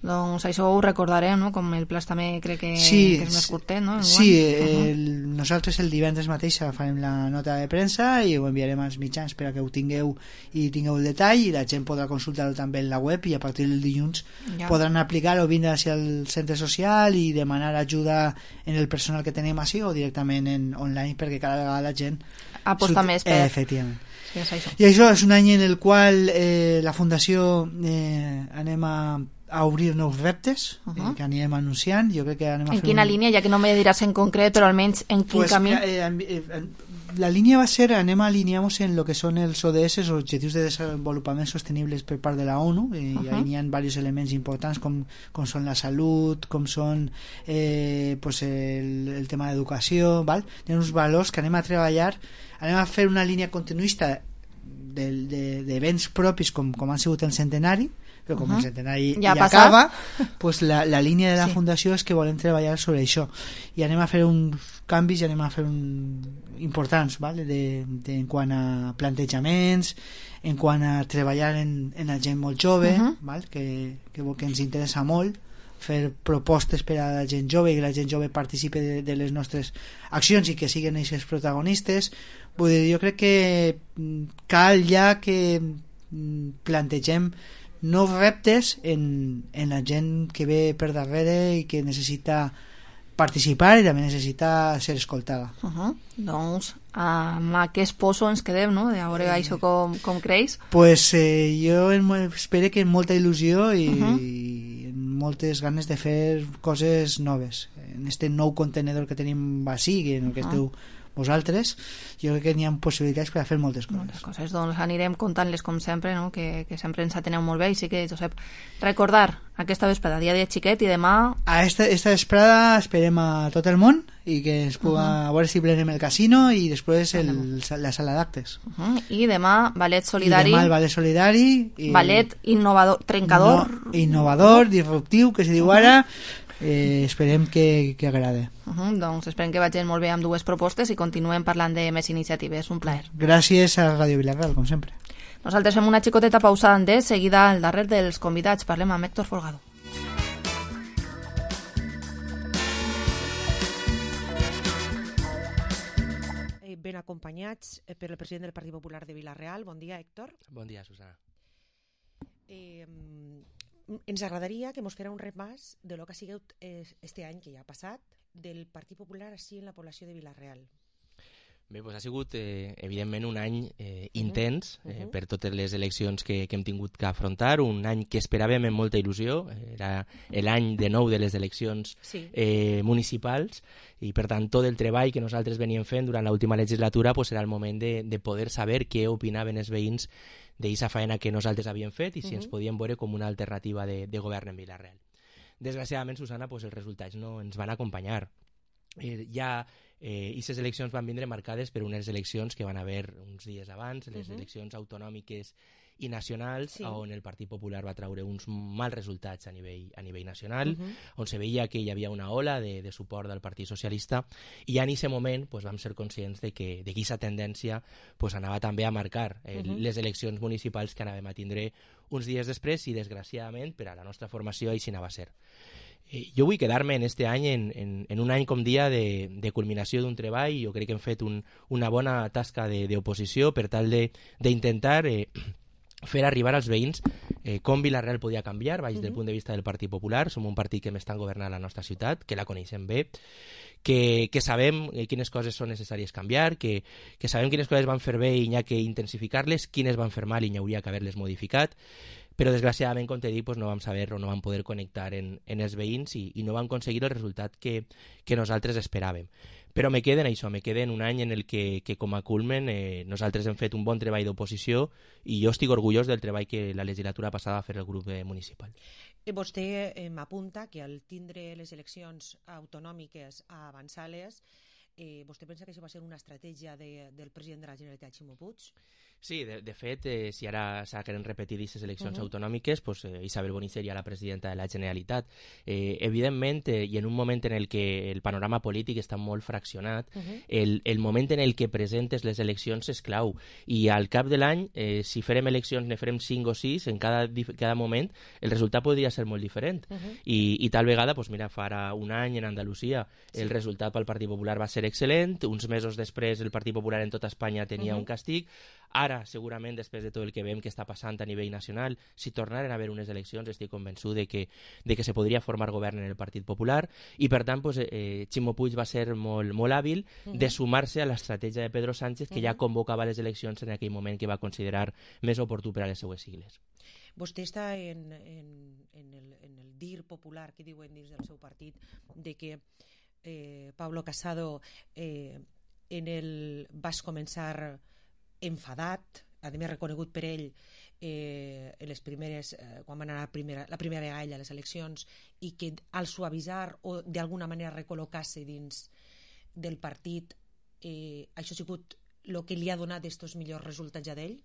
Doncs això ho recordarem, no? Com el Plas també crec que, sí, que és més curtet, no? Sí, uh-huh. el, nosaltres el divendres mateix farem la nota de premsa i ho enviarem als mitjans per a que ho tingueu i tingueu el detall, i la gent podrà consultar-ho també en la web, i a partir del dilluns ja. podran aplicar o vindre hacia el centre social i demanar ajuda en el personal que tenim així, o directament en online, perquè cada vegada la gent aposta surt... més per... Eh, efectivament. Sí, és això. I això és un any en el qual eh, la fundació eh, anem a, a obrir nous reptes, uh-huh. eh, que anirem anunciant. Jo crec que anem a en fer quina un... línia, ja que no me diràs en concret, però almenys en quin pues, camí? Eh, eh, eh, la línia va ser, anem a alinear-nos en lo que són els O D S, els Objectius de Desenvolupament Sostenibles per part de la ONU, i uh-huh. ahí hi ha diversos elements importants com, com són la salut, com són eh, pues el, el tema d'educació, val? Hi ha uns valors que anem a treballar, anem a fer una línia continuista d'events de, de, propis com, com han sigut el centenari, però com uh-huh. el centenari ja, ja acaba, pues la, la línia de la sí. fundació és que volem treballar sobre això, i anem a fer uns canvis i anem a fer un, importants, vale? de, de, en quant a plantejaments, en quant a treballar en, en la gent molt jove, uh-huh. val? Que, que, que ens interessa molt fer propostes per a la gent jove i que la gent jove participi de, de les nostres accions i que siguin aquests protagonistes. Vull dir, jo crec que cal ja que plantegem nous reptes en, en la gent que ve per darrere i que necessita participar i també necessita ser escoltada. Uh -huh. Doncs amb aquest poso ens quedem, no? De veure eh. això com, com creix. Pues eh, jo espero que amb molta il·lusió i, uh -huh. i moltes ganes de fer coses noves. En este nou contenedor que tenim així, en el que uh -huh. esteu vosaltres, jo crec que n'hi ha possibilitats per a fer moltes coses. Moltes coses, doncs anirem contant-les com sempre, no? que, que sempre ens ateneu molt bé, i sí que, Josep, recordar aquesta vesprada, dia de xiquet, i demà... A esta, esta vesprada esperem a tot el món i que es pugui, uh -huh. a veure si plenem el casino i després el, la sala d'actes. Uh -huh. I demà ballet solidari. I demà el ballet solidari. I ballet innovador, trencador. No, innovador, disruptiu, que se diu ara. Eh, esperem que, que agrade. Uh -huh, doncs esperem que vagin molt bé amb dues propostes i continuem parlant de més iniciatives. Un plaer. Gràcies a Ràdio Vilareal, com sempre. Nosaltres fem una xicoteta pausada de seguida al darrer dels convidats. Parlem amb Héctor Folgado. Ben acompanyats per el president del Partit Popular de Vilareal. Bon dia, Héctor. Bon dia, Susana. Eh, ens agradaria que mos fera un repàs de lo que ha sigut este any que ja ha passat del Partit Popular així en la població de Vilareal. Bé, doncs ha sigut eh, evidentment un any eh, intens eh, uh -huh. per totes les eleccions que, que hem tingut que afrontar, un any que esperàvem amb molta il·lusió, era l'any de nou de les eleccions sí. eh, municipals, i per tant tot el treball que nosaltres veníem fent durant l'última legislatura pues, era el moment de, de poder saber què opinaven els veïns d'aquesta feina que nosaltres havíem fet i si uh -huh. ens podíem veure com una alternativa de, de govern en Vilareal. Desgraciadament, Susana, pues, els resultats no ens van acompanyar. Eh, ja eh, aquestes eleccions van vindre marcades per unes eleccions que van haver uns dies abans, les uh-huh. eleccions autonòmiques i nacionals, sí. on el Partit Popular va treure uns mals resultats a nivell, a nivell nacional, uh-huh. on se veia que hi havia una ola de, de suport del Partit Socialista, i en aquest moment pues, vam ser conscients de que d'aquesta tendència pues, anava també a marcar eh, uh-huh. les eleccions municipals que anàvem a tindre uns dies després, i desgraciadament per a la nostra formació així anava a ser. Eh, jo vull quedar-me en este any en, en, en un any com dia de, de culminació d'un treball. Jo crec que hem fet un, una bona tasca d'oposició per tal d'intentar eh, fer arribar als veïns eh, com Vilareal podia canviar baix uh-huh. del punt de vista del Partit Popular. Som un partit que hem estat governant la nostra ciutat, que la coneixem bé, que, que sabem quines coses són necessàries canviar, que, que sabem quines coses van fer bé i n'hi ha que intensificar-les, quines van fer mal i n'hi hauria que haver-les modificat, però desgraciadament, com t'he dit, pues, no vam saber o no vam poder connectar en, en els veïns i, i no vam aconseguir el resultat que, que nosaltres esperàvem. Però me queden això, me queden un any en el que, que com a culmen eh, nosaltres hem fet un bon treball d'oposició i jo estic orgullós del treball que la legislatura passada va fer el grup eh, municipal. Vostè eh, m'apunta que al tindre les eleccions autonòmiques avançades, eh, vostè pensa que això va ser una estratègia de, del president de la Generalitat, Ximo Puig? Sí, de, de fet, eh, si ara s'han repetit aquestes eleccions uh-huh. autonòmiques, pues, eh, Isabel Boni seria la presidenta de la Generalitat. Eh, evidentment, eh, i en un moment en el que el panorama polític està molt fraccionat, uh-huh. el, el moment en el que presentes les eleccions és clau. I al cap de l'any, eh, si farem eleccions, ne farem cinc o sis, en cada, cada moment, el resultat podria ser molt diferent. Uh-huh. I, I tal vegada, pues, mira, farà un any en Andalusia, sí. el resultat pel Partit Popular va ser excel·lent, uns mesos després el Partit Popular en tota Espanya tenia uh-huh. un castig. Ara, segurament, després de tot el que veiem que està passant a nivell nacional, si tornaren a haver unes eleccions, estic convençut de que, de que se podria formar govern en el Partit Popular, i per tant, pues, eh, Ximo Puig va ser molt, molt hàbil uh-huh. de sumar-se a l'estratègia de Pedro Sánchez, que uh-huh. ja convocava les eleccions en aquell moment que va considerar més oportú per a les seues sigles. Vostè està en, en, en, el, en el dir popular que diuen dins del seu partit de que eh, Pablo Casado eh, en el vas començar enfadat, a més reconegut per ell eh, en les primeres, eh, quan van anar la primera, la primera vegada a les eleccions, i que al suavitzar o d'alguna manera recol·locar-se dins del partit, eh, això ha sigut el que li ha donat estos millors resultats ja d'ell?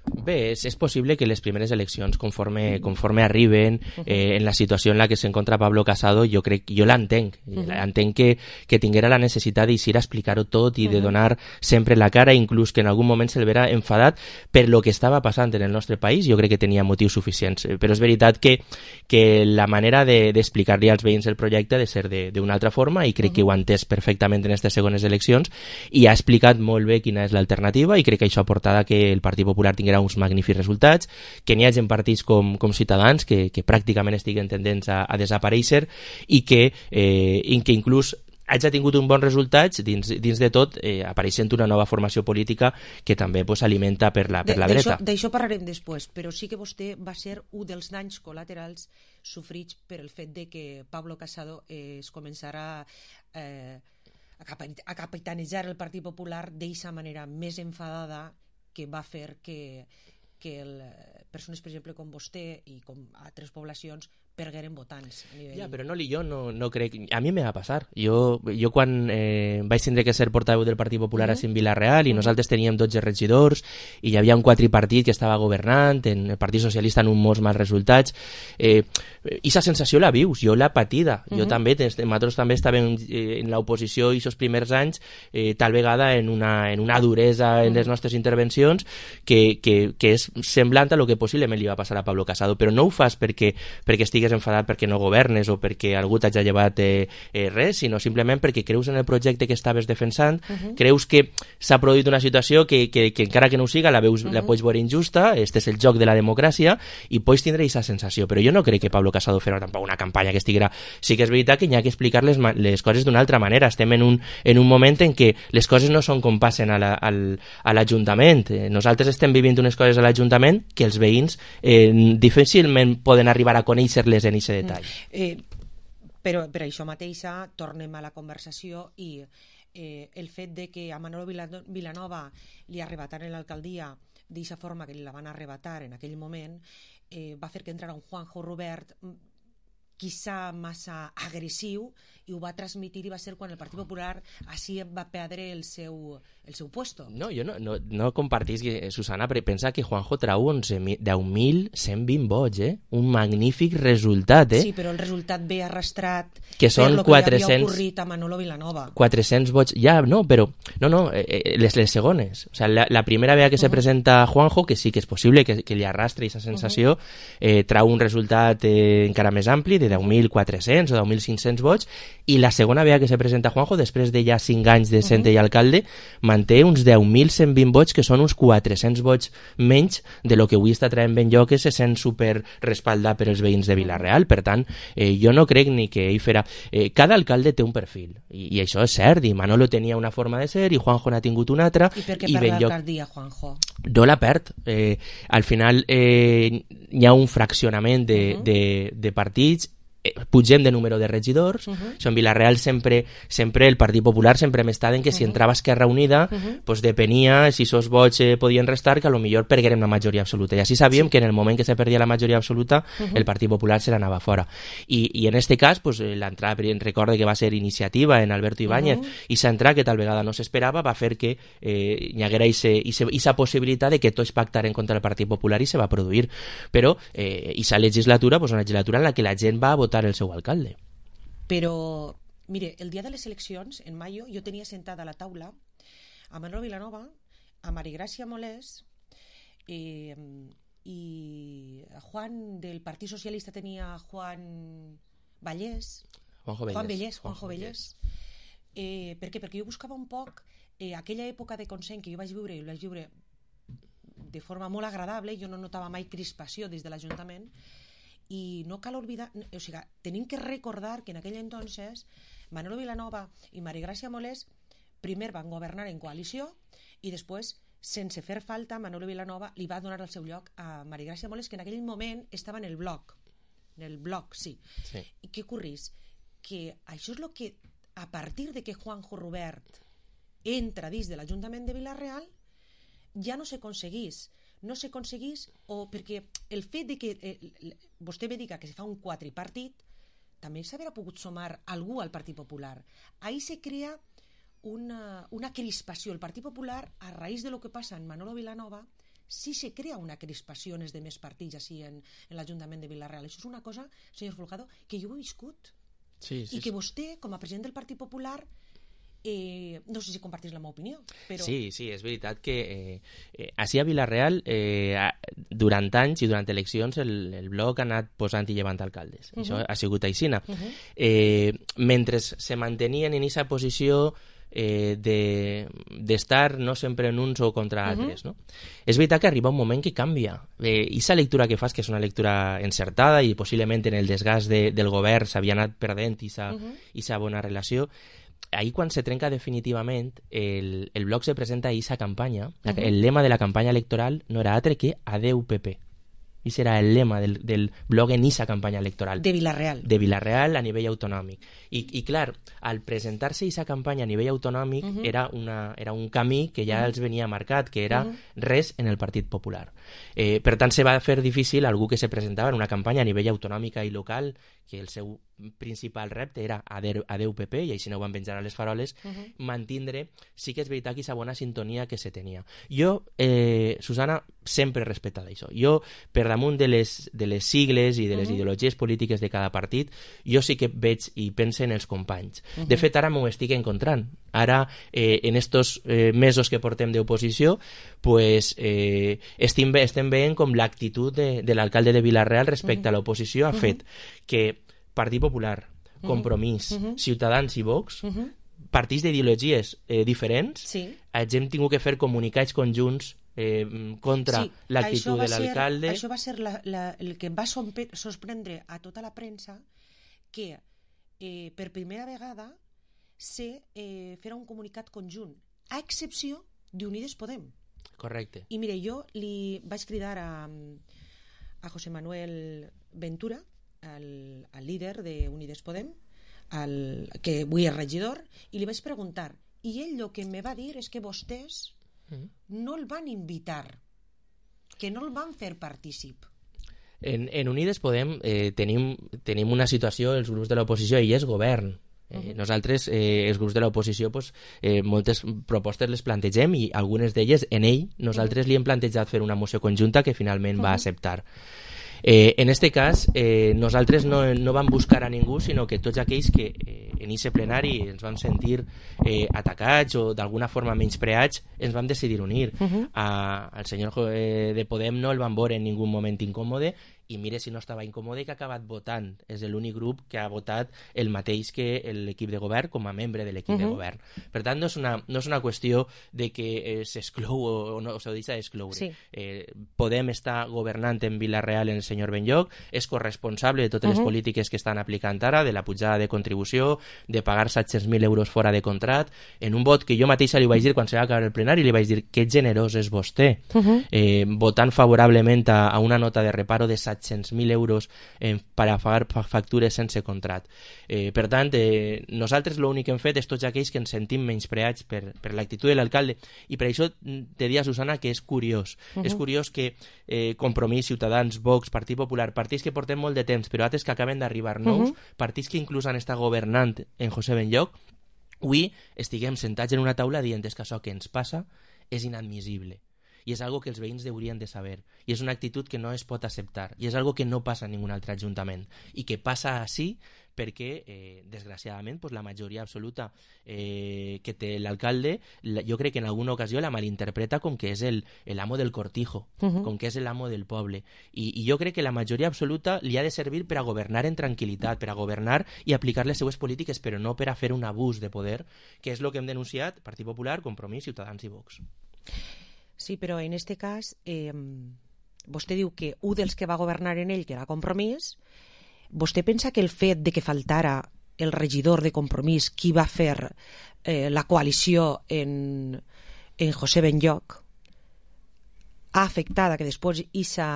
Bé, és, és possible que les primeres eleccions, conforme, conforme arriben, eh, en la situació en la que s'encontra Pablo Casado, jo crec, jo l'entenc, uh-huh. entenc que, que tinguera la necessitat d'eixir a explicar-ho tot i uh-huh. de donar sempre la cara, inclús que en algun moment se'l vera enfadat per lo que estava passant en el nostre país. Jo crec que tenia motius suficients, però és veritat que, que la manera d'explicar-li de, als veïns el projecte ha de ser d'una altra forma, i crec uh-huh. que ho ha entès perfectament en aquestes segones eleccions i ha explicat molt bé quina és l'alternativa, i crec que això ha portat a que el Partit Popular tingui tinguera uns magnífics resultats, que n'hi hagi partits com, com Ciutadans que, que pràcticament estiguen tendents a, a desaparèixer i que, eh, i que inclús hagi tingut un bon resultat dins, dins de tot, eh, apareixent una nova formació política que també pues, alimenta per la, per la dreta. D'això parlarem després, però sí que vostè va ser un dels danys col·laterals sofrits per el fet de que Pablo Casado eh, es començarà eh, a capitanejar el Partit Popular d'eixa manera més enfadada que va fer que, que el, persones, per exemple, com vostè i com altres poblacions pergueren votants. A nivell... Ja, però no, jo no, no crec... A mi me va passar. Jo, jo quan eh, vaig tindre que ser portaveu del Partit Popular uh -huh. a Vilareal i uh -huh. nosaltres teníem dotze regidors i hi havia un quadripartit que estava governant, en el Partit Socialista en uns molts mals resultats, eh, i aquesta sensació la vius, jo l'he patida. Uh -huh. Jo també, nosaltres també estàvem eh, en l'oposició i aquests primers anys eh, tal vegada en una, en una duresa en les nostres intervencions que, que, que és semblant a lo que possiblement li va passar a Pablo Casado, però no ho fas perquè, perquè estigues enfadat perquè no governes o perquè algú t'hagi llevat eh, eh, res, sinó simplement perquè creus en el projecte que estaves defensant, uh -huh. creus que s'ha produït una situació que, que, que encara que no ho siga la, veus, uh -huh. la pots veure injusta, este és el joc de la democràcia i pots tindre aquesta sensació, però jo no crec que Pablo Casado fera tampoc una campanya que estiguera... Sí que és veritat que hi ha que explicar les, les coses d'una altra manera, estem en un, en un moment en què les coses no són com passen a l'Ajuntament, la, a nosaltres estem vivint unes coses a l'Ajuntament que els veïns eh, difícilment poden arribar a conèixer-les en aquest detall. Eh, però per això mateixa tornem a la conversació i eh, el fet de que a Manolo Vilanova li arrebataren l'alcaldia d'aquesta forma que li la van arrebatar en aquell moment eh, va fer que entrara un Juanjo Rubert quizá massa agressiu i ho va transmitir i va ser quan el Partit Popular així va perdre el seu, el seu puesto. No, jo no, no, no compartís, Susana, però pensa que Juanjo trau deu mil cent vint vots, eh? Un magnífic resultat, eh? Sí, però el resultat ve arrastrat que són per lo que quatre-cents, li havia ocorrit a Manolo Vilanova. quatre-cents vots, ja, no, però no, no, eh, les, les segones. O sea, la, la primera vegada que uh -huh. se presenta Juanjo, que sí que és possible que, que li arrastri aquesta sensació, uh -huh. eh, trau un resultat eh, encara més ampli, de deu mil quatre-cents o deu mil cinc-cents vots, i la segona vegada que se presenta Juanjo, després de ja cinc anys de sent uh -huh. i alcalde, manté uns deu mil cent vint vots, que són uns quatre-cents vots menys de lo que avui està traient ben jo, que se sent super respaldat per els veïns de Vilareal. Per tant, eh, jo no crec ni que ell farà... Eh, cada alcalde té un perfil, i, i això és cert, i Manolo tenia una forma de ser, i Juanjo n'ha tingut una altra. I per què perd l'alcaldia, Juanjo? No la perd. Eh, al final eh, hi ha un fraccionament de, uh -huh. de, de partits, pugem de número de regidors. Uh -huh. Això en Vilareal sempre, sempre el Partit Popular sempre hem estat en que si entrava Esquerra Unida uh -huh. pues depenia si esos vots eh, podien restar, que a lo millor perguérem la majoria absoluta, i així sabíem sí. que en el moment que se perdia la majoria absoluta uh -huh. el Partit Popular se l'anava fora, i, i en este cas pues, l'entrada, recorde que va ser Iniciativa en Alberto Ibáñez, uh -huh. i s'entrada que tal vegada no s'esperava va fer que eh, hi haguera aquesta possibilitat de que tots pactaren contra el Partit Popular, i se va produir, però eh, aquesta legislatura pues, una legislatura en la que la gent va a votar el seu alcalde. Però, mire, el dia de les eleccions, en mayo, jo tenia sentada a la taula a Manolo Vilanova, a Marigràcia Molés, eh, i a Juan del Partit Socialista tenia Juan Vallès, Juanjo Vallès, Juan Vallès, Juanjo Vallès. Eh, per què? Perquè jo buscava un poc eh, aquella època de consens que jo vaig viure, i ho vaig viure de forma molt agradable, jo no notava mai crispació des de l'Ajuntament, i no cal oblidar, o sigui, tenim que recordar que en aquell entonces Manolo Vilanova i Marigràcia Molés primer van governar en coalició i després, sense fer falta, Manolo Vilanova li va donar el seu lloc a Marigràcia Molés, que en aquell moment estava en el bloc, en el bloc, sí. sí. I què ocorrís? Que això és el que, a partir de que Juanjo Rubert entra dins de l'Ajuntament de Vilareal, ja no s'aconseguís no s'aconseguís, o perquè el fet de que eh, vostè ve dir que se fa un quadripartit, també s'haurà pogut sumar algú al Partit Popular. Ahí se crea una, una crispació. El Partit Popular, a raïs de lo que passa en Manolo Vilanova, sí se crea una crispació en els demés partits així en, en l'Ajuntament de Vilareal. Això és una cosa, senyor Folgado, que jo he viscut. Sí, sí, I que vostè, com a president del Partit Popular, Eh, no sé si compartís la meva opinió, però... Sí, sí, és veritat que eh, eh, així a Vilareal eh, durant anys i durant eleccions el, el bloc ha anat posant i llevant alcaldes. Uh -huh. Això ha sigut aixina. Uh -huh. eh, mentre se mantenien en aquesta posició eh, d'estar de, no sempre en uns o contra uh-huh. altres, no? És veritat que arriba un moment que canvia. Eh, I aquesta lectura que fas, que és una lectura encertada i possiblement en el desgast de, del govern s'havia anat perdent aquesta uh-huh. bona relació, ahir quan se trenca definitivament, el, el bloc se presenta a aquesta campanya, uh-huh. el lema de la campanya electoral no era altre que Adeu P P. I serà el lema del, del blog en aquesta campanya electoral. De Vilareal. De Vilareal a nivell autonòmic. I, i clar, al presentar-se aquesta campanya a nivell autonòmic uh-huh. era, una, era un camí que ja uh-huh. els venia marcat, que era uh-huh. res en el Partit Popular. Eh, per tant, se va fer difícil algú que se presentava en una campanya a nivell autonòmica i local, que el seu principal repte era adeu, adeu P P, i així no ho van penjar a les faroles, uh-huh. mantindre, sí que és veritat, aquesta bona sintonia que se tenia. Jo, eh, Susana, sempre he respectat això. Jo, per damunt de les, de les sigles i de les uh-huh. ideologies polítiques de cada partit, jo sí que veig i pense en els companys. Uh-huh. De fet, ara m'ho estic encontrant. Ara, eh, en estos eh, mesos que portem d'oposició, pues, eh, estem, estem veient com l'actitud de, de l'alcalde de Vilareal respecte uh-huh. a l'oposició ha uh-huh. fet que Partit Popular, Compromís, uh-huh. Ciutadans i Vox, uh-huh. partits d'ideologies eh, diferents, sí. hem tingut que fer comunicats conjunts eh, contra sí, l'actitud de l'alcalde. Això va ser la, la, el que em va sorprendre a tota la premsa, que eh, per primera vegada se eh, farà un comunicat conjunt, a excepció d'Unides Podem. Correcte. I mire, jo li vaig cridar a, a José Manuel Ventura, el, el líder d'Unides Podem, el, que avui és regidor, i li vaig preguntar, i ell el que me va dir és que vostès mm. no el van invitar, que no el van fer partícip. En, en Unides Podem eh, tenim, tenim una situació, els grups de l'oposició, i és govern. Eh, uh-huh. Nosaltres, eh, els grups de l'oposició, pues, eh, moltes propostes les plantegem i algunes d'elles, en ell, nosaltres uh-huh. li hem plantejat fer una moció conjunta que finalment uh-huh. va acceptar. Eh, en este cas, eh, nosaltres no, no vam buscar a ningú, sinó que tots aquells que eh, en aquest plenari ens vam sentir eh, atacats o d'alguna forma menyspreats, ens vam decidir unir. Uh-huh. A, al senyor eh, de Podem no el van veure en ningú moment incòmode, i mire si no estava incòmode que ha acabat votant. És l'únic grup que ha votat el mateix que l'equip de govern com a membre de l'equip uh-huh. de govern. Per tant, no és una, no és una qüestió de que eh, s'exclou o, o no s'ho deixa d'excloure. Sí. Eh, Podem estar governant en Vilareal en el senyor Benlloc, és corresponsable de totes uh-huh. les polítiques que estan aplicant ara, de la pujada de contribució, de pagar set-cents mil euros fora de contrat, en un vot que jo mateixa li vaig dir quan se va acabar el plenari, li vaig dir que generós és vostè, uh-huh. eh, votant favorablement a, a una nota de reparo de set-cents mil euros eh, per a pagar factures sense contrat. Eh, per tant, eh, nosaltres l'únic que hem fet és tots aquells que ens sentim menyspreats per, per l'actitud de l'alcalde, i per això te dia, Susana, que és curiós. Uh-huh. És curiós que eh, Compromís, Ciutadans, Vox, Partit Popular, partits que portem molt de temps, però altres que acaben d'arribar nous, uh-huh. partits que inclús han estat governant en José Benlloc, avui estiguem sentats en una taula dient que això que ens passa és inadmissible. I és algo que els veïns haurien de saber, i és una actitud que no es pot acceptar, i és algo que no passa en ningun altre ajuntament, i que passa així perquè, eh, desgraciadament, pues, la majoria absoluta eh, que té l'alcalde, la, jo crec que en alguna ocasió la malinterpreta com que és el, el amo del cortijo, uh-huh. com que és l'amo del poble, I, i jo crec que la majoria absoluta li ha de servir per a governar en tranquil·litat, per a governar i aplicar les seues polítiques, però no per a fer un abús de poder, que és el que hem denunciat Partit Popular, Compromís, Ciutadans i Vox. Sí, però en este cas eh, vostè diu que un dels que va governar en ell, que era Compromís, vostè pensa que el fet de que faltara el regidor de Compromís, qui va fer eh, la coalició en, en José Benlloc, ha afectat a que després aquesta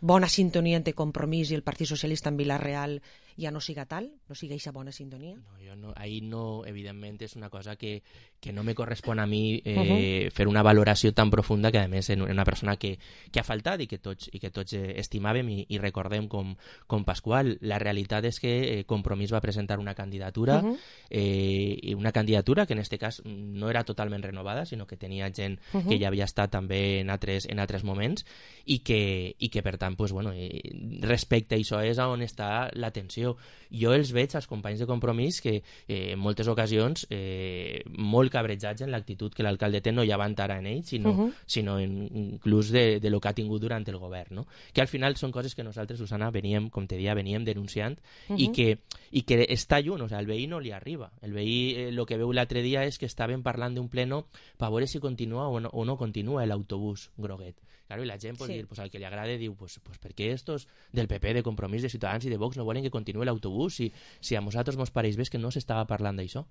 bona sintonia entre Compromís i el Partit Socialista en Vilareal ja no siga tal, no siga aquesta bona sintonia? No, jo no, ahí no, evidentment, és una cosa que, que no me correspon a mi eh, uh-huh. fer una valoració tan profunda, que a més és una persona que, que ha faltat i que tots, i que tots eh, estimàvem i, i recordem com, com Pasqual. La realitat és que eh, Compromís va presentar una candidatura, uh-huh. eh, una candidatura que en aquest cas no era totalment renovada, sinó que tenia gent uh-huh. que ja havia estat també en altres, en altres moments, i que, i que per tant, pues, bueno, eh, respecte a això és on està la tensió. Jo els veig als companys de Compromís que eh, en moltes ocasions eh, molt cabrejats en l'actitud que l'alcalde té, no ja van ara en ell, sinó, uh -huh. sinó en, inclús de, de lo que ha tingut durant el govern, no? Que al final són coses que nosaltres, Susana, veníem, com te deia, veníem denunciant uh -huh. i, que, i que està lluny, o sea, el veí no li arriba. El veí, eh, lo que veu l'altre dia és que estaven parlant d'un pleno per veure si continua o no, o no continua l'autobús groguet. Claro, i la gent pot sí. dir, pues, al que li agrade diu, pues, pues per què estos del P P, de Compromís, de Ciutadans i de Vox no volen que continuï l'autobús si, si a nosaltres mos pareix bé que no s'estava parlant d'això.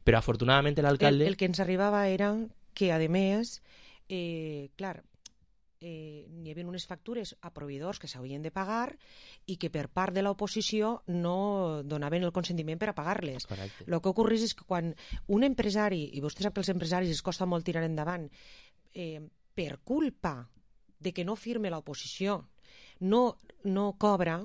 Però afortunadament l'alcalde... El, el que ens arribava era que, a més, eh, clar, eh, hi havia unes factures a proveïdors que s'havien de pagar i que per part de l'oposició no donaven el consentiment per a pagar-les. Correcte. El que ocorreix és que quan un empresari, i vostè sap que als empresaris es costa molt tirar endavant, eh, per culpa de que no firme l'oposició, no, no cobra,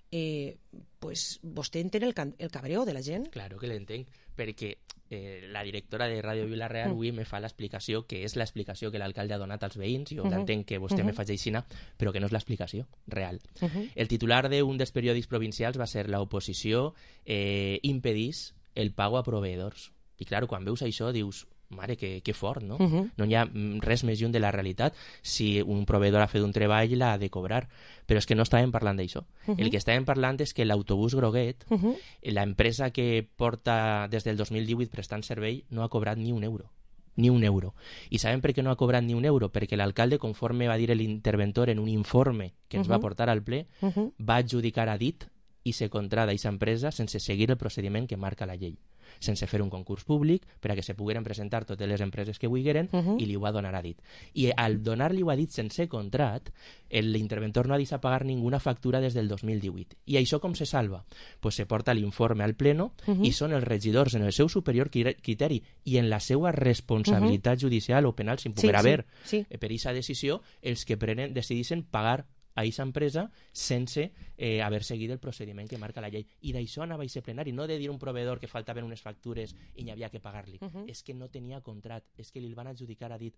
eh, pues vostè entén el, el cabreo de la gent? Claro que l'entenc, perquè eh, la directora de Ràdio Vila-real avui mm. me fa l'explicació, que és l'explicació que l'alcalde ha donat als veïns, jo uh -huh. l'entenc que vostè uh -huh. me faci aixina, però que no és l'explicació real. Uh -huh. El titular d'un dels periòdics provincials va ser l'oposició eh, impedís el pago a proveïdors. I clar, quan veus això dius... Mare, que, que fort, no? Uh -huh. No hi ha res més lluny de la realitat. Si un proveïdor ha fet un treball, l'ha de cobrar. Però és que no estàvem parlant d'això. Uh -huh. El que estàvem parlant és que l'autobús groguet, uh -huh. l'empresa que porta des del dos mil divuit prestant servei, no ha cobrat ni un euro. Ni un euro. I sabem per què no ha cobrat ni un euro? Perquè l'alcalde, conforme va dir l'interventor en un informe que ens uh -huh. va portar al ple, uh -huh. va adjudicar a dit i se contrada d'aquesta empresa sense seguir el procediment que marca la llei, sense fer un concurs públic per a que se pogueren presentar totes les empreses que vulgueren uh -huh. i li ho va donar a dit. I al donar-li-ho a dit sense contrat, l'interventor no ha deixat pagar ninguna factura des del dos mil divuit. I això com se salva? Pues se porta l'informe al pleno uh -huh. i són els regidors en el seu superior criteri i en la seva responsabilitat uh -huh. judicial o penal, sin poder sí, haver sí, sí. per aquesta decisió, els que prenen, decidissin pagar a aquesta empresa sense eh, haver seguit el procediment que marca la llei. I d'això anava a ser plenari, no de dir un proveïdor que faltaven unes factures i n'hi havia que pagar-li. Uh -huh. És que no tenia contrat, és que li van adjudicar a dit.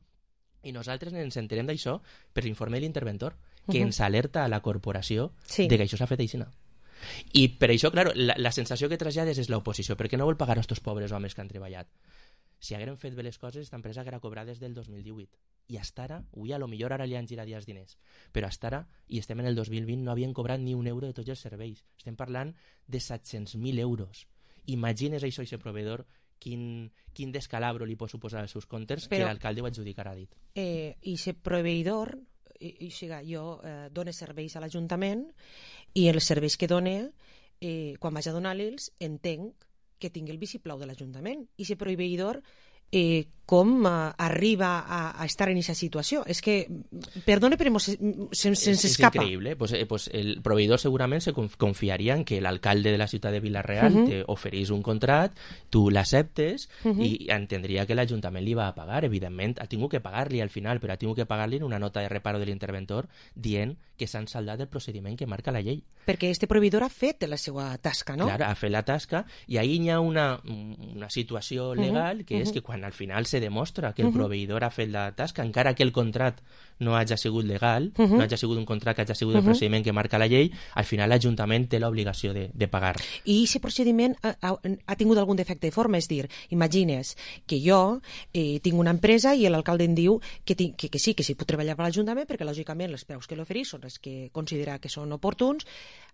I nosaltres ens enterem d'això per l'informe de l'interventor, que uh -huh. ens alerta a la corporació sí. de que això s'ha fet així. I per això, clar, la, la sensació que trasllades és l'oposició, perquè no vol pagar a estos pobres homes que han treballat. Si hagueren fet bé les coses, aquesta empresa haguera cobrat des del dos mil divuit. I hasta ara, ui, a lo millor ara li han girat ja els diners, però hasta ara, i estem en el dos mil vint, no havien cobrat ni un euro de tots els serveis. Estem parlant de set-cents mil euros. Imagines això, aquest proveïdor, quin, quin descalabro li pot suposar als seus comptes però, que l'alcalde ho adjudicarà dit. Eh, I aquest proveïdor, i, i siga, jo eh, dono serveis a l'Ajuntament i els serveis que done, eh, quan vaig a donar-los, entenc que tingui el vistiplau de l'Ajuntament. I aquest proveïdor eh, com uh, arriba a, a estar en aquesta situació. És que, perdone, però se'ns se, se, se escapa. És increïble. Pues, eh, pues el proveïdor segurament se confiaria en que l'alcalde de la ciutat de Vila-real uh -huh. te oferís un contrat, tu l'acceptes uh -huh. i entendria que l'Ajuntament li va a pagar. Evidentment, ha tingut que pagar-li al final, però ha tingut que pagar-li en una nota de reparo de l'interventor dient que s'han saldat el procediment que marca la llei. Perquè este proveïdor ha fet la seva tasca, no? Clar, ha fet la tasca i ahir hi ha una, una situació legal uh -huh. que és uh -huh. que quan al final se demostra que el uh -huh. proveïdor ha fet la tasca, encara que el contrat no hagi sigut legal, uh -huh. no hagi sigut un contrat que hagi sigut uh -huh. el procediment que marca la llei, al final l'Ajuntament té l'obligació de, de pagar. I aquest procediment ha, ha, ha tingut algun defecte de forma? És dir, imagines que jo eh, tinc una empresa i l'alcalde em diu que, tinc, que, que sí, que sí puc treballar per l'Ajuntament perquè lògicament els preus que l'oferís són els que considera que són oportuns.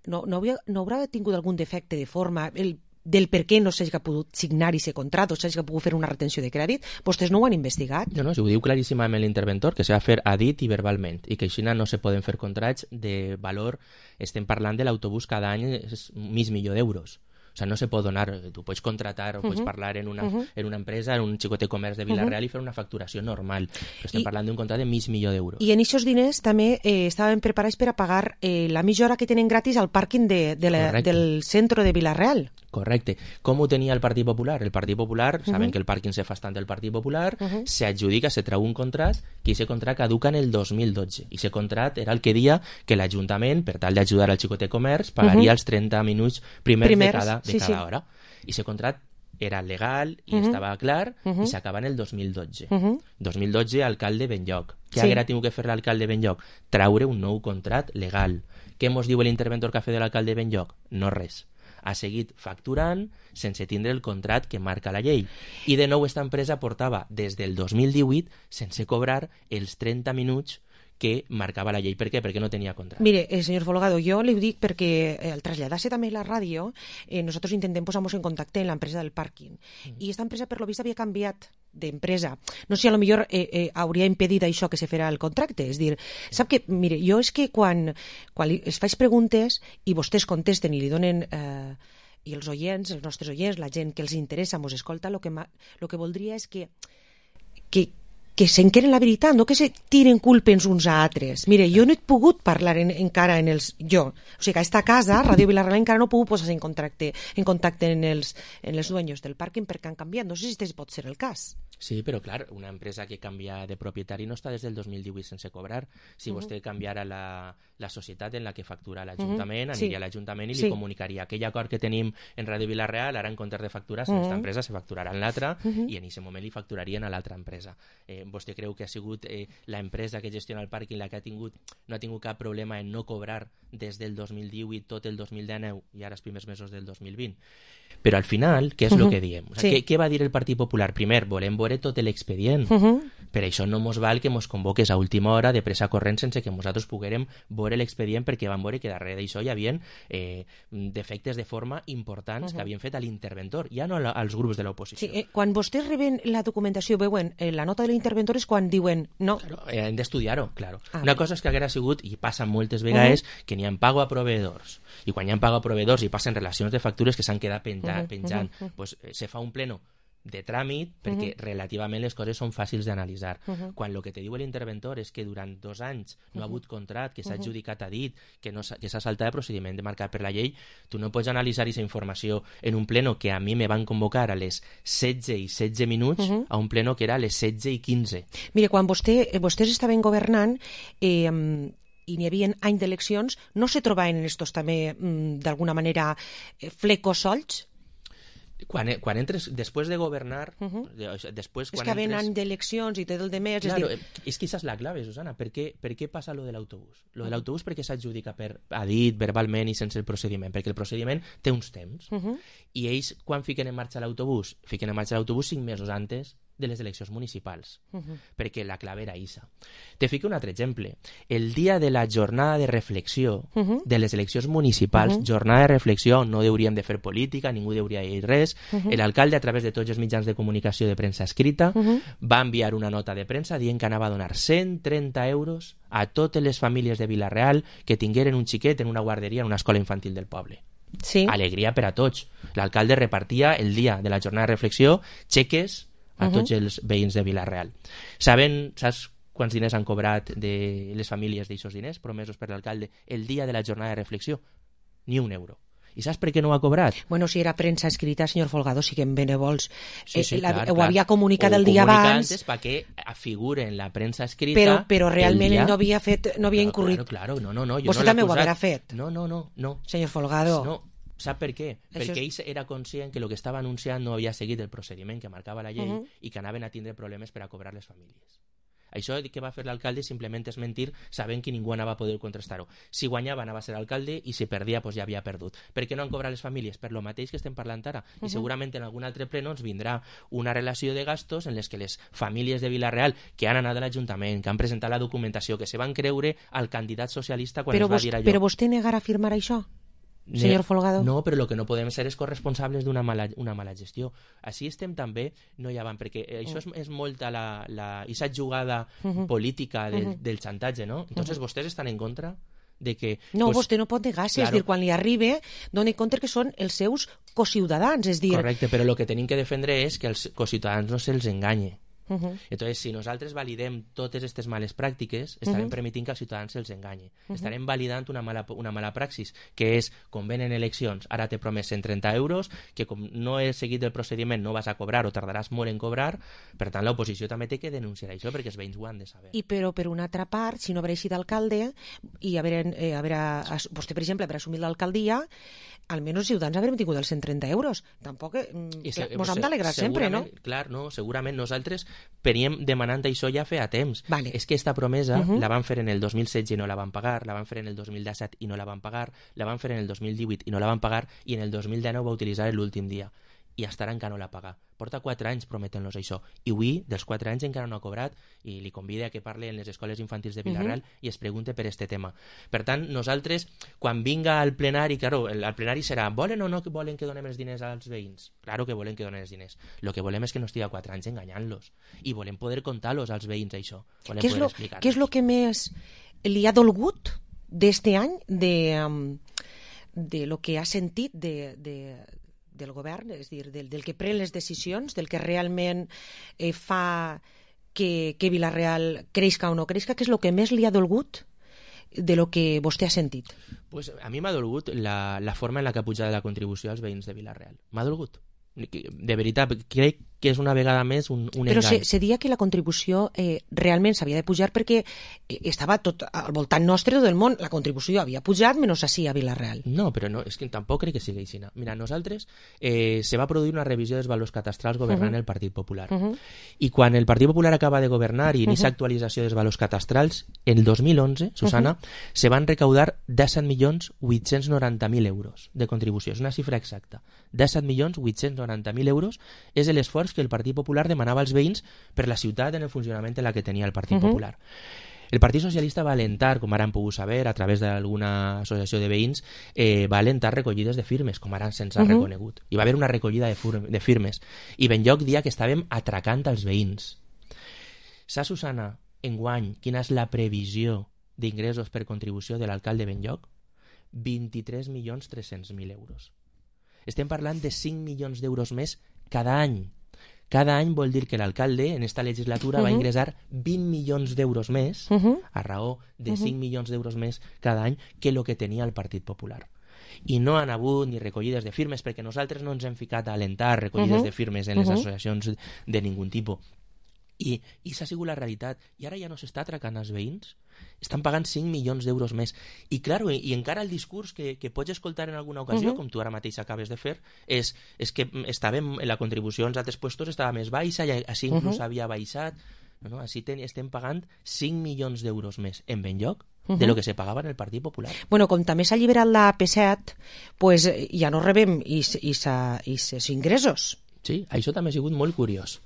No, no, havia, no haurà tingut algun defecte de forma el del per què no s'hagi pogut signar aquest contracte o s'hagi pogut fer una retenció de crèdit? Vostès no ho han investigat? No, no, si ho diu claríssimament l'interventor, que s'ha de fer a dit i verbalment, i que així no se poden fer contrats de valor. Estem parlant de l'autobús cada any és mig milió d'euros. O sigui, no se pot donar, tu pots contratar o pots uh -huh. parlar en una, uh -huh. en una empresa, en un xicotet comerç de Vila-real uh -huh. i fer una facturació normal. Però estem I, parlant d'un contracte de mig milió d'euros. I en aquests diners també eh, estaven preparats per a pagar eh, la mitja hora que tenen gratis al pàrquing de, de la, del centre de Vila-real. Correcte. Com ho tenia el Partit Popular? El Partit Popular, uh -huh. saben que el pàrquing se fa estant del Partit Popular, uh -huh. s'adjudica, se trau un contract, que aquest contract caduca en el dos mil dotze. I aquest contract era el que dia que l'Ajuntament, per tal d'ajudar al xicotet comerç, pagaria uh -huh. els trenta minuts primers, primers de cada, de sí, cada sí. hora. I aquest contract era legal i uh -huh. estava clar uh -huh. i s'acaba en el dos mil dotze. Uh -huh. dos mil dotze, alcalde Benlloc. Què sí. haguera tingut que fer l'alcalde Benlloc? Traure un nou contract legal. Què mos diu l'interventor que ha fet de l'alcalde Benlloc? No res. ha seguit facturant sense tindre el contrat que marca la llei. I de nou, esta empresa portava des del dos mil divuit sense cobrar els trenta minuts que marcava la llei. Per què? Perquè no tenia contrat. Mire, eh, senyor Folgado, jo li ho dic perquè eh, al traslladar-se també la ràdio, eh, nosaltres intentem posar-nos en contacte amb l'empresa del pàrquing. Mm. I esta empresa, per lo vist, havia canviat d'empresa. No sé si a lo millor eh, eh, hauria impedit això que se farà el contracte. És dir, sap que, mire, jo és que quan, quan li, es faig preguntes i vostès contesten i li donen... Eh, i els oients, els nostres oients, la gent que els interessa, mos escolta, el que, lo que voldria és que, que, que s'enqueren la veritat, no que se tiren culpes uns a altres. Mire, jo no he pogut parlar en, encara en els... Jo, o sigui que a esta casa, Ràdio Vilareal, encara no he pogut posar en contacte, en contacte en els, en els dueños del pàrquing perquè han canviat. No sé si este pot ser el cas. Sí, però clar, una empresa que canvia de propietari no està des del dos mil divuit sense cobrar. Si uh-huh. vostè canviara la, la societat en la que factura l'Ajuntament, uh-huh. aniria sí. a l'Ajuntament i sí. li comunicaria aquell acord que tenim en Ràdio Vilareal, ara en comptes de facturar uh-huh. aquesta empresa se facturarà en l'altra uh-huh. i en aquest moment li facturarien a l'altra empresa. Eh, vostè creu que ha sigut eh, la empresa que gestiona el pàrquing la que ha tingut, no ha tingut cap problema en no cobrar des del dos mil divuit tot el dos mil dinou i ara els primers mesos del dos mil vint? Però al final, què és el uh-huh. que diem? O sigui, sí. què, què va dir el Partit Popular? Primer, volem veure tot l'expedient. Uh-huh. Per això no mos val que mos convoques a última hora de pressa corrent sense que nosaltres poguérem veure l'expedient, perquè vam veure que darrere d'això hi havia eh, defectes de forma importants uh-huh. que havien fet a l'interventor, ja no als grups de l'oposició. Sí, eh, quan vostès reben la documentació, veuen eh, la nota de l'interventor és quan diuen no. Claro, eh, hem d'estudiar-ho, claro. Ah, Una cosa és que haguera sigut, i passa moltes vegades, uh-huh. que n'hi ha pago a proveïdors. I quan hi ha pago a proveïdors i passen relacions de factures que s'han quedat penjant, uh-huh. penjant uh-huh. pues, eh, se fa un pleno de tràmit perquè uh-huh. relativament les coses són fàcils d'analitzar. Uh-huh. Quan el que te diu l'interventor és que durant dos anys no uh-huh. ha hagut contrat, que s'ha uh-huh. adjudicat a dit, que, no que s'ha saltat el procediment marcat per la llei, tu no pots analitzar aquesta informació en un pleno que a mi me van convocar a les setze i setze minuts uh-huh. a un pleno que era a les setze i quinze. Mire, quan vostè, vostès estaven governant eh, i n'hi havia any d'eleccions, no se trobaven estos també d'alguna manera flecos solts? Quan, quan entres, després de governar... Uh-huh. després, quan és que ven entres... any d'eleccions i tot el de més... Claro, és, dir... és que aquesta és la clave, Susana. Per què, per què passa lo de l'autobús? Lo de l'autobús perquè s'adjudica per a dit, verbalment i sense el procediment, perquè el procediment té uns temps. Uh-huh. I ells, quan fiquen en marxa l'autobús? Fiquen en marxa l'autobús cinc mesos antes de les eleccions municipals, uh-huh. perquè la clave era isa. Te fico un altre exemple. El dia de la jornada de reflexió uh-huh. de les eleccions municipals, uh-huh. jornada de reflexió on no hauríem de fer política, ningú hauria de dir res, uh-huh. l'alcalde, a través de tots els mitjans de comunicació de premsa escrita, uh-huh. va enviar una nota de premsa dient que anava a donar cent trenta euros a totes les famílies de Vila-real que tingueren un xiquet en una guarderia, en una escola infantil del poble. Sí. Alegria per a tots. L'alcalde repartia el dia de la jornada de reflexió xeques a tots uh-huh. els veïns de Vila-real. Saben, saps quants diners han cobrat de les famílies d'aixòs diners promesos per l'alcalde el dia de la jornada de reflexió? Ni un euro. I saps per què no ho ha cobrat? Bueno, si era premsa escrita, senyor Folgado, sí que en benevols. Sí, sí, eh, la, clar, ho clar. havia comunicat el dia abans. Antes perquè figure en la premsa escrita. Però, però realment dia... ell no havia fet, no havia claro, incurrit. Claro, claro, no, no, no. Jo Vostè no també ho haurà fet. No, no, no, no. Senyor Folgado. No. Sap per què? Això Perquè és... ell era conscient que el que estava anunciant no havia seguit el procediment que marcava la llei uh-huh. i que anaven a tindre problemes per a cobrar les famílies. Això que va fer l'alcalde simplement és mentir sabent que ningú anava a poder contrastar-ho. Si guanyava anava a ser alcalde i si perdia pues, ja havia perdut. Per què no han cobrat les famílies? Per lo mateix que estem parlant ara. Uh-huh. I segurament en algun altre ple ens vindrà una relació de gastos en les que les famílies de Vila-real que han anat a l'Ajuntament, que han presentat la documentació, que se van creure al candidat socialista quan però es va vos, dir allò. Però vostè negarà afirmar això? Senyor Folgado. No, però el que no podem ser és corresponsables d'una mala, una mala gestió. Així estem també, no hi ha van, perquè això és, és molta la, la, aquesta jugada uh-huh. política del, uh-huh. del xantatge, no? Entonces, uh-huh. vostès estan en contra de que... No, pues, vostè no pot negar-se, claro. és dir, quan li arribe, doni compte que són els seus cociutadans, és dir... Correcte, però el que tenim que defendre és que els cociutadans no se'ls enganye. Uh-huh. Entonces, si nosaltres validem totes aquestes males pràctiques, estarem uh-huh. permitint que els ciutadans se'ls enganye. Uh-huh. Estarem validant una mala, una mala praxis, que és, com venen eleccions, ara t'he promès cent trenta euros, que com no he seguit el procediment no vas a cobrar o tardaràs molt en cobrar, per tant l'oposició també té que denunciar això, perquè els veïns ho han de saber. I però, per una altra part, si no haver eixit d'alcalde i haver, eh, haver, vostè, per exemple, haver assumit l'alcaldia, almenys els ciutadans haurem tingut els cent trenta euros. Tampoc, eh, clar, mos hem d'alegrar sempre, no? Clar, no, segurament nosaltres veníem demanant això ja feia temps. Vale. És que aquesta promesa Uh-huh. la van fer en el dos mil setze i no la van pagar, la van fer en el dos mil disset i no la van pagar, la van fer en el dos mil divuit i no la van pagar, i en el dos mil dinou va utilitzar l'últim dia. I hasta ara encara no la paga. Porta quatre anys prometent-los això. I avui, dels quatre anys, encara no ha cobrat, i li convida a que parli en les escoles infantils de Vilareal Uh-huh. i es pregunte per este tema. Per tant, nosaltres, quan vinga al plenari, claro, el, el plenari serà volen o no que volen que donem els diners als veïns? Claro que volen que donen els diners. Lo que volem és que no estigui a quatre anys enganyant-los. I volem poder contar-los als veïns, això. Volem Què és, poder lo, explicar-los. què és lo que més li ha dolgut d'este any de, um, de lo que ha sentit de, de, del govern, és a dir, del, del que pren les decisions, del que realment eh, fa que, que Vilareal creixca o no creixca? Què és el que més li ha dolgut de lo que vostè ha sentit? Pues a mi m'ha dolgut la, la forma en la que ha pujat la contribució als veïns de Vilareal. M'ha dolgut. De veritat, crec que és una vegada més un, un Però engany. se, se dia que la contribució eh, realment s'havia de pujar perquè eh, estava tot al voltant nostre del món. La contribució havia pujat menys així a Vilareal. No, però no, és que tampoc crec que sigui així. Mira, nosaltres eh, se va produir una revisió dels valors catastrals governant Uh-huh. el Partit Popular. Uh-huh. I quan el Partit Popular acaba de governar i inicia Uh-huh. actualització dels valors catastrals, el dos mil onze, Susana, Uh-huh. se van recaudar disset milions vuit-cents noranta mil euros de contribució. És una xifra exacta. disset milions vuit-cents noranta mil euros és l'esforç que el Partit Popular demanava als veïns per la ciutat en el funcionament en la que tenia el Partit Uh-huh. Popular. El Partit Socialista va alentar, com ara han pogut saber, a través d'alguna associació de veïns, eh, va alentar recollides de firmes, com ara se'ns ha Uh-huh. reconegut. I va haver una recollida de, fur- de firmes. I Benlloc dia que estàvem atracant als veïns. Saps, Susana, enguany, quina és la previsió d'ingressos per contribució de l'alcalde Benlloc? vint-i-tres milions tres-cents mil euros. Estem parlant de cinc milions d'euros més cada any. Cada any vol dir que l'alcalde en esta legislatura uh-huh. va ingressar vint milions d'euros més, Uh-huh. a raó de Uh-huh. cinc milions d'euros més cada any que el que tenia el Partit Popular. I no han hagut ni recollides de firmes, perquè nosaltres no ens hem ficat a alentar recollides Uh-huh. de firmes en les Uh-huh. associacions de ningun tipus. I, i s'ha sigut la realitat. I ara ja no s'està atracant als veïns. Estan pagant cinc milions d'euros més. I, claro, i, i encara el discurs que, que pots escoltar en alguna ocasió, Uh-huh. com tu ara mateix acabes de fer, és, és que estàvem, la contribució als altres puestos estava més baixa i així inclús Uh-huh. havia baixat. No, no, així ten, estem pagant cinc milions d'euros més en Benlloc Uh-huh. de lo que se pagava en el Partit Popular. Bueno, com també s'ha alliberat la P set, pues, eh, ja no rebem is, is, is, is ingressos. Sí, això també ha sigut molt curiós.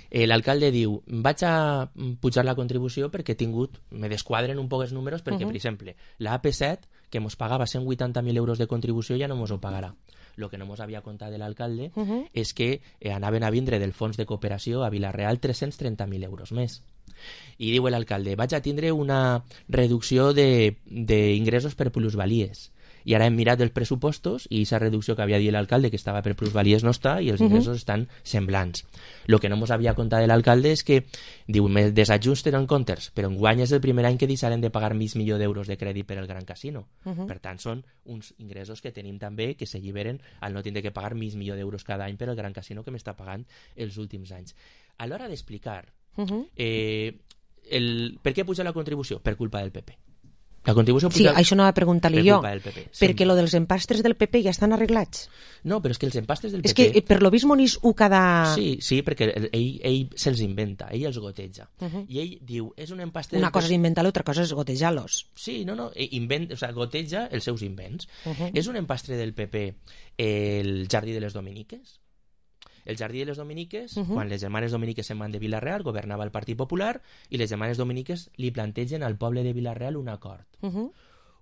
Eh, L'alcalde diu, vaig a pujar la contribució perquè he tingut, me desquadren un poc els números perquè, Uh-huh. per exemple, la A P set, que mos pagava cent vuitanta mil euros de contribució, ja no mos ho pagarà. Lo que no mos havia contat de l'alcalde Uh-huh. és que eh, anaven a vindre del fons de cooperació a Vilareal tres-cents trenta mil euros més. I diu l'alcalde, vaig a tindre una reducció d'ingressos per plusvalies. I ara hem mirat els pressupostos i aquesta reducció que havia dit l'alcalde que estava per plusvalies no està i els Uh-huh. ingressos estan semblants. Lo que no mos havia contat de l'alcalde és que diu, me desajusten en comptes, però enguany és el primer any que deixaren de pagar mig milió d'euros de crèdit per al Gran Casino. Uh-huh. Per tant, són uns ingressos que tenim també que s'alliberen al no tindre que pagar mig milió d'euros cada any per al Gran Casino que m'està pagant els últims anys. A l'hora d'explicar Uh-huh. eh, el, per què puja la contribució? Per culpa del P P. La contribució Sí, puja això anava a preguntar-li per jo, culpa del P P. perquè lo dels empastres del P P ja estan arreglats. No, però és que els empastres del És P P... que eh, per lo vist Monís ho cada... Sí, sí, perquè ell, ell se'ls inventa, ell els goteja. Uh-huh. I ell diu, és un empastre... Una cosa és inventar-lo, altra cosa és gotejar-los. Sí, no, no, invent, o sea, goteja els seus invents. Uh-huh. És un empastre del P P el Jardí de les Dominiques? El Jardí de les Dominiques, Uh-huh. quan les germanes dominiques se'n van de Vilareal, governava el Partit Popular i les germanes dominiques li plantegen al poble de Vilareal un acord. Uh-huh.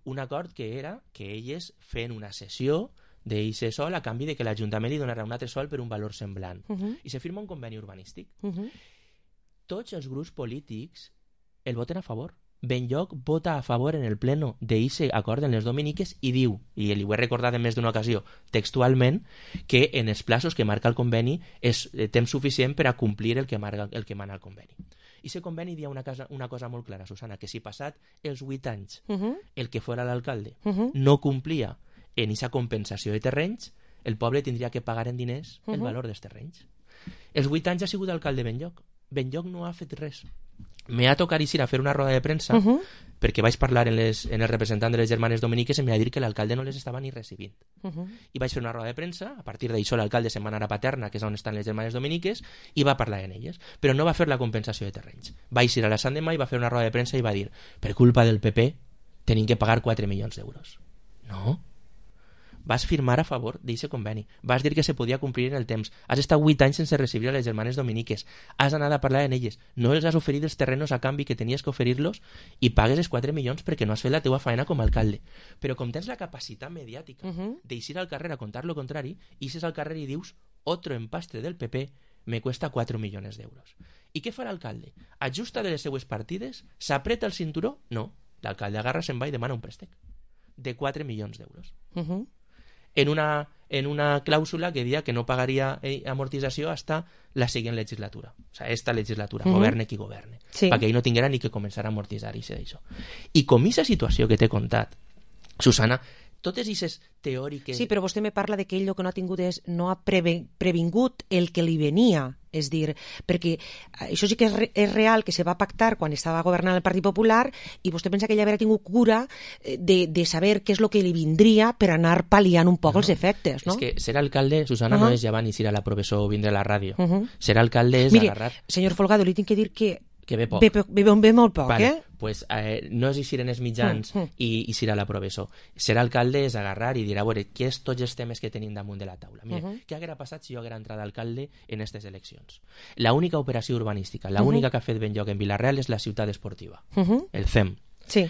Un acord que era que elles feien una sessió d'eixe sol a canvi de que l'Ajuntament li donarà un altre sol per un valor semblant. Uh-huh. I se firma un conveni urbanístic. Uh-huh. Tots els grups polítics el voten a favor. Benlloc vota a favor en el pleno d'eixe acord en les dominiques i diu, i li ho he recordat en més d'una ocasió, textualment, que en els plaços que marca el conveni és eh, temps suficient per a complir el que, marca, el que mana el conveni. I aquest conveni dia una, casa, una cosa molt clara, Susana, que si passat els vuit anys Uh-huh. el que fora l'alcalde Uh-huh. no complia en aquesta compensació de terrenys, el poble tindria que pagar en diners el Uh-huh. valor dels terrenys. Els vuit anys ha sigut alcalde Benlloc. Benlloc no ha fet res. me ha tocat ir a fer una roda de premsa uh -huh. perquè vaig parlar en, les, en el representant de les germanes dominiques i em va dir que l'alcalde no les estava ni recibint. Uh -huh. I vaig fer una roda de premsa, a partir d'això l'alcalde se'n va anar a Paterna, que és on estan les germanes dominiques, i va parlar en elles, però no va fer la compensació de terrenys. Vaig ir a la Sant Demà i va fer una roda de premsa i va dir, per culpa del P P tenim que pagar quatre milions d'euros. No. Vas firmar a favor d'aquest conveni. Vas dir que se podia complir en el temps. Has estat vuit anys sense recibir a les germanes dominiques. Has anat a parlar en elles. No els has oferit els terrenos a canvi que tenies que oferir-los i pagues els quatre milions perquè no has fet la teua faena com a alcalde. Però com tens la capacitat mediàtica uh -huh. d'eixir al carrer a contar lo contrari, ixes al carrer i dius otro empastre del P P me cuesta quatre milions d'euros. I què fa l'alcalde? Ajusta de les seues partides? S'apreta el cinturó? No. L'alcalde agarra, se'n va i demana un préstec de quatre milions d'euros. Uh -huh. en una, en una clàusula que deia que no pagaria amortització hasta la següent legislatura. O sea, esta legislatura, uh -huh. governe qui governe. Sí. Perquè ell no tinguera ni que començar a amortitzar i això. I com aquesta situació que t'he contat, Susana, totes aquestes teòriques... Sí, però vostè me parla de que ell el que no ha tingut és no ha preve, previngut el que li venia. És dir, perquè això sí que és, re, és real, que se va pactar quan estava governant el Partit Popular i vostè pensa que ell havia tingut cura de, de saber què és el que li vindria per anar pal·liant un poc no, els efectes, no? És que ser alcalde, Susana, uh -huh. no és llevar ni ir a la professor o vindre a la ràdio. Uh -huh. Ser alcalde és Mire, agarrar... senyor Folgado, li tinc que dir que que ve poc. Ve, ve, ve molt poc, vale. eh? Pues, eh, no és eixir en els mitjans mm, mm. i eixir a la professor. Ser alcalde és agarrar i dir, a veure, què és tots els temes que tenim damunt de la taula? Mira, uh -huh. què haguera passat si jo haguera entrat d'alcalde en aquestes eleccions? La única operació urbanística, la uh -huh. única que ha fet ben lloc en Vila-real és la ciutat esportiva, uh -huh. el C E M. Sí.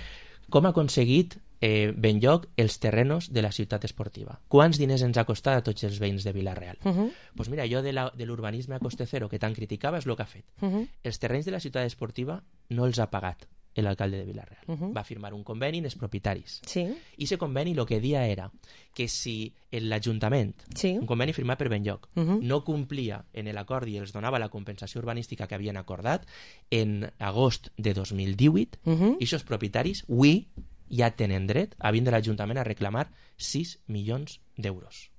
Com ha aconseguit eh, ben lloc els terrenos de la ciutat esportiva? Quants diners ens ha costat a tots els veïns de Vila-real? Uh -huh. Pues mira, jo de, la, de l'urbanisme a coste cero que tant criticava és el que ha fet. Uh -huh. Els terrenys de la ciutat esportiva no els ha pagat l'alcalde de Vila-real. Uh -huh. Va firmar un conveni en els propietaris. Sí. I aquest conveni el que dia era que si l'Ajuntament, sí. un conveni firmat per Benlloc, uh -huh. no complia en l'acord i els donava la compensació urbanística que havien acordat, en agost de dos mil divuit, uh -huh. aquests propietaris, avui, ja tenen dret a vindre a l'Ajuntament a reclamar sis milions d'euros.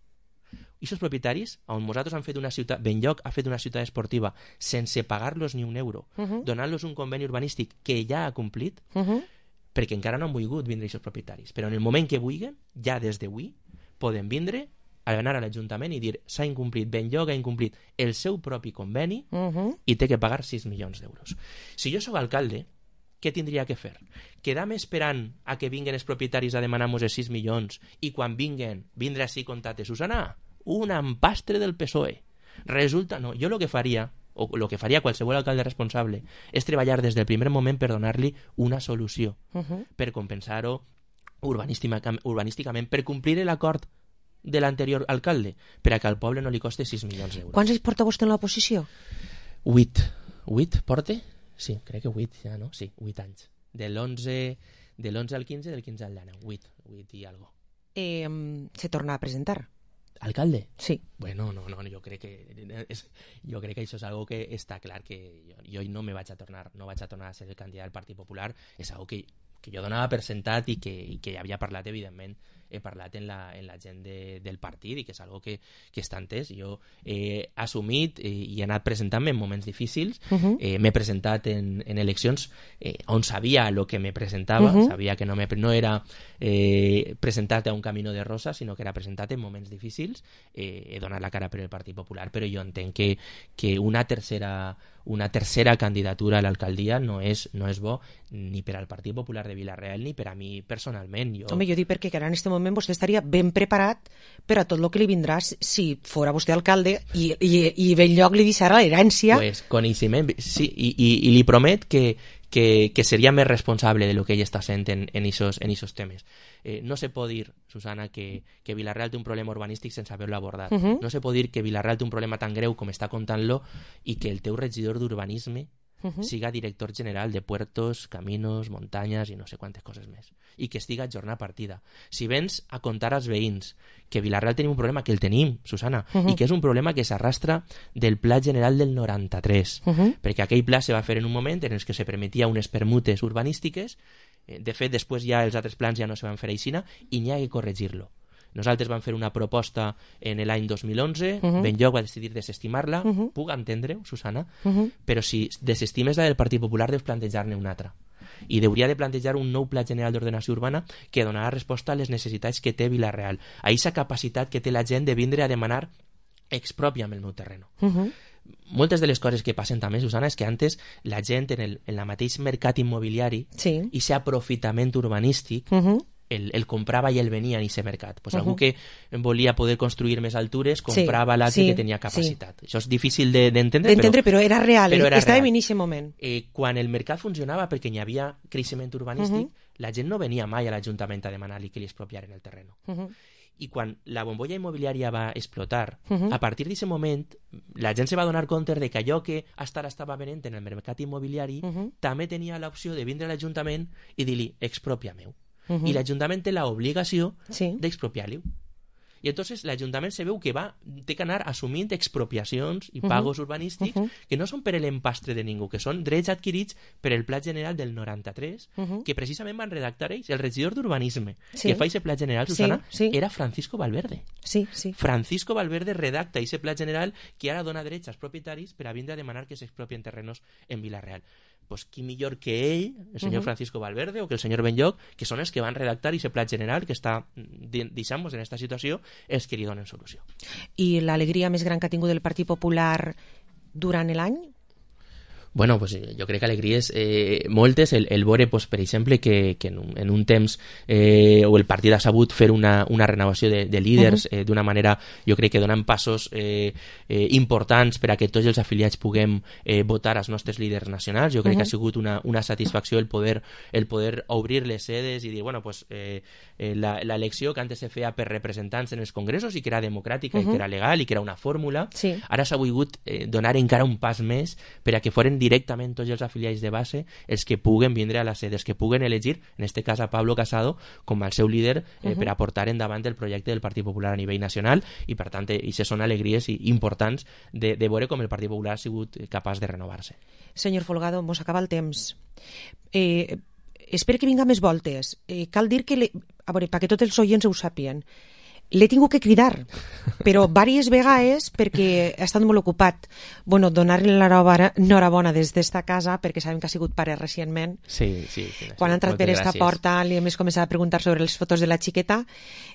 I aquests propietaris, on nosaltres han fet una ciutat, Benlloc ha fet una ciutat esportiva sense pagar-los ni un euro, uh -huh. donant-los un conveni urbanístic que ja ha complit, uh -huh. perquè encara no han volgut vindre aquests propietaris. Però en el moment que vulguin, ja des d'avui, poden vindre a anar a l'Ajuntament i dir s'ha incomplit, Benlloc ha incomplit el seu propi conveni uh -huh. i té que pagar sis milions d'euros. Si jo sóc alcalde, què tindria que fer? Quedar-me esperant a que vinguen els propietaris a demanar-nos els sis milions i quan vinguen, vindre així contate, Susana, un empastre del P S O E. Resulta, no, jo el que faria, o el que faria qualsevol alcalde responsable, és treballar des del primer moment per donar-li una solució, uh -huh. per compensar-ho urbanísticament, urbanísticament, per complir l'acord de l'anterior alcalde, per a que al poble no li costi sis milions d'euros. Quants anys porta vostè en l'oposició? Vuit. Vuit, porte? Sí, crec que vuit ja, no? Sí, vuit anys. De l'onze de l'onze al quinze, del quinze al dinou. Vuit, vuit i algo. Eh, se torna a presentar? ¿Alcalde? Sí. Bueno, no, no, jo crec que és, jo crec que això és algo que està clar que jo, jo no me vaig a tornar, no vaig a tornar a ser el candidat del Partit Popular, és algo que, que jo donava per sentat i que, i que havia parlat, evidentment, he parlat en la, en la gent de, del partit i que és algo que, que està entès. Jo he assumit i, i he anat presentant-me en moments difícils, uh -huh. eh, m'he presentat en, en eleccions eh, on sabia el que me presentava, uh -huh. sabia que no, me, no era eh, presentat a un camino de rosa, sinó que era presentat en moments difícils, eh, he donat la cara per el Partit Popular, però jo entenc que, que una tercera una tercera candidatura a l'alcaldia no és, no és bo ni per al Partit Popular de Vila-real ni per a mi personalment. Jo... Home, jo dic perquè ara en aquest moment vostè estaria ben preparat per a tot el que li vindrà si fora vostè alcalde i, i, i Benlloc li deixarà l'herència. Pues coneixement, sí, i, i, i li promet que, que, que seria més responsable de lo que ell està sent en, en esos, en esos temes. Eh, no se pot dir, Susana, que, que Vila-real té un problema urbanístic sense haver-lo abordat. Uh -huh. No se pot dir que Vila-real té un problema tan greu com està contant-lo i que el teu regidor d'urbanisme uh -huh. siga director general de puertos, caminos, muntanyes i no sé quantes coses més. I que estiga a jornada partida. Si vens a contar als veïns que Vila-real tenim un problema, que el tenim, Susana, uh -huh. i que és un problema que s'arrastra del Pla General del noranta-tres, uh -huh. perquè aquell pla se va fer en un moment en el que se permetia unes permutes urbanístiques. De fet, després ja els altres plans ja no se van fer aixina i n'hi ha que corregir-lo. Nosaltres vam fer una proposta en l'any dos mil onze, Uh-huh. Benlloc va decidir desestimar-la, Uh-huh. puc entendre-ho, Susana, Uh-huh. però si desestimes la del Partit Popular deus plantejar-ne una altra. I hauria de plantejar un nou Pla General d'Ordenació Urbana que donarà resposta a les necessitats que té Vila-real, a aquesta capacitat que té la gent de vindre a demanar expropia'm el meu terreno. Uh-huh. Moltes de les coses que passen també, Susana, és que antes la gent en el, en la mateix mercat immobiliari sí. i aquest aprofitament urbanístic Uh-huh. el, el comprava i el venia en aquest mercat. Pues Uh-huh. algú que volia poder construir més altures comprava Sí, l'altre sí, que tenia capacitat. Això és difícil de- d'entendre, D'entendre, però, però era real, però era estàvem real. en aquest moment. Eh, quan el mercat funcionava perquè hi havia creixement urbanístic, Uh-huh. la gent no venia mai a l'Ajuntament a demanar-li que li expropiaren el terreno. Uh-huh. I quan la bombolla immobiliària va explotar, Uh-huh. a partir d'aquest moment, la gent se va donar compte de que allò que hasta ara estava venent en el mercat immobiliari Uh-huh. també tenia l'opció de vindre a l'Ajuntament i dir-li, expropia-meu. Uh-huh. I l'Ajuntament té l'obligació Sí. d'expropiar-li. I entonces l'Ajuntament se veu que va té que anar assumint expropiacions i Uh-huh. pagos urbanístics Uh-huh. que no són per l'empastre de ningú, que són drets adquirits per el Pla General del noranta-tres, Uh-huh. que precisament van redactar ells. El regidor d'Urbanisme Sí. que fa aquest Pla General, Sí, Susana, sí. era Francisco Valverde. Sí, sí. Francisco Valverde redacta aquest Pla General que ara dona drets als propietaris per a vindre a demanar que s'expropien terrenos en Vila-real. Pues qui millor que ell, el senyor Uh-huh. Francisco Valverde o que el senyor Benlloc, que són els que van redactar aquest Pla General que està, deixant-nos en aquesta situació, els que li donen solució. I l'alegria més gran que ha tingut el Partit Popular durant l'any? Bueno, pues jo crec que alegries eh, moltes, el, el veure, pues, per exemple, que, que en, un, en un temps eh, o el partit ha sabut fer una, una renovació de, de líders uh-huh. eh, d'una manera, jo crec que donant passos eh, eh, importants per a que tots els afiliats puguem eh, votar als nostres líders nacionals. Jo crec uh-huh. que ha sigut una, una satisfacció el poder, el poder obrir les sedes i dir, bueno, pues, eh, eh, la, la elecció que antes se feia per representants en els congressos i que era democràtica uh-huh. i que era legal i que era una fórmula, sí. ara s'ha volgut eh, donar encara un pas més per a que foren directament tots els afiliats de base els que puguen vindre a la sede, els que puguen elegir, en este cas a Pablo Casado, com el seu líder eh, Uh-huh. per a portar endavant el projecte del Partit Popular a nivell nacional i, per tant, això són alegries importants de, de veure com el Partit Popular ha sigut capaç de renovar-se. Senyor Folgado, mos acaba el temps. Eh, espero que vinga més voltes. Eh, cal dir que, le... a veure, perquè tots els oients ho sàpien, l'he tingut que cridar, però diverses vegades perquè ha estat molt ocupat. Bueno, donar-li l'enhorabona des d'esta casa, perquè sabem que ha sigut pare recentment. Sí, sí. sí Quan ha entrat per esta porta li hem començat a preguntar sobre les fotos de la xiqueta.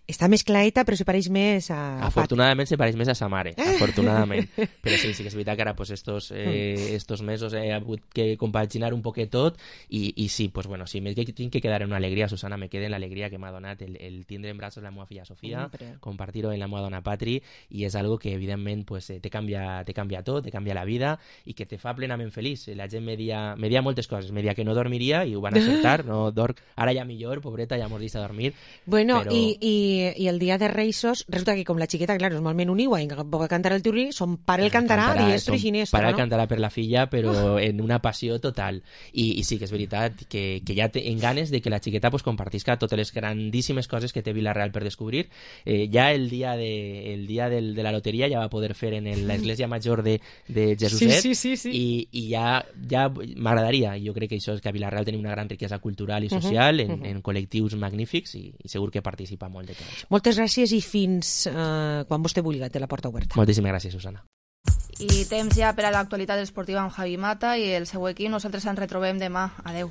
Està més clareta, però se pareix més a... Afortunadament se pareix més a sa mare, afortunadament. Però sí, sí que és veritat que ara pues, estos, eh, estos mesos he hagut que compaginar un poquet tot i, i sí, pues, bueno, si me tinc que quedar en una alegria, Susana, me queda en l'alegria que m'ha donat el, el tindre en braços la meva filla Sofia, mm, compartir-ho en la meva dona Patri, i és algo que evidentment pues, te, canvia, te canvia tot, te canvia la vida i que te fa plenament feliç. La gent me dia, me dia moltes coses, me dia que no dormiria i ho van acceptar, no dorm, ara ja millor, pobreta, ja mos deixa dormir. Bueno, però... i, i, i el dia de Reisos, resulta que com la xiqueta, claro, és molt menuniua i pot cantar el tiurri, son pare el cantarà, diestro i siniestro, pare no? el cantarà per la filla, però en una passió total. I, i sí que és veritat que, que ja en ganes de que la xiqueta pues, compartisca totes les grandíssimes coses que té Vila-real per descobrir. Eh, ja el dia, de, el dia del, de la loteria ja va poder fer en l'església major de, de Jesuset, sí, sí, sí, sí. i, i ja, ja m'agradaria, jo crec que això és que a Vila-real tenim una gran riquesa cultural i social, uh -huh, en, uh -huh. en col·lectius magnífics, i, i segur que participa molt de tot això. Moltes gràcies i fins eh, quan vostè vulgui, té la porta oberta. Moltíssimes gràcies, Susana. I temps ja per a l'actualitat esportiva amb Javi Mata i el seu equip. Nosaltres ens retrobem demà. Adeu.